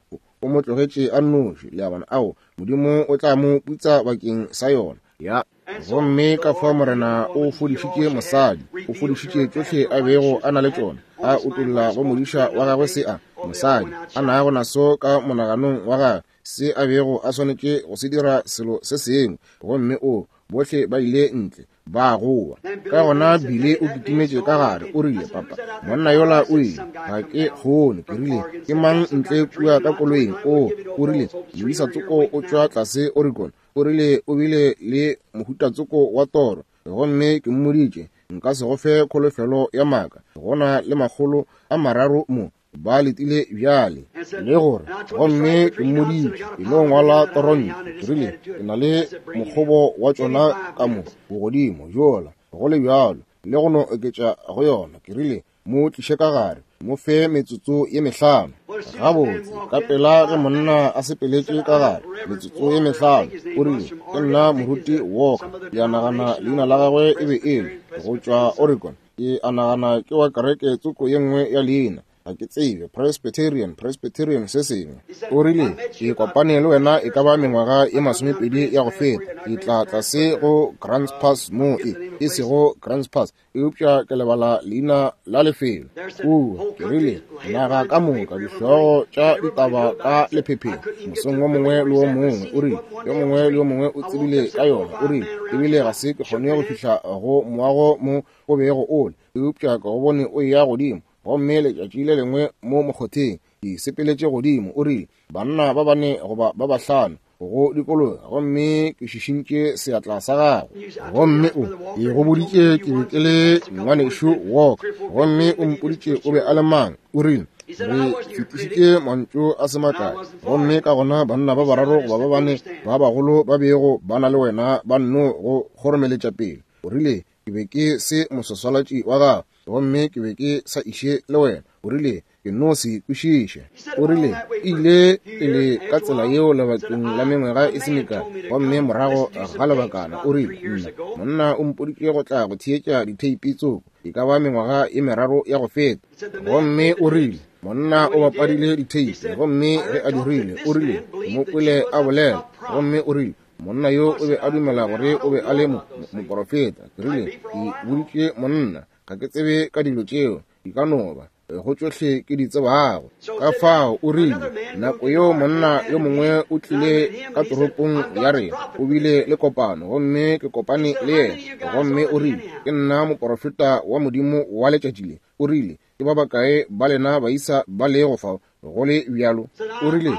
o mo tlogetše a nnoši. Le a bona, ao, Modimo o tla mo putsa bakeng sa yona. Ya. Gomme ka fao Morena o fodišitše mosadi, o fodišitše tšohle a bego a na le tšona, a utolla go modiša wa gagwe se a mosadi a nago naso ka monaganong wa gagwe, se a bego a swanetše go se dira selo se sengwe. Gomme o bohle ba ile ntle ba goa. Ka gona Bile o kitimetše ka gare, o rile, papa, monna yola o ile, ga ke kgone. Ke rile, ke mang ntle kua ka koloing? O, o rile, moisa tsoko o tšwa tlase Oregon. O rile o bile le mohuta tsoko wa toro, gomme ke mmoditše nka se go fe kholofelo ya maaka. Go na le makgolo a mararo mo ba letile bjale le gore, gomme ke mmoditše ke no ngwala toronto. Ke rile ke na le mokgobo wa tšona ka mo bogodimo jola, go le bjalo le go no oketša go yona. Ke rile mo tliše ka gare, mo fe metsotso ye mehlano. Gabotse ka pela ge monna a sepeletše ka gare metsotso ye mehlano, o rile ke nna moruti Walker. Ke a nagana leina la gagwe e be e le go tšwa Oregon. Ke a nagana ke wa kereke tsoko ye nngwe ya leina, ga ke tsebe, Presbyterian, Presbyterian se sengwe. O rile ke kopane le wena e ka ba mengwaga ye masomepedi ya go feta, ke tla tlase go Grants Pass mo e e sego Grants Pass, eupša ke lebala leina la lefelo kua. Ke rile naga ka moka dihlogo tša ditaba ka lephepheng mosong wo mongwe le wo mongwe. O rile yo mongwe le yo mongwe o tsebile ka yona. O rile ebile ga se ke kgone go fihla go moago mo o bego o le, eupša ke go bone o eya godimo. Gomme letšatši le lengwe mo mokgotheng ke sepeletše godimo. O rile banna ba bane goba ba bahlano go dikologa, gomme ke šišintše seatla sa gagwe. Gomme o ke go boditše ke be ke le ngwanešu Walker, gomme o mpoditše o be a le mang. O rile re fetišitše mantšu a se makae, gomme ka gona banna ba bararo goba ba bane ba bagolo ba bego ba na le wena ba nno go kgoromeletša pele. O rile ke be ke se moswaswalatši wa gago, gomme ke be ke sa iše le wena. O rile ke no se kwešiše. O rile ile pele ka tsela yeo lebakeng la mengwaga e se mekae, gomme morago ga lebakana o rile nna monna o mpoditše go tla go theetša ditheipi tsoko e ka ba mengwaga e meraro ya go feta. Gomme o rile monna o bapadile ditheipi, gomme ge a dirile o rile mo kwele a bolela, gomme o rile monna yo o be a dumela gore o be a le moporofeta. Ke rile ke boditše monna ga ke tsebe ka dilo tšeo, di ka no ba go tšohle ke di tsebago. Ka fao o rile nako yeo monna yo mongwe o tlile ka toropong ya rena, o bile le kopano, gomme ke kopane le yena. Gomme o rile ke nna moporofeta wa Modimo wa letšatši le. O rile ke ba bakae ba lena baisa ba lego fao go le bjalo? O rile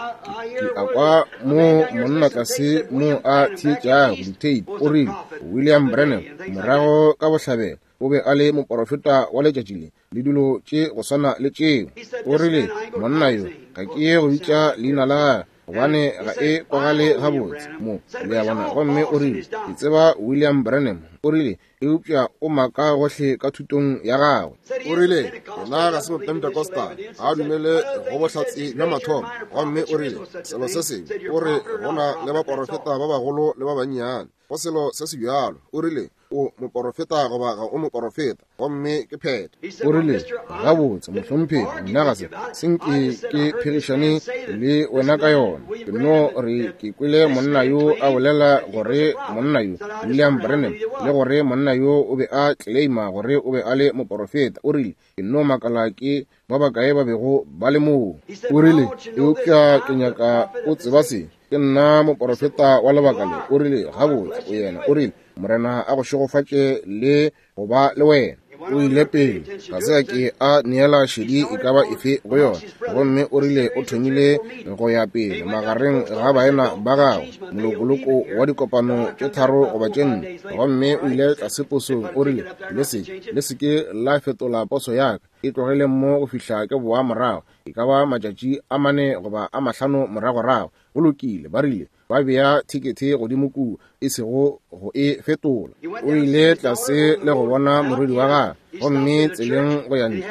ke a kwa mo monna tlase mo a theetšago ditheipi. O rile William Branham morago ka bohlabela o be a le moporofeta wa letšatši le, le dilo tše go swana le tšeo. O rile monna yo ga ke ye go bitša leina la gagwe gobane ga e kwagale gabotse mo, le a bona. Gomme o rile ke tseba William Branham. O rile eupša o maka gohle ka thutong ya gagwe. O rile yena ga se Mopentecostal, ga a dumele go bohlatse bja mathomo. Gomme o rile selo se sengwe, o re go na le baporofeta ba bagolo le ba bannyane, go selo se se bjalo. O rile o moporofeta goba ga o moporofeta, gomme ke phetho. O rile gabotse mohlomphegi, nna ga se senke ke phegišane le wena ka yona. Ke no re ke kwele monna yo a bolela gore monna yo William Branham, le gore monna yo o be a claima gore o be a le moporofeta. O rile ke no makala ke ba bakae ba bego ba le moo. O rile eupša ke nyaka o tseba se, ke nna moporofeta wa lebaka le. O rile gabotse o yena. O rile Morena a go šegofatše le go ba le wena. O ile pele ga se a ke a neela šedi e ka ba efe go yona. Gomme o rile o thomile go ya pele magareng ga baena ba gagwe molokoloko wa dikopano tše tharo goba tše nne. Gomme o ile tlase posong. O rile le se le se ke la fetola poso ya ka, e tlogele mo go fihla ke boa morago, e ka ba matšatši a mane goba a mahlano moragorago. Go lokile, ba rile ba bea thekethe godimo kua, e sego go e fetola. O ile tlase le go bona morwedi wa gagwe, gomme tseleng go ya ntle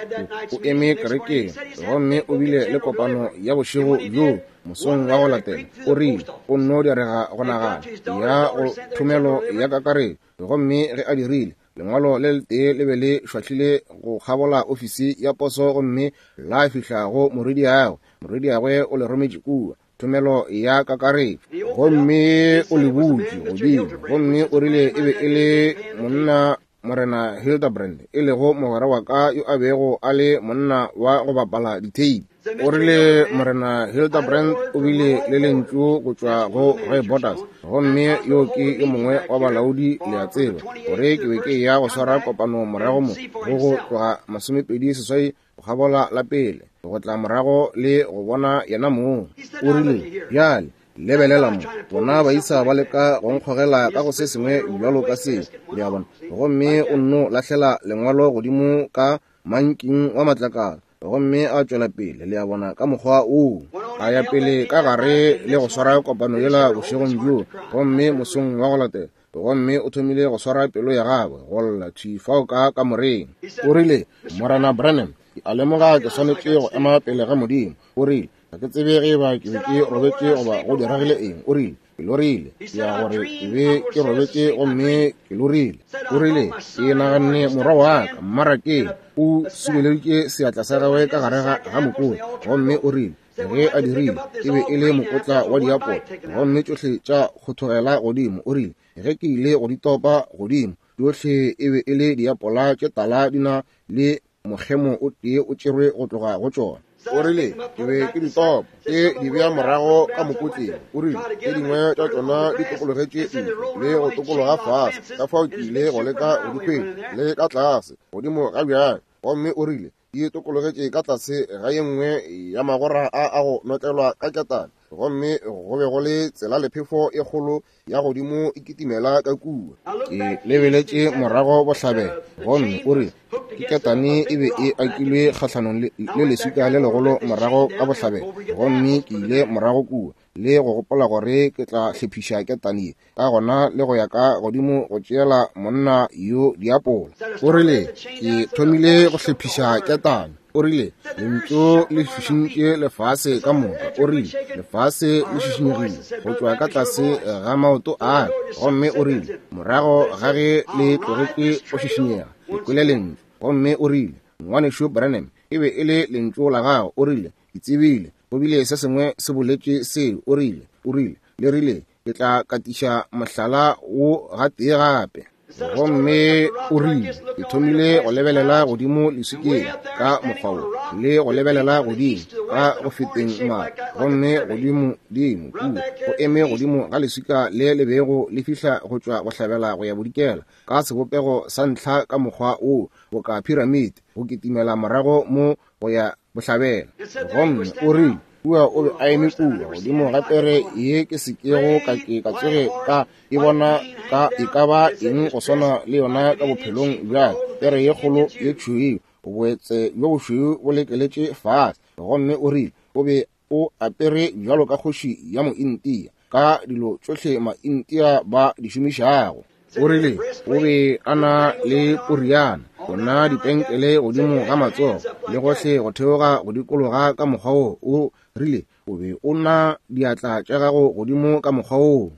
o eme kerekeng, gomme o bile le kopano ya bošego bjoo mosong wa go latela. O rile o nno direga go nagana ya go thomelo ya kakaretšo, gomme ge a dirile lengwalo le letee le be le šwahlile go kgabola ofisi ya poso, gomme la fihla go morwediagwe. Morwediagwe o le rometše kua. thomelo ya kakaretšo. Gomme o le butše godimo, gomme o rile e be e le monna Morena Hildebrand, e lego mogwera wa ka yo a bego a le monna wa go bapala ditheipi. O rile Morena Hildebrand o bile le lentšu go tšwa go Roy Borders, gomme yo ke yo mongwe wa balaodi, le a tseba, gore ke be ke ya go swara kopano morago mo go go tloga masomepedi seswai go kgabola la pele, go tla morago le go bona yena mong. O rile, bjale lebelela mo, bona baisa ba leka go nkgogela ka go se sengwe bjalo ka se, le a bona. Gomme o nno lahlela lengwalo godimo ka manking wa matlakala, gomme a tšwela pele, le a bona, ka mokgwa woo. A ya pele ka gare le go swara kopano yela bošegong bjoo, gomme mosong wa go latela, gomme o thomile go swara pelo ya gagwe go lla thwi fao ka kamoreng. O rile, Morena Branham, ke a lemoga ke swanetše go ema pele ga Modimo. O rile, ga ke tsebe ge eba ke be ke robetše goba go diragile eng. O rile, ke lorile, ke ya gore ke be ke robetše gomme ke lorile. O rile, ke naganne morwa wa ka mmarakeng o subeleditše seatla sa gagwe ka gare ga mokotla, gomme o rile ge a dirile e be e le mokotla wa diapola, gomme tšohle tša kgothogela godimo. O rile ge ke ile go di topa godimo, tšohle e be e le diapola tše tala di na le mokgemo o tee o tšerwe go tloga go tšona. O rile ke be ke di topa ke di bea morago ka mokotleng. O rile tše dingwe tša tšona di tokologetše ntle le go tokologa fase, ka fao ke ile go leka go di hwetša le ka tlase godimo ga bjang. Gomme o rile di tokologetše ka tlase ga ye nngwe ya magora a a go notlelwa ka ketane, gomme go be go le tsela lephefo e kgolo ya godimo e kitimela ka kua. Ke lebeletše morago bohlabela, gomme o rile ke ketane e be e akilwe kgahlanong le leswika le legolo morago ka bohlabela, gomme ke ile morago kua le go gopola gore ke tla hlephiša ketane ye, ka gona le go ya ka godimo go tšeela monna yo diapola. O rile ke thomile go hlephiša ketane. O rile lentšu le šišintše lefase ka moka. O rile lefase le šišinyegile go tšwa ka tlase ga maoto a ka, gomme o rile morago ga ge le tlogetše go šišinyega ke kwele lentšu. Gomme o rile ngwanešu Branham, e be e le lentšu la gago. O rile ke tsebile go bile se sengwe se boletše seo. O rile o rile le rile ke tla katiša mohlala wo gatee gape. Gomme o rile ke thomile go lebelela godimo leswikeng ka mokgwa wo, le go lebelela godimo ka go feteng mare, gomme godimo dimo kua go eme godimo ga leswika le le bego le fihla go tšwa bohlabela go ya bodikela ka sebopego sa ntlha ka mokgwa wo boka piramide go kitimela morago mo go ya bohlabela. Gomme o rile kua o be a eme kua godimo ga pere ye ke sekego ka ke ka tsoge ka e bona ka e ka ba eng go swana le yona ka bophelong bja pere ye kgolo ye tšhweu, boetse bjo bošweu bo lekeletše fase. Gomme o rile o be o apere bjalo ka kgoši ya mointia ka dilo tšohle maintia ba di šomišago. O rile o be a na le poriana, ona dipenkele godimo ga matsogo le gohle go theoga go dikologa ka mokgwa wo. O rile o be o na diatla tša gago godimo ka mokgwa wo.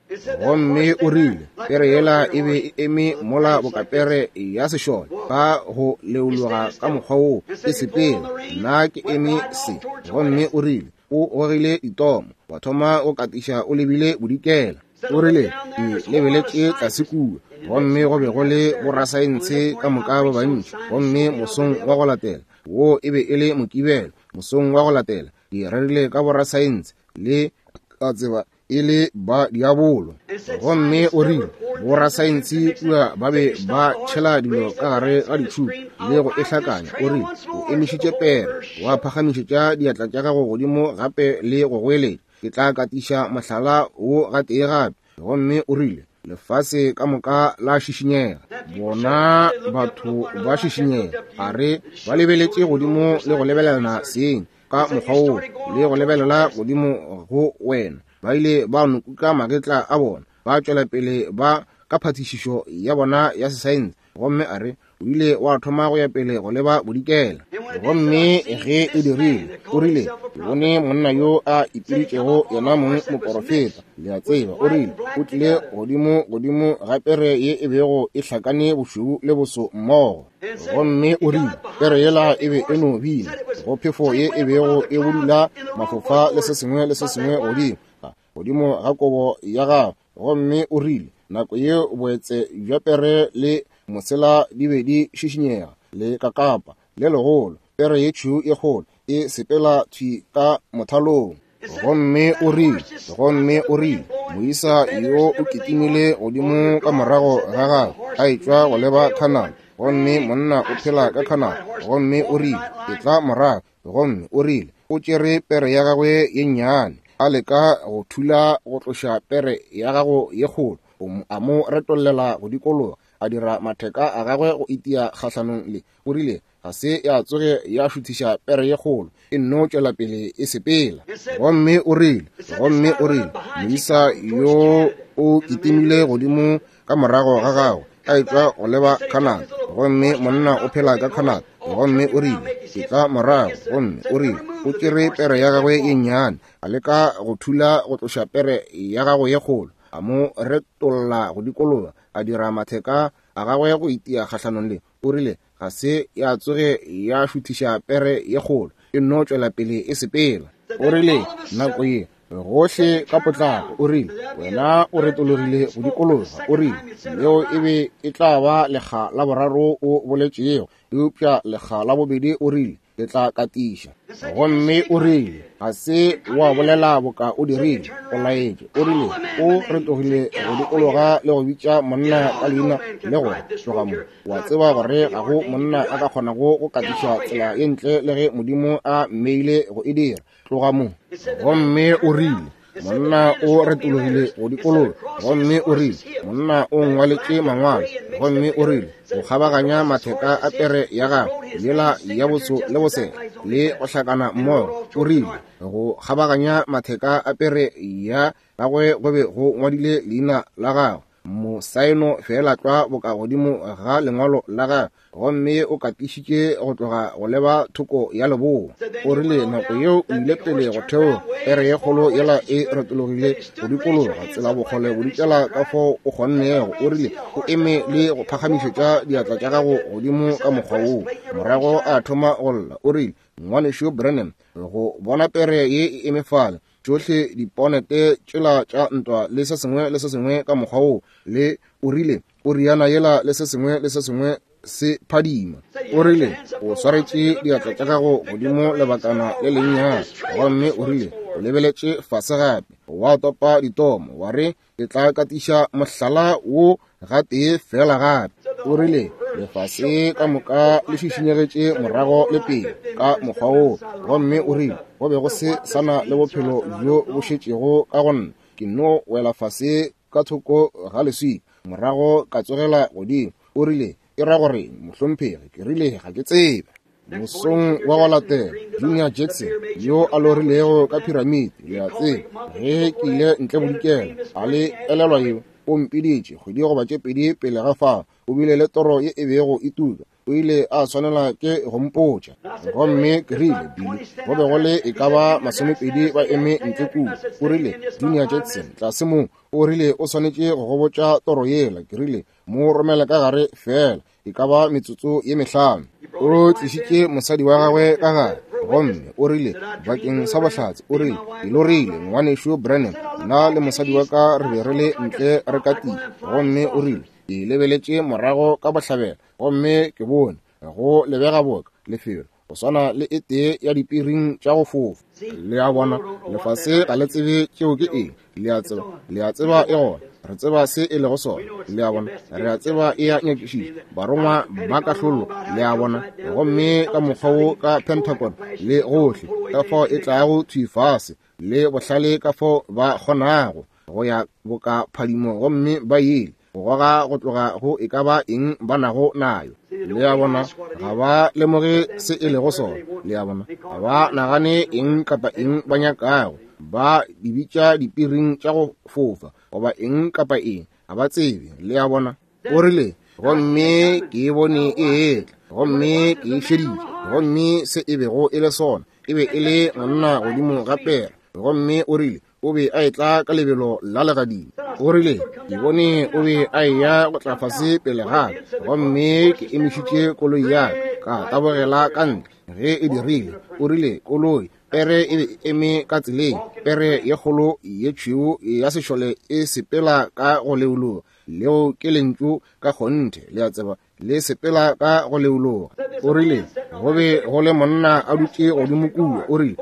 Gomme o rile pere yela e be e eme mola bokapere ya sešole ka go leologa ka mokgwa wo e sepela, nna ke eme se. Gomme o rile o gogile ditomo wa thoma go katiša o lebile bodikela. O rile ke lebeletše tlase kua, gomme go be go le borasaense ka moka ba bantši. Gomme mosong wa go latela, wo e be e le Mokibelo, mosong wa go latela ke rerile ka borasaense le ka tseba e le ba diabolo. Gomme o rile borasaense kua ba be ba tšhela dilo ka gare ga ditšhupu le go e hlakanya. O rile o emišitše pere wa phagamišetša diatla tša gago godimo gape le go goeletša, ke tla katiša mohlala wo gatee gape. Gomme o rile lefase ka moka la šišinyega, bona batho ba šišinyega, a re ba lebeletše godimo le go lebelelana seng ka mokgwa wo le go lebelela godimo go wena. Ba ile ba nokuka magetla a bona, ba tšwela pele ba ka phatišišo ya bona ya sesaense. Gomme a re o ile wa thoma go ya pele go leba bodikela. Gomme ge e dirile, o rile, ke bone monna yo a ipiditšego yena mong moporofeta, le a tseba. O rile, o tlile godimo godimo ga pere ye e bego e hlakane bošweu le boso mmogo. Gomme o rile, pere yela e be e no bina go phefo ye e bego e budula mafofa le se sengwe le se sengwe godimo godimo ga kobo ya gagwe. Gomme o rile, nako yeo boetse bja pere le mosela di be di šišinyega le kakapa le legolo, pere ye tšhweu e kgolo e sepela thwi ka mothalong. Gomme o rile, gomme o rile, moisa yo o kitimile godimo ka morago ga gagwe a etšwa go leba Canada. Gomme monna o phela ka Canada. Gomme o rile, e tla morago. Gomme o rile, o tšere pere ya gagwe ye nnyane, a leka go thula go tloša pere ya gago ye kgolo, a mo retollela go dikologa, a dira matheka a gagwe go itia kgahlanong le. O rile, ga se ya tsoge ya šuthiša pere ye kgolo, e nno tšwela pele e sepela. Gomme o rile, gomme o rile, moisa yo o kitimile godimo ka morago ga gagwe a etšwa go leba Canada. Gomme monna o phela ka Canada. Gomme o rile, ke tla morago. Gomme o rile, o tšere pere ya gagwe ye nnyane, a leka go thula go tloša pere ya gagwe ye kgolo, a mo retolla go dikologa, a dira matheka a gagwe go itia kgahlanong le. O rile, ga se ya tsoge ya šuthiša pere ye kgolo, e nno tšwela pele e sepela. O rile, nako ye gohle ka potlako, o rile, wena o retologile go dikologa. O rile, leo e be e tla ba lekga la boraro o boletšego, eupša lekga la bobedi o rile, ke tla katiša. Gomme o rile, ga se wa bolela boka o dirile, o laetše. O rile, o retogile go dikologa le go bitša monna ka leina le gore tloga mo. Wa tseba gore ga go monna a ka kgonago go katiša tsela ye ntle le ge Modimo a mmeile go e dira. Tloga mo. Gomme o rile, monna o retologile go dikologa. Gomme o rile, monna o ngwaletše mangwalo. Gomme o rile, go kgabaganya matheka a pere ya gagwe yela ya boso le bosela le go hlakana mmogo. O rile, go kgabaganya matheka a pere ya gagwe go be go ngwadile leina la gagwe, mosaeno fela tlwa boka godimo ga lengwalo la gagwe. Gomme o katišitše go tloga go leba thoko ya leboa. O rile, nako yeo o ile pele go theoga, pere ye kgolo yela e retologile go dikologa tsela bokgole bodikela ka fao o kgonnego. O rile, o eme le go phagamišetša diatla tša gago godimo ka mokgwa woo. Morago a thoma go lla. O rile, ngwanešu Branham, go bona pere ye e eme fale, tšohle diponete tšela tša ntwa le se sengwe le se sengwe ka mokgwa woo, le o rile, o riana yela le se sengwe le se sengwe se phadima. O rile, o swaretše diatla tša gago godimo lebakana le lennyane. Gomme o rile, o lebeletše fase gape, wa topa ditomo, wa re, ke tla katiša mohlala wo gatee fela gape. O rile, lefase ka moka le šišinyegetše morago le pele ka mokgwa woo. Gomme o rile, go be go se sana le bophelo bjo bo šetšego ka go nna, ke nno wela fase ka thoko ga leswika, morago ka tsogela godimo. O rile, e ra gore mohlomphegi? Ke rile, ga ke tsebe. Mosong wa go latela, Junior Jackson yo a lorilego ka piramidi, le a tseba, ge ke ile ntle bodikela, a le elelwa yeo, o mpiditše kgwedi goba tše pedi pele ga fao. O bile le toro ye e bego e tuka, o ile a swanela ke go mpotša. Gomme ke rile, Billy, go be go le e ka ba masomepedi ba eme ntle kua. O rile, Junior Jackson tlase mo, o rile o swanetše go go botša toro yela. Ke rile, mo romela ka gare fela, e ka ba metsotso ye mehlano. O tlišitše mosadi wa gagwe ka gare. Gomme o rile, bakeng sa bohlatse, o rile, ke lorile ngwanešu Branham, nna le mosadi wa ka re be re le ntle re katile. Gomme o rile, ke lebeletše morago ka bohlabela, gomme ke bone go lebega boka lefelo go swana le e tee ya dipiring tša go fofa. Le a bona, lefase ga le tsebe tšeo ke eng. Le a tseba, le a tseba e gona. Re tseba se e lego sona. Le a bona, re a tseba e a nyakišiša. Barongwa ba kahlolo, le a bona. Gomme ka mokgwa wo ka Pentagon le gohle, ka fao e tlago thwi fase, le bohlale ka fao ba kgonago go ya boka phadimo, gomme ba ile go goga go tloga go e ka ba eng ba nago nayo. Le a bona, ga ba lemoge se e lego sona. Le a bona, ga ba nagane eng kapa eng ba nyakago. Ba di bitša dipiring tša go fofa goba eng kapa eng, ga ba tsebe. Le a bona. O rile, gomme ke e bone e etla, gomme ke e šeditše. Gomme se e bego e le sona, e be e le monna godimo ga pere. Gomme o rile o be a etla ka lebelo la legadima. O rile ke bone o be a eya go tla fase pele ga ka, gomme ke emišitše koloi ya ka, ka tabogela ka ntle. Ge e dirile, o rile koloi pere e be e eme ka tseleng, pere ye kgolo ye tšhweu ya sešole e sepela ka go leologa. Leo ke lentšu ka kgonthe, le a tseba, le sepela ka go leologa. O rile go be go le monna a dutše godimo kua. O rile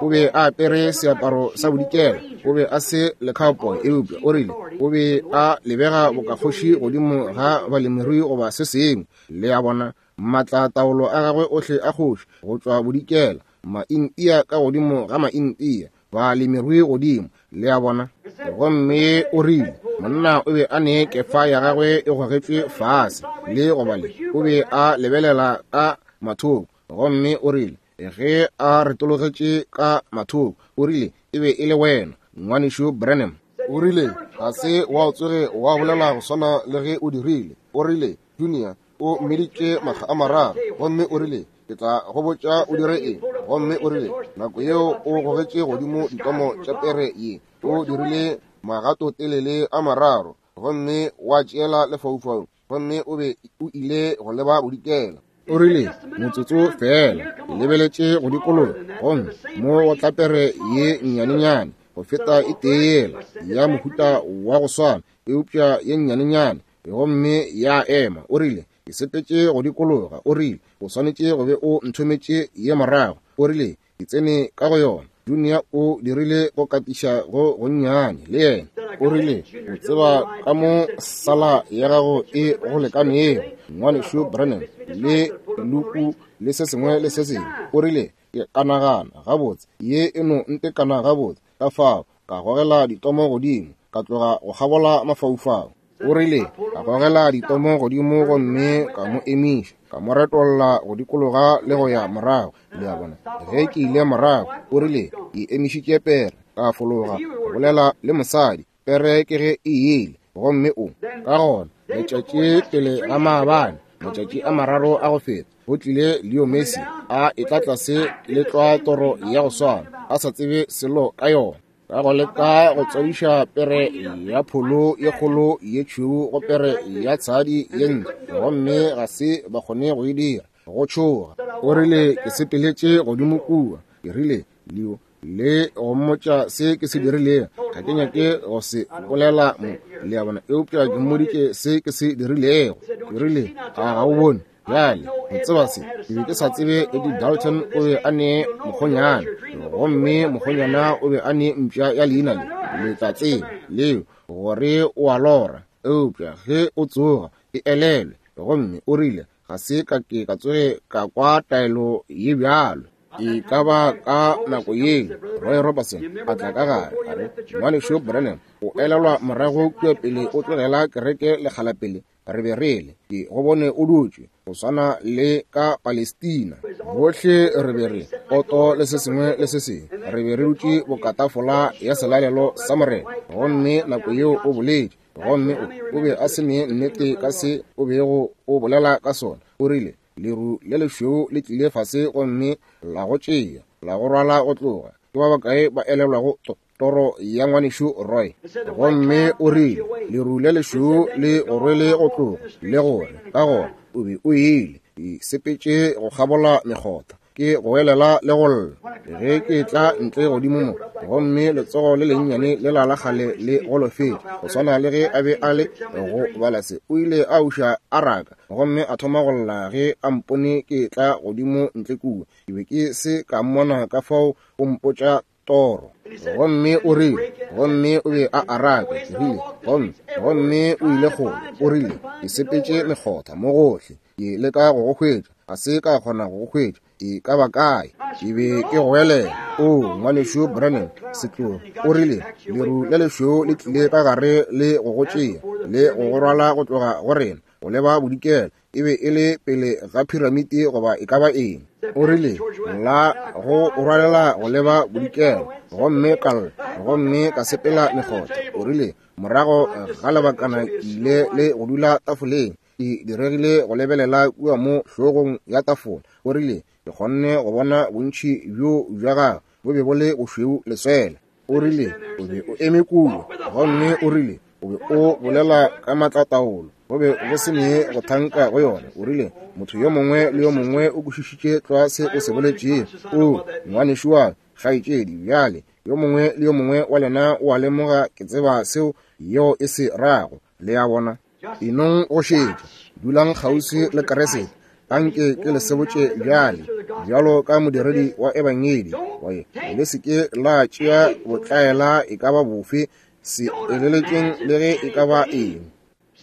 o be a apere seaparo sa bodikela, o be a se le cowboy, eupša o rile o be a lebega bokakgoši godimo ga balemirui goba se sengwe. Le a bona, maatlataolo a gagwe ohle a kgoši go tšwa bodikela, maintia ka godimo ga maintia, balemirui godimo, le a bona. Gomme o rile monna o be a ne kefa ya gagwe e gogetšwe fase le goba le, o be a lebelela ka mathoko. Gomme o rile ge a retologetše ka mathoko, o rile e be e le wena, ngwanešu Branham. O rile ga se wa tsoge wa bolela go swana le ge o dirile. O rile Junior o mmeditše makga a mararo, gomme o rile ke tla go botša o dire eng. Gomme o rile nako yeo o gogetše godimo ditomo tša pere ye, o dirile magatotelele a mararo, gomme wa tšeela lefaufau, gomme o be o ile go leba bodikela. O rile motsotso fela, ke lebeletše go dikologa, gomme mo go tla pere ye nnyanenyane go feta e tee yela ya mohuta wa go swana, eupša ye nnyanenyane, gomme ya ema. O rile ke sepetše go dikologa. O rile o swanetše go be o nthometše ye morago. O rile ke tsene ka go yona. Junior o dirile go katiša go gonnyane le yena. O rile o tseba ka mo sala ya gago e go lekanego, ngwanešu Branham, le luku le se sengwe le se sengwe. O rile ke ka nagana gabotse, ye e no ntekana gabotse. Ka fao ka gogela ditomo godimo, ka tloga go kgabola mafaufau. O rile ka gogela ditomo godimo gomme ka mo emiša, ka mo retolla go dikologa le go ya morago. Le a bona, ge ke ile morago, o rile ke emišitše pere, ka fologa go bolela le mosadi, pere ke ge e ile. Gomme o ka gona letšatši pele ga maabane, matšatši a mararo a go feta, go tlile Leo Messi a etla tlase le tlwa toro ya go swana, a sa tsebe selo ka yona, ka go leka go tswadiša pere ya pholo ye kgolo ye tšhweu go pere ya tshadi ye ntle, gomme ga se ba kgone go e dira, go tšhoga. O rile ke sepeletše godimo kua, ke rile Leo le go mmotša se ke se dirilego, ga ke nyake go se bolela mo, le a bona, eupša ke mmoditše se ke se dirilego. Ke rile a ga o bone bjale, o tseba se, ke be ke sa tsebe Eddie Dalton o be a ne mokgonyana, gomme mokgonyana o be a ne mpša ya leina le, le tla tseba leo gore o a lora, eupša ge o tsoga e elelwe. Gomme o rile ga se ka ke ka tsoge ka kwa taelo ye bjalo. E ka ba ka nako yeo Roy Robertson a tla ka gare, a re ngwanešu Branham, o elelwa morago kua pele o tlogela kereke lekgala pele re be re le, ke go bone o dutše go swana le ka Palestina, bohle re be re poto le se sengwe le se sengwe, re be re dutše bokatafola ya selalelo sa Morena. Gomme nako yeo o boletše, gomme o be a se ne nnete ka se o bego o bolela ka sona. O rile leru le lešweu le tlile fase gomme la go tšea, la go rwala go tloga. Ke ba bakae ba elelwago toro ya ngwanešu Roy? Gomme o rile leru le lešweu le go rwele go tloga, le gore ka gona o be o ile, ke sepetše go kgabola mekgotha, ke go elela le go lla ge ke tla ntle godimo mo, gomme letsogo le lennyane le la la kgale le golofetše go swana le ge a be a le go bala se. O ile a uša a raka gomme a thoma go lla ge a mpone ke tla godimo ntle kua. Ke be ke se ka mmona, ka fao o mpotša toro. Gomme o rile, gomme o be a araka, ke rile, gomme gomme o ile kgole. O rile ke sepetše mekgotha mo gohle, ke leka go go hwetša, ga se ka kgona go go hwetša, e ka ba kae. Ke be ke goelela, o ngwanešu Branham, setlogo. O rile leru le lešweu le tlile ka gare le go go tšea le go go rwala go tloga go rena go leba bodikela, e be e le pele ga piramiti goba e ka ba eng. O rile la go rwalela go leba bodikela, gomme ka lla, gomme ka sepela mekgotha. O rile morago ga lebakana ke ile le go dula tafoleng, Ke diregile go lebelela kua mo hlogong ya tafola. O rile, ke kgonne go bona bontši bjo bja gagwe bo be bo le bošweu leswele. O rile, o be o eme kua, gomme o rile, o be o bolela ka maatlataolo, go be go se ne go thanka go yona. O rile, motho yo mongwe le yo mongwe o kwešišitše tlwa se o se boletšego. O ngwanešu wa kgaetšedi, bjale yo mongwe le yo mongwe wa lena o a lemoga ke tseba seo yeo e se rago. Le a bona? Enong go šetša, dulang kgauswi le Kriste. Anke ke le sebotše bjale, bjalo ka modiredi wa ebangedi, gore le se ke la tšea botlaela e ka ba bofe, se eleletšeng le ge e ka ba eng.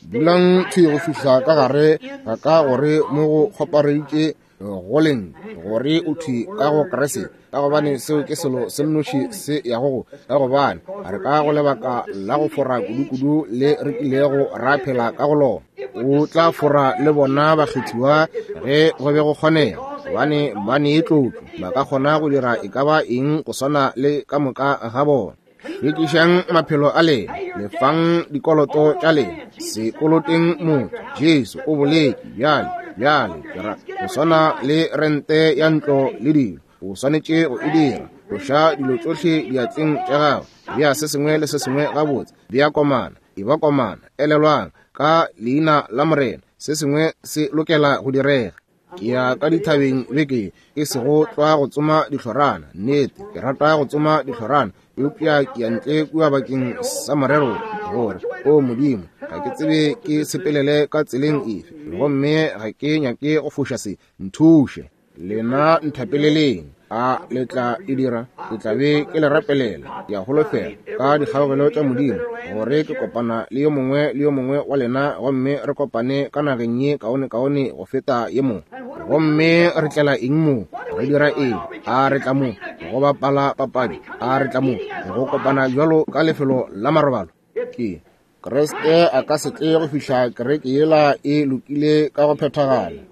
Dulang thwi go fihla ka gare ga ka gore mo go kgopareditše go leng gore o thwi ka go Kriste, ka gobane seo ke selo se nnoši se yago go, ka gobane re ka go lebaka la go fora kudu-kudu le re kilego ra phela ka go lona. O tla fora le bona bakgethiwa ge go be go kgonega, gobane ba ne tlotlo, ba ka kgona go dira e ka ba eng go swana le ka moka ga bona. Hlwekišang maphelo a lena, lefang dikoloto tša lena, se koloteng motho. Jesu o boletše bjale, bjale ke ra go swana le rente ya ntlo le dilo, o swanetše go e dira. Tloša dilo tšohle diatleng tša gago, bea se sengwe le se sengwe gabotse, bea komana, e ba komana. Elelwang, ka leina la Morena se sengwe se lokela go direga. Ke ya ka dithabeng beke e sego tlwa go tsoma dihlorana. Nnete, ke rata go tsoma dihlorana, eupša ke ya ntle kua bakeng sa morero gore, o Modimo, ga ke tsebe ke sepelele ka tseleng efe, gomme ga ke nyake go foša se. Nthuše, lena nthapeleleng. A le tla e dira? Ke tla be ke le rapelela. Ke a holofela ka dikgaogelo tša Modimo gore ke kopana le yo mongwe le yo mongwe wa lena, gomme re kopane ka nageng ye kaone-kaone go feta ye mo. Gomme re tlela eng mo? Re dira eng? A re tla mo go bapala papadi? A re tla mo go kopana bjalo ka lefelo la marobalo? Ke Kriste a ka se tle go fihla kereke yela e lokile ka go phethagala.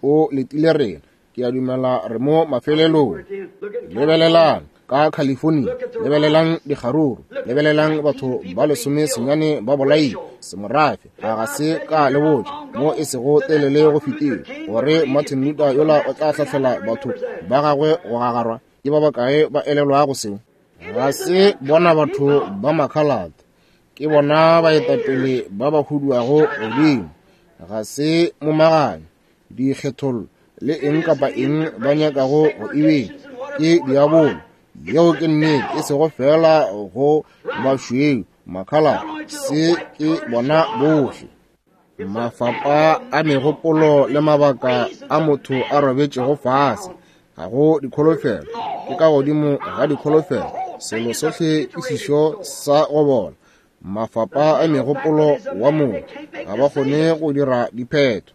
O letile rena. Ke a dumela re mo mafelelong. Lebelelang ka California, lebelelang dikgaruru, lebelelang batho ba lesome senyane ba bolaile semorafe. A ga se ka le botša mo e sego telele go fetile gore Martin Luther yola o tla hlahlela batho ba gagwe go gagarwa? Ke ba bakae ba elelwago seo? Ga se bona batho ba makhalate, ke bona baetapele ba ba huduago godimo. Ga se momaganyo, dikgethollo le eng kapa eng ba nyakago go e beng, ke diabolo. Yeo ke nnete, e sego fela go bašweu makhala, se ke bona bohle. Mafapa a megopolo le mabaka a motho a robetšego fase, ga go dikholofelo, ke ka godimo ga dikholofelo. Selo sohle ke sešo sa go bola. Mafapa a megopolo wa motho ga ba kgone go dira diphetho.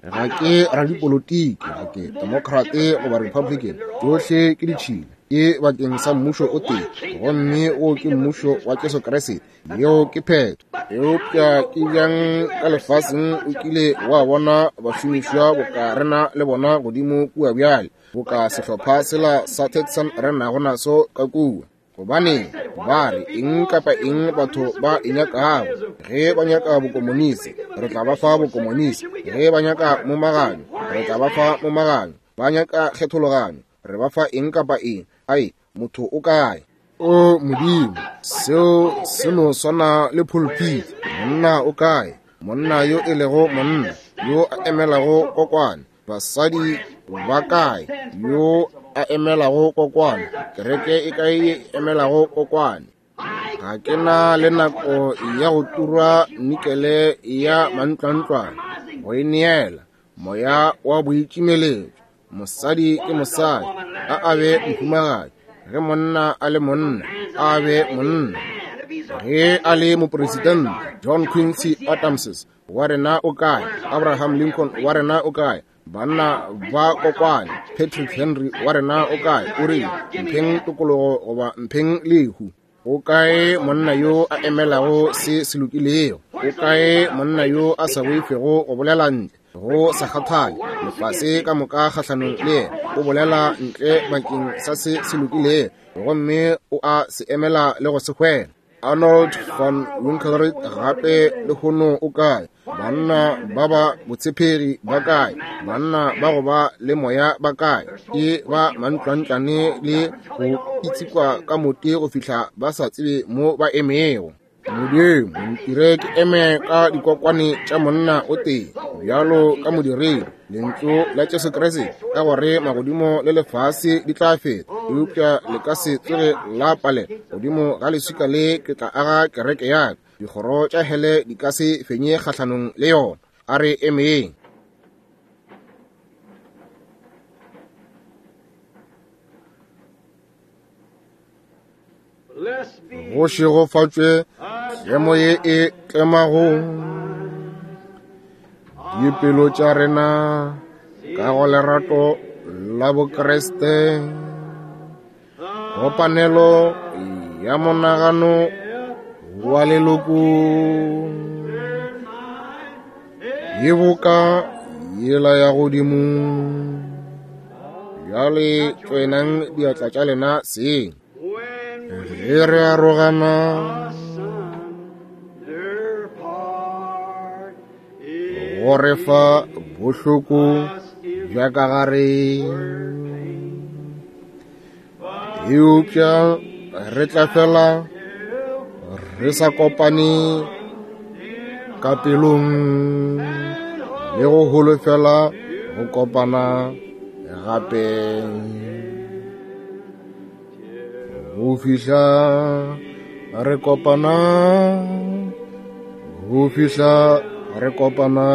Ga ke radipolotiki, ga ke Democrat goba Republican, tšohle ke ditšhila, ke bakeng sa mmušo o tee, gomme wo ke mmušo wa Jesu Kriste. Yeo ke phetho. Eupša ke bjang ka lefaseng o kile wa bona bašomišwa boka rena le bona godimo kua bjale, boka sehlopha sela sa Texan re nago naso ka kua? Gobane ba re eng kapa eng batho ba e nyakago. Ge ba nyaka bokomonisi, re tla ba fa bokomonisi. Ge ba nyaka momaganyo, re tla ba fa momaganyo. Ba nyaka kgethologanyo, re ba fa eng kapa eng. Ai, motho o kae? O Modimo, seo se no swana le pulpit. Monna o kae? Monna yo e lego monna, yo a emelago kokwane. Basadi ba kae? Yo a emelago kokwane. Kereke e kae ye emelago kokwane? Ga ke na le nako ya go turwa nikele ya mantlwantlwane, go e neela moya wa boitšimeletšo. Mosadi ke mosadi, a a be mohumagadi. Ge monna a le monna, a be monna. Ge a le mopresidente John Quincy Adams wa rena o kae? Abraham Lincoln wa rena o kae? Banna ba kokwane, Patrick Henry wa rena o kae? O rile, mpheng tokologo goba mpheng lehu. O kae monna yo a emelago se se lokilego? O kae monna yo a sa boifego go bolela ntle go sa kgathale lefase ka moka kgahlanong le yena? O bolela ntle bakeng sa se se lokilego, gomme o a se emela le go se hwela. Arnold van Winkelried gape lehono o kae? Banna ba ba botshepegi ba kae? Banna ba go ba le moya ba kae? Ke ba mantlwantlane le go itsikwa ka mote go fihla ba sa tsebe mo ba emego. Modimo, ntire ke eme ka dikokwane tša monna o tee, bjalo ka modiredi, lentšu la Jesu Kriste, ka gore magodimo le lefase di tla feta, eupša le ka se tsoge la palela. Godimo ga leswika le ke tla aga kereke ya ka, dikgoro tša hele di ka se fenye kgahlanong le yona. A re emeng. Go šegofatšwe tlemo ye e tlemago dipelo tša rena ka go lerato la Bokriste, kopanelo ya monagano wa leloko ye boka yela ya godimo. Bjale tswenang diatla tša lena seng. Ge re arogana, go re fa bohloko bja ka gare, eupša re tla fela re sa kopane ka pelong le go holofela go kopana gape. Go fihla re kopana, go fihla re kopana,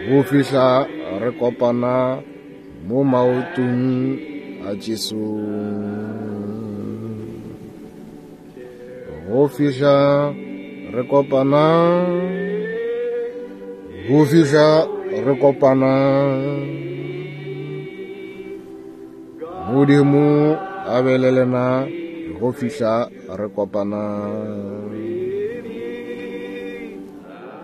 go fihla re kopana mo maotong a Jesu. Go fihla re kopana, go fihla re kopana. Modimo a be le lena go fihla re kopana.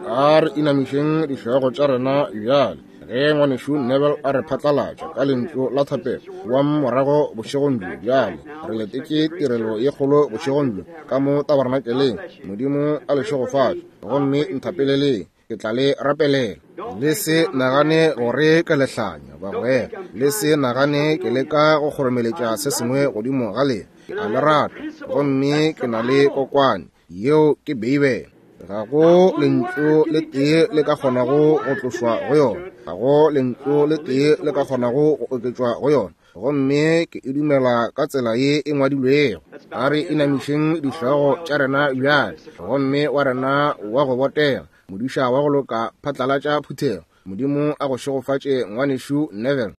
A re inamišeng dihlogo tša rena bjale ge ngwanešu Neville a re phatlalatša ka lentšu la thapelo wa morago bošegong bjo. Bjale re letetše tirelo ye kgolo bošegong bjo ka mo tabernakeleng. Modimo a le šegofatše, gomme nthapeleleng, ke tla le rapelela. Le se nagane gore ke lehlanya, bagwera. Le se nagane ke leka go kgoromeletša se sengwe godimo ga lena. Ke a le rata, gomme ke na le kokwane, yeo ke Beibele. Ga go lentšu le tee le ka kgonago go tlošwa go yona, ga go lentšu le tee le ka kgonago go oketšwa go yona, gomme ke e dumela ka tsela ye e ngwadilwego. A re inamišeng dihlogo tša rena bjale, gomme wa rena wa go botega, modiša wa go loka, phatlalatša phuthego. Modimo a go šegofatše ngwanešu Neville.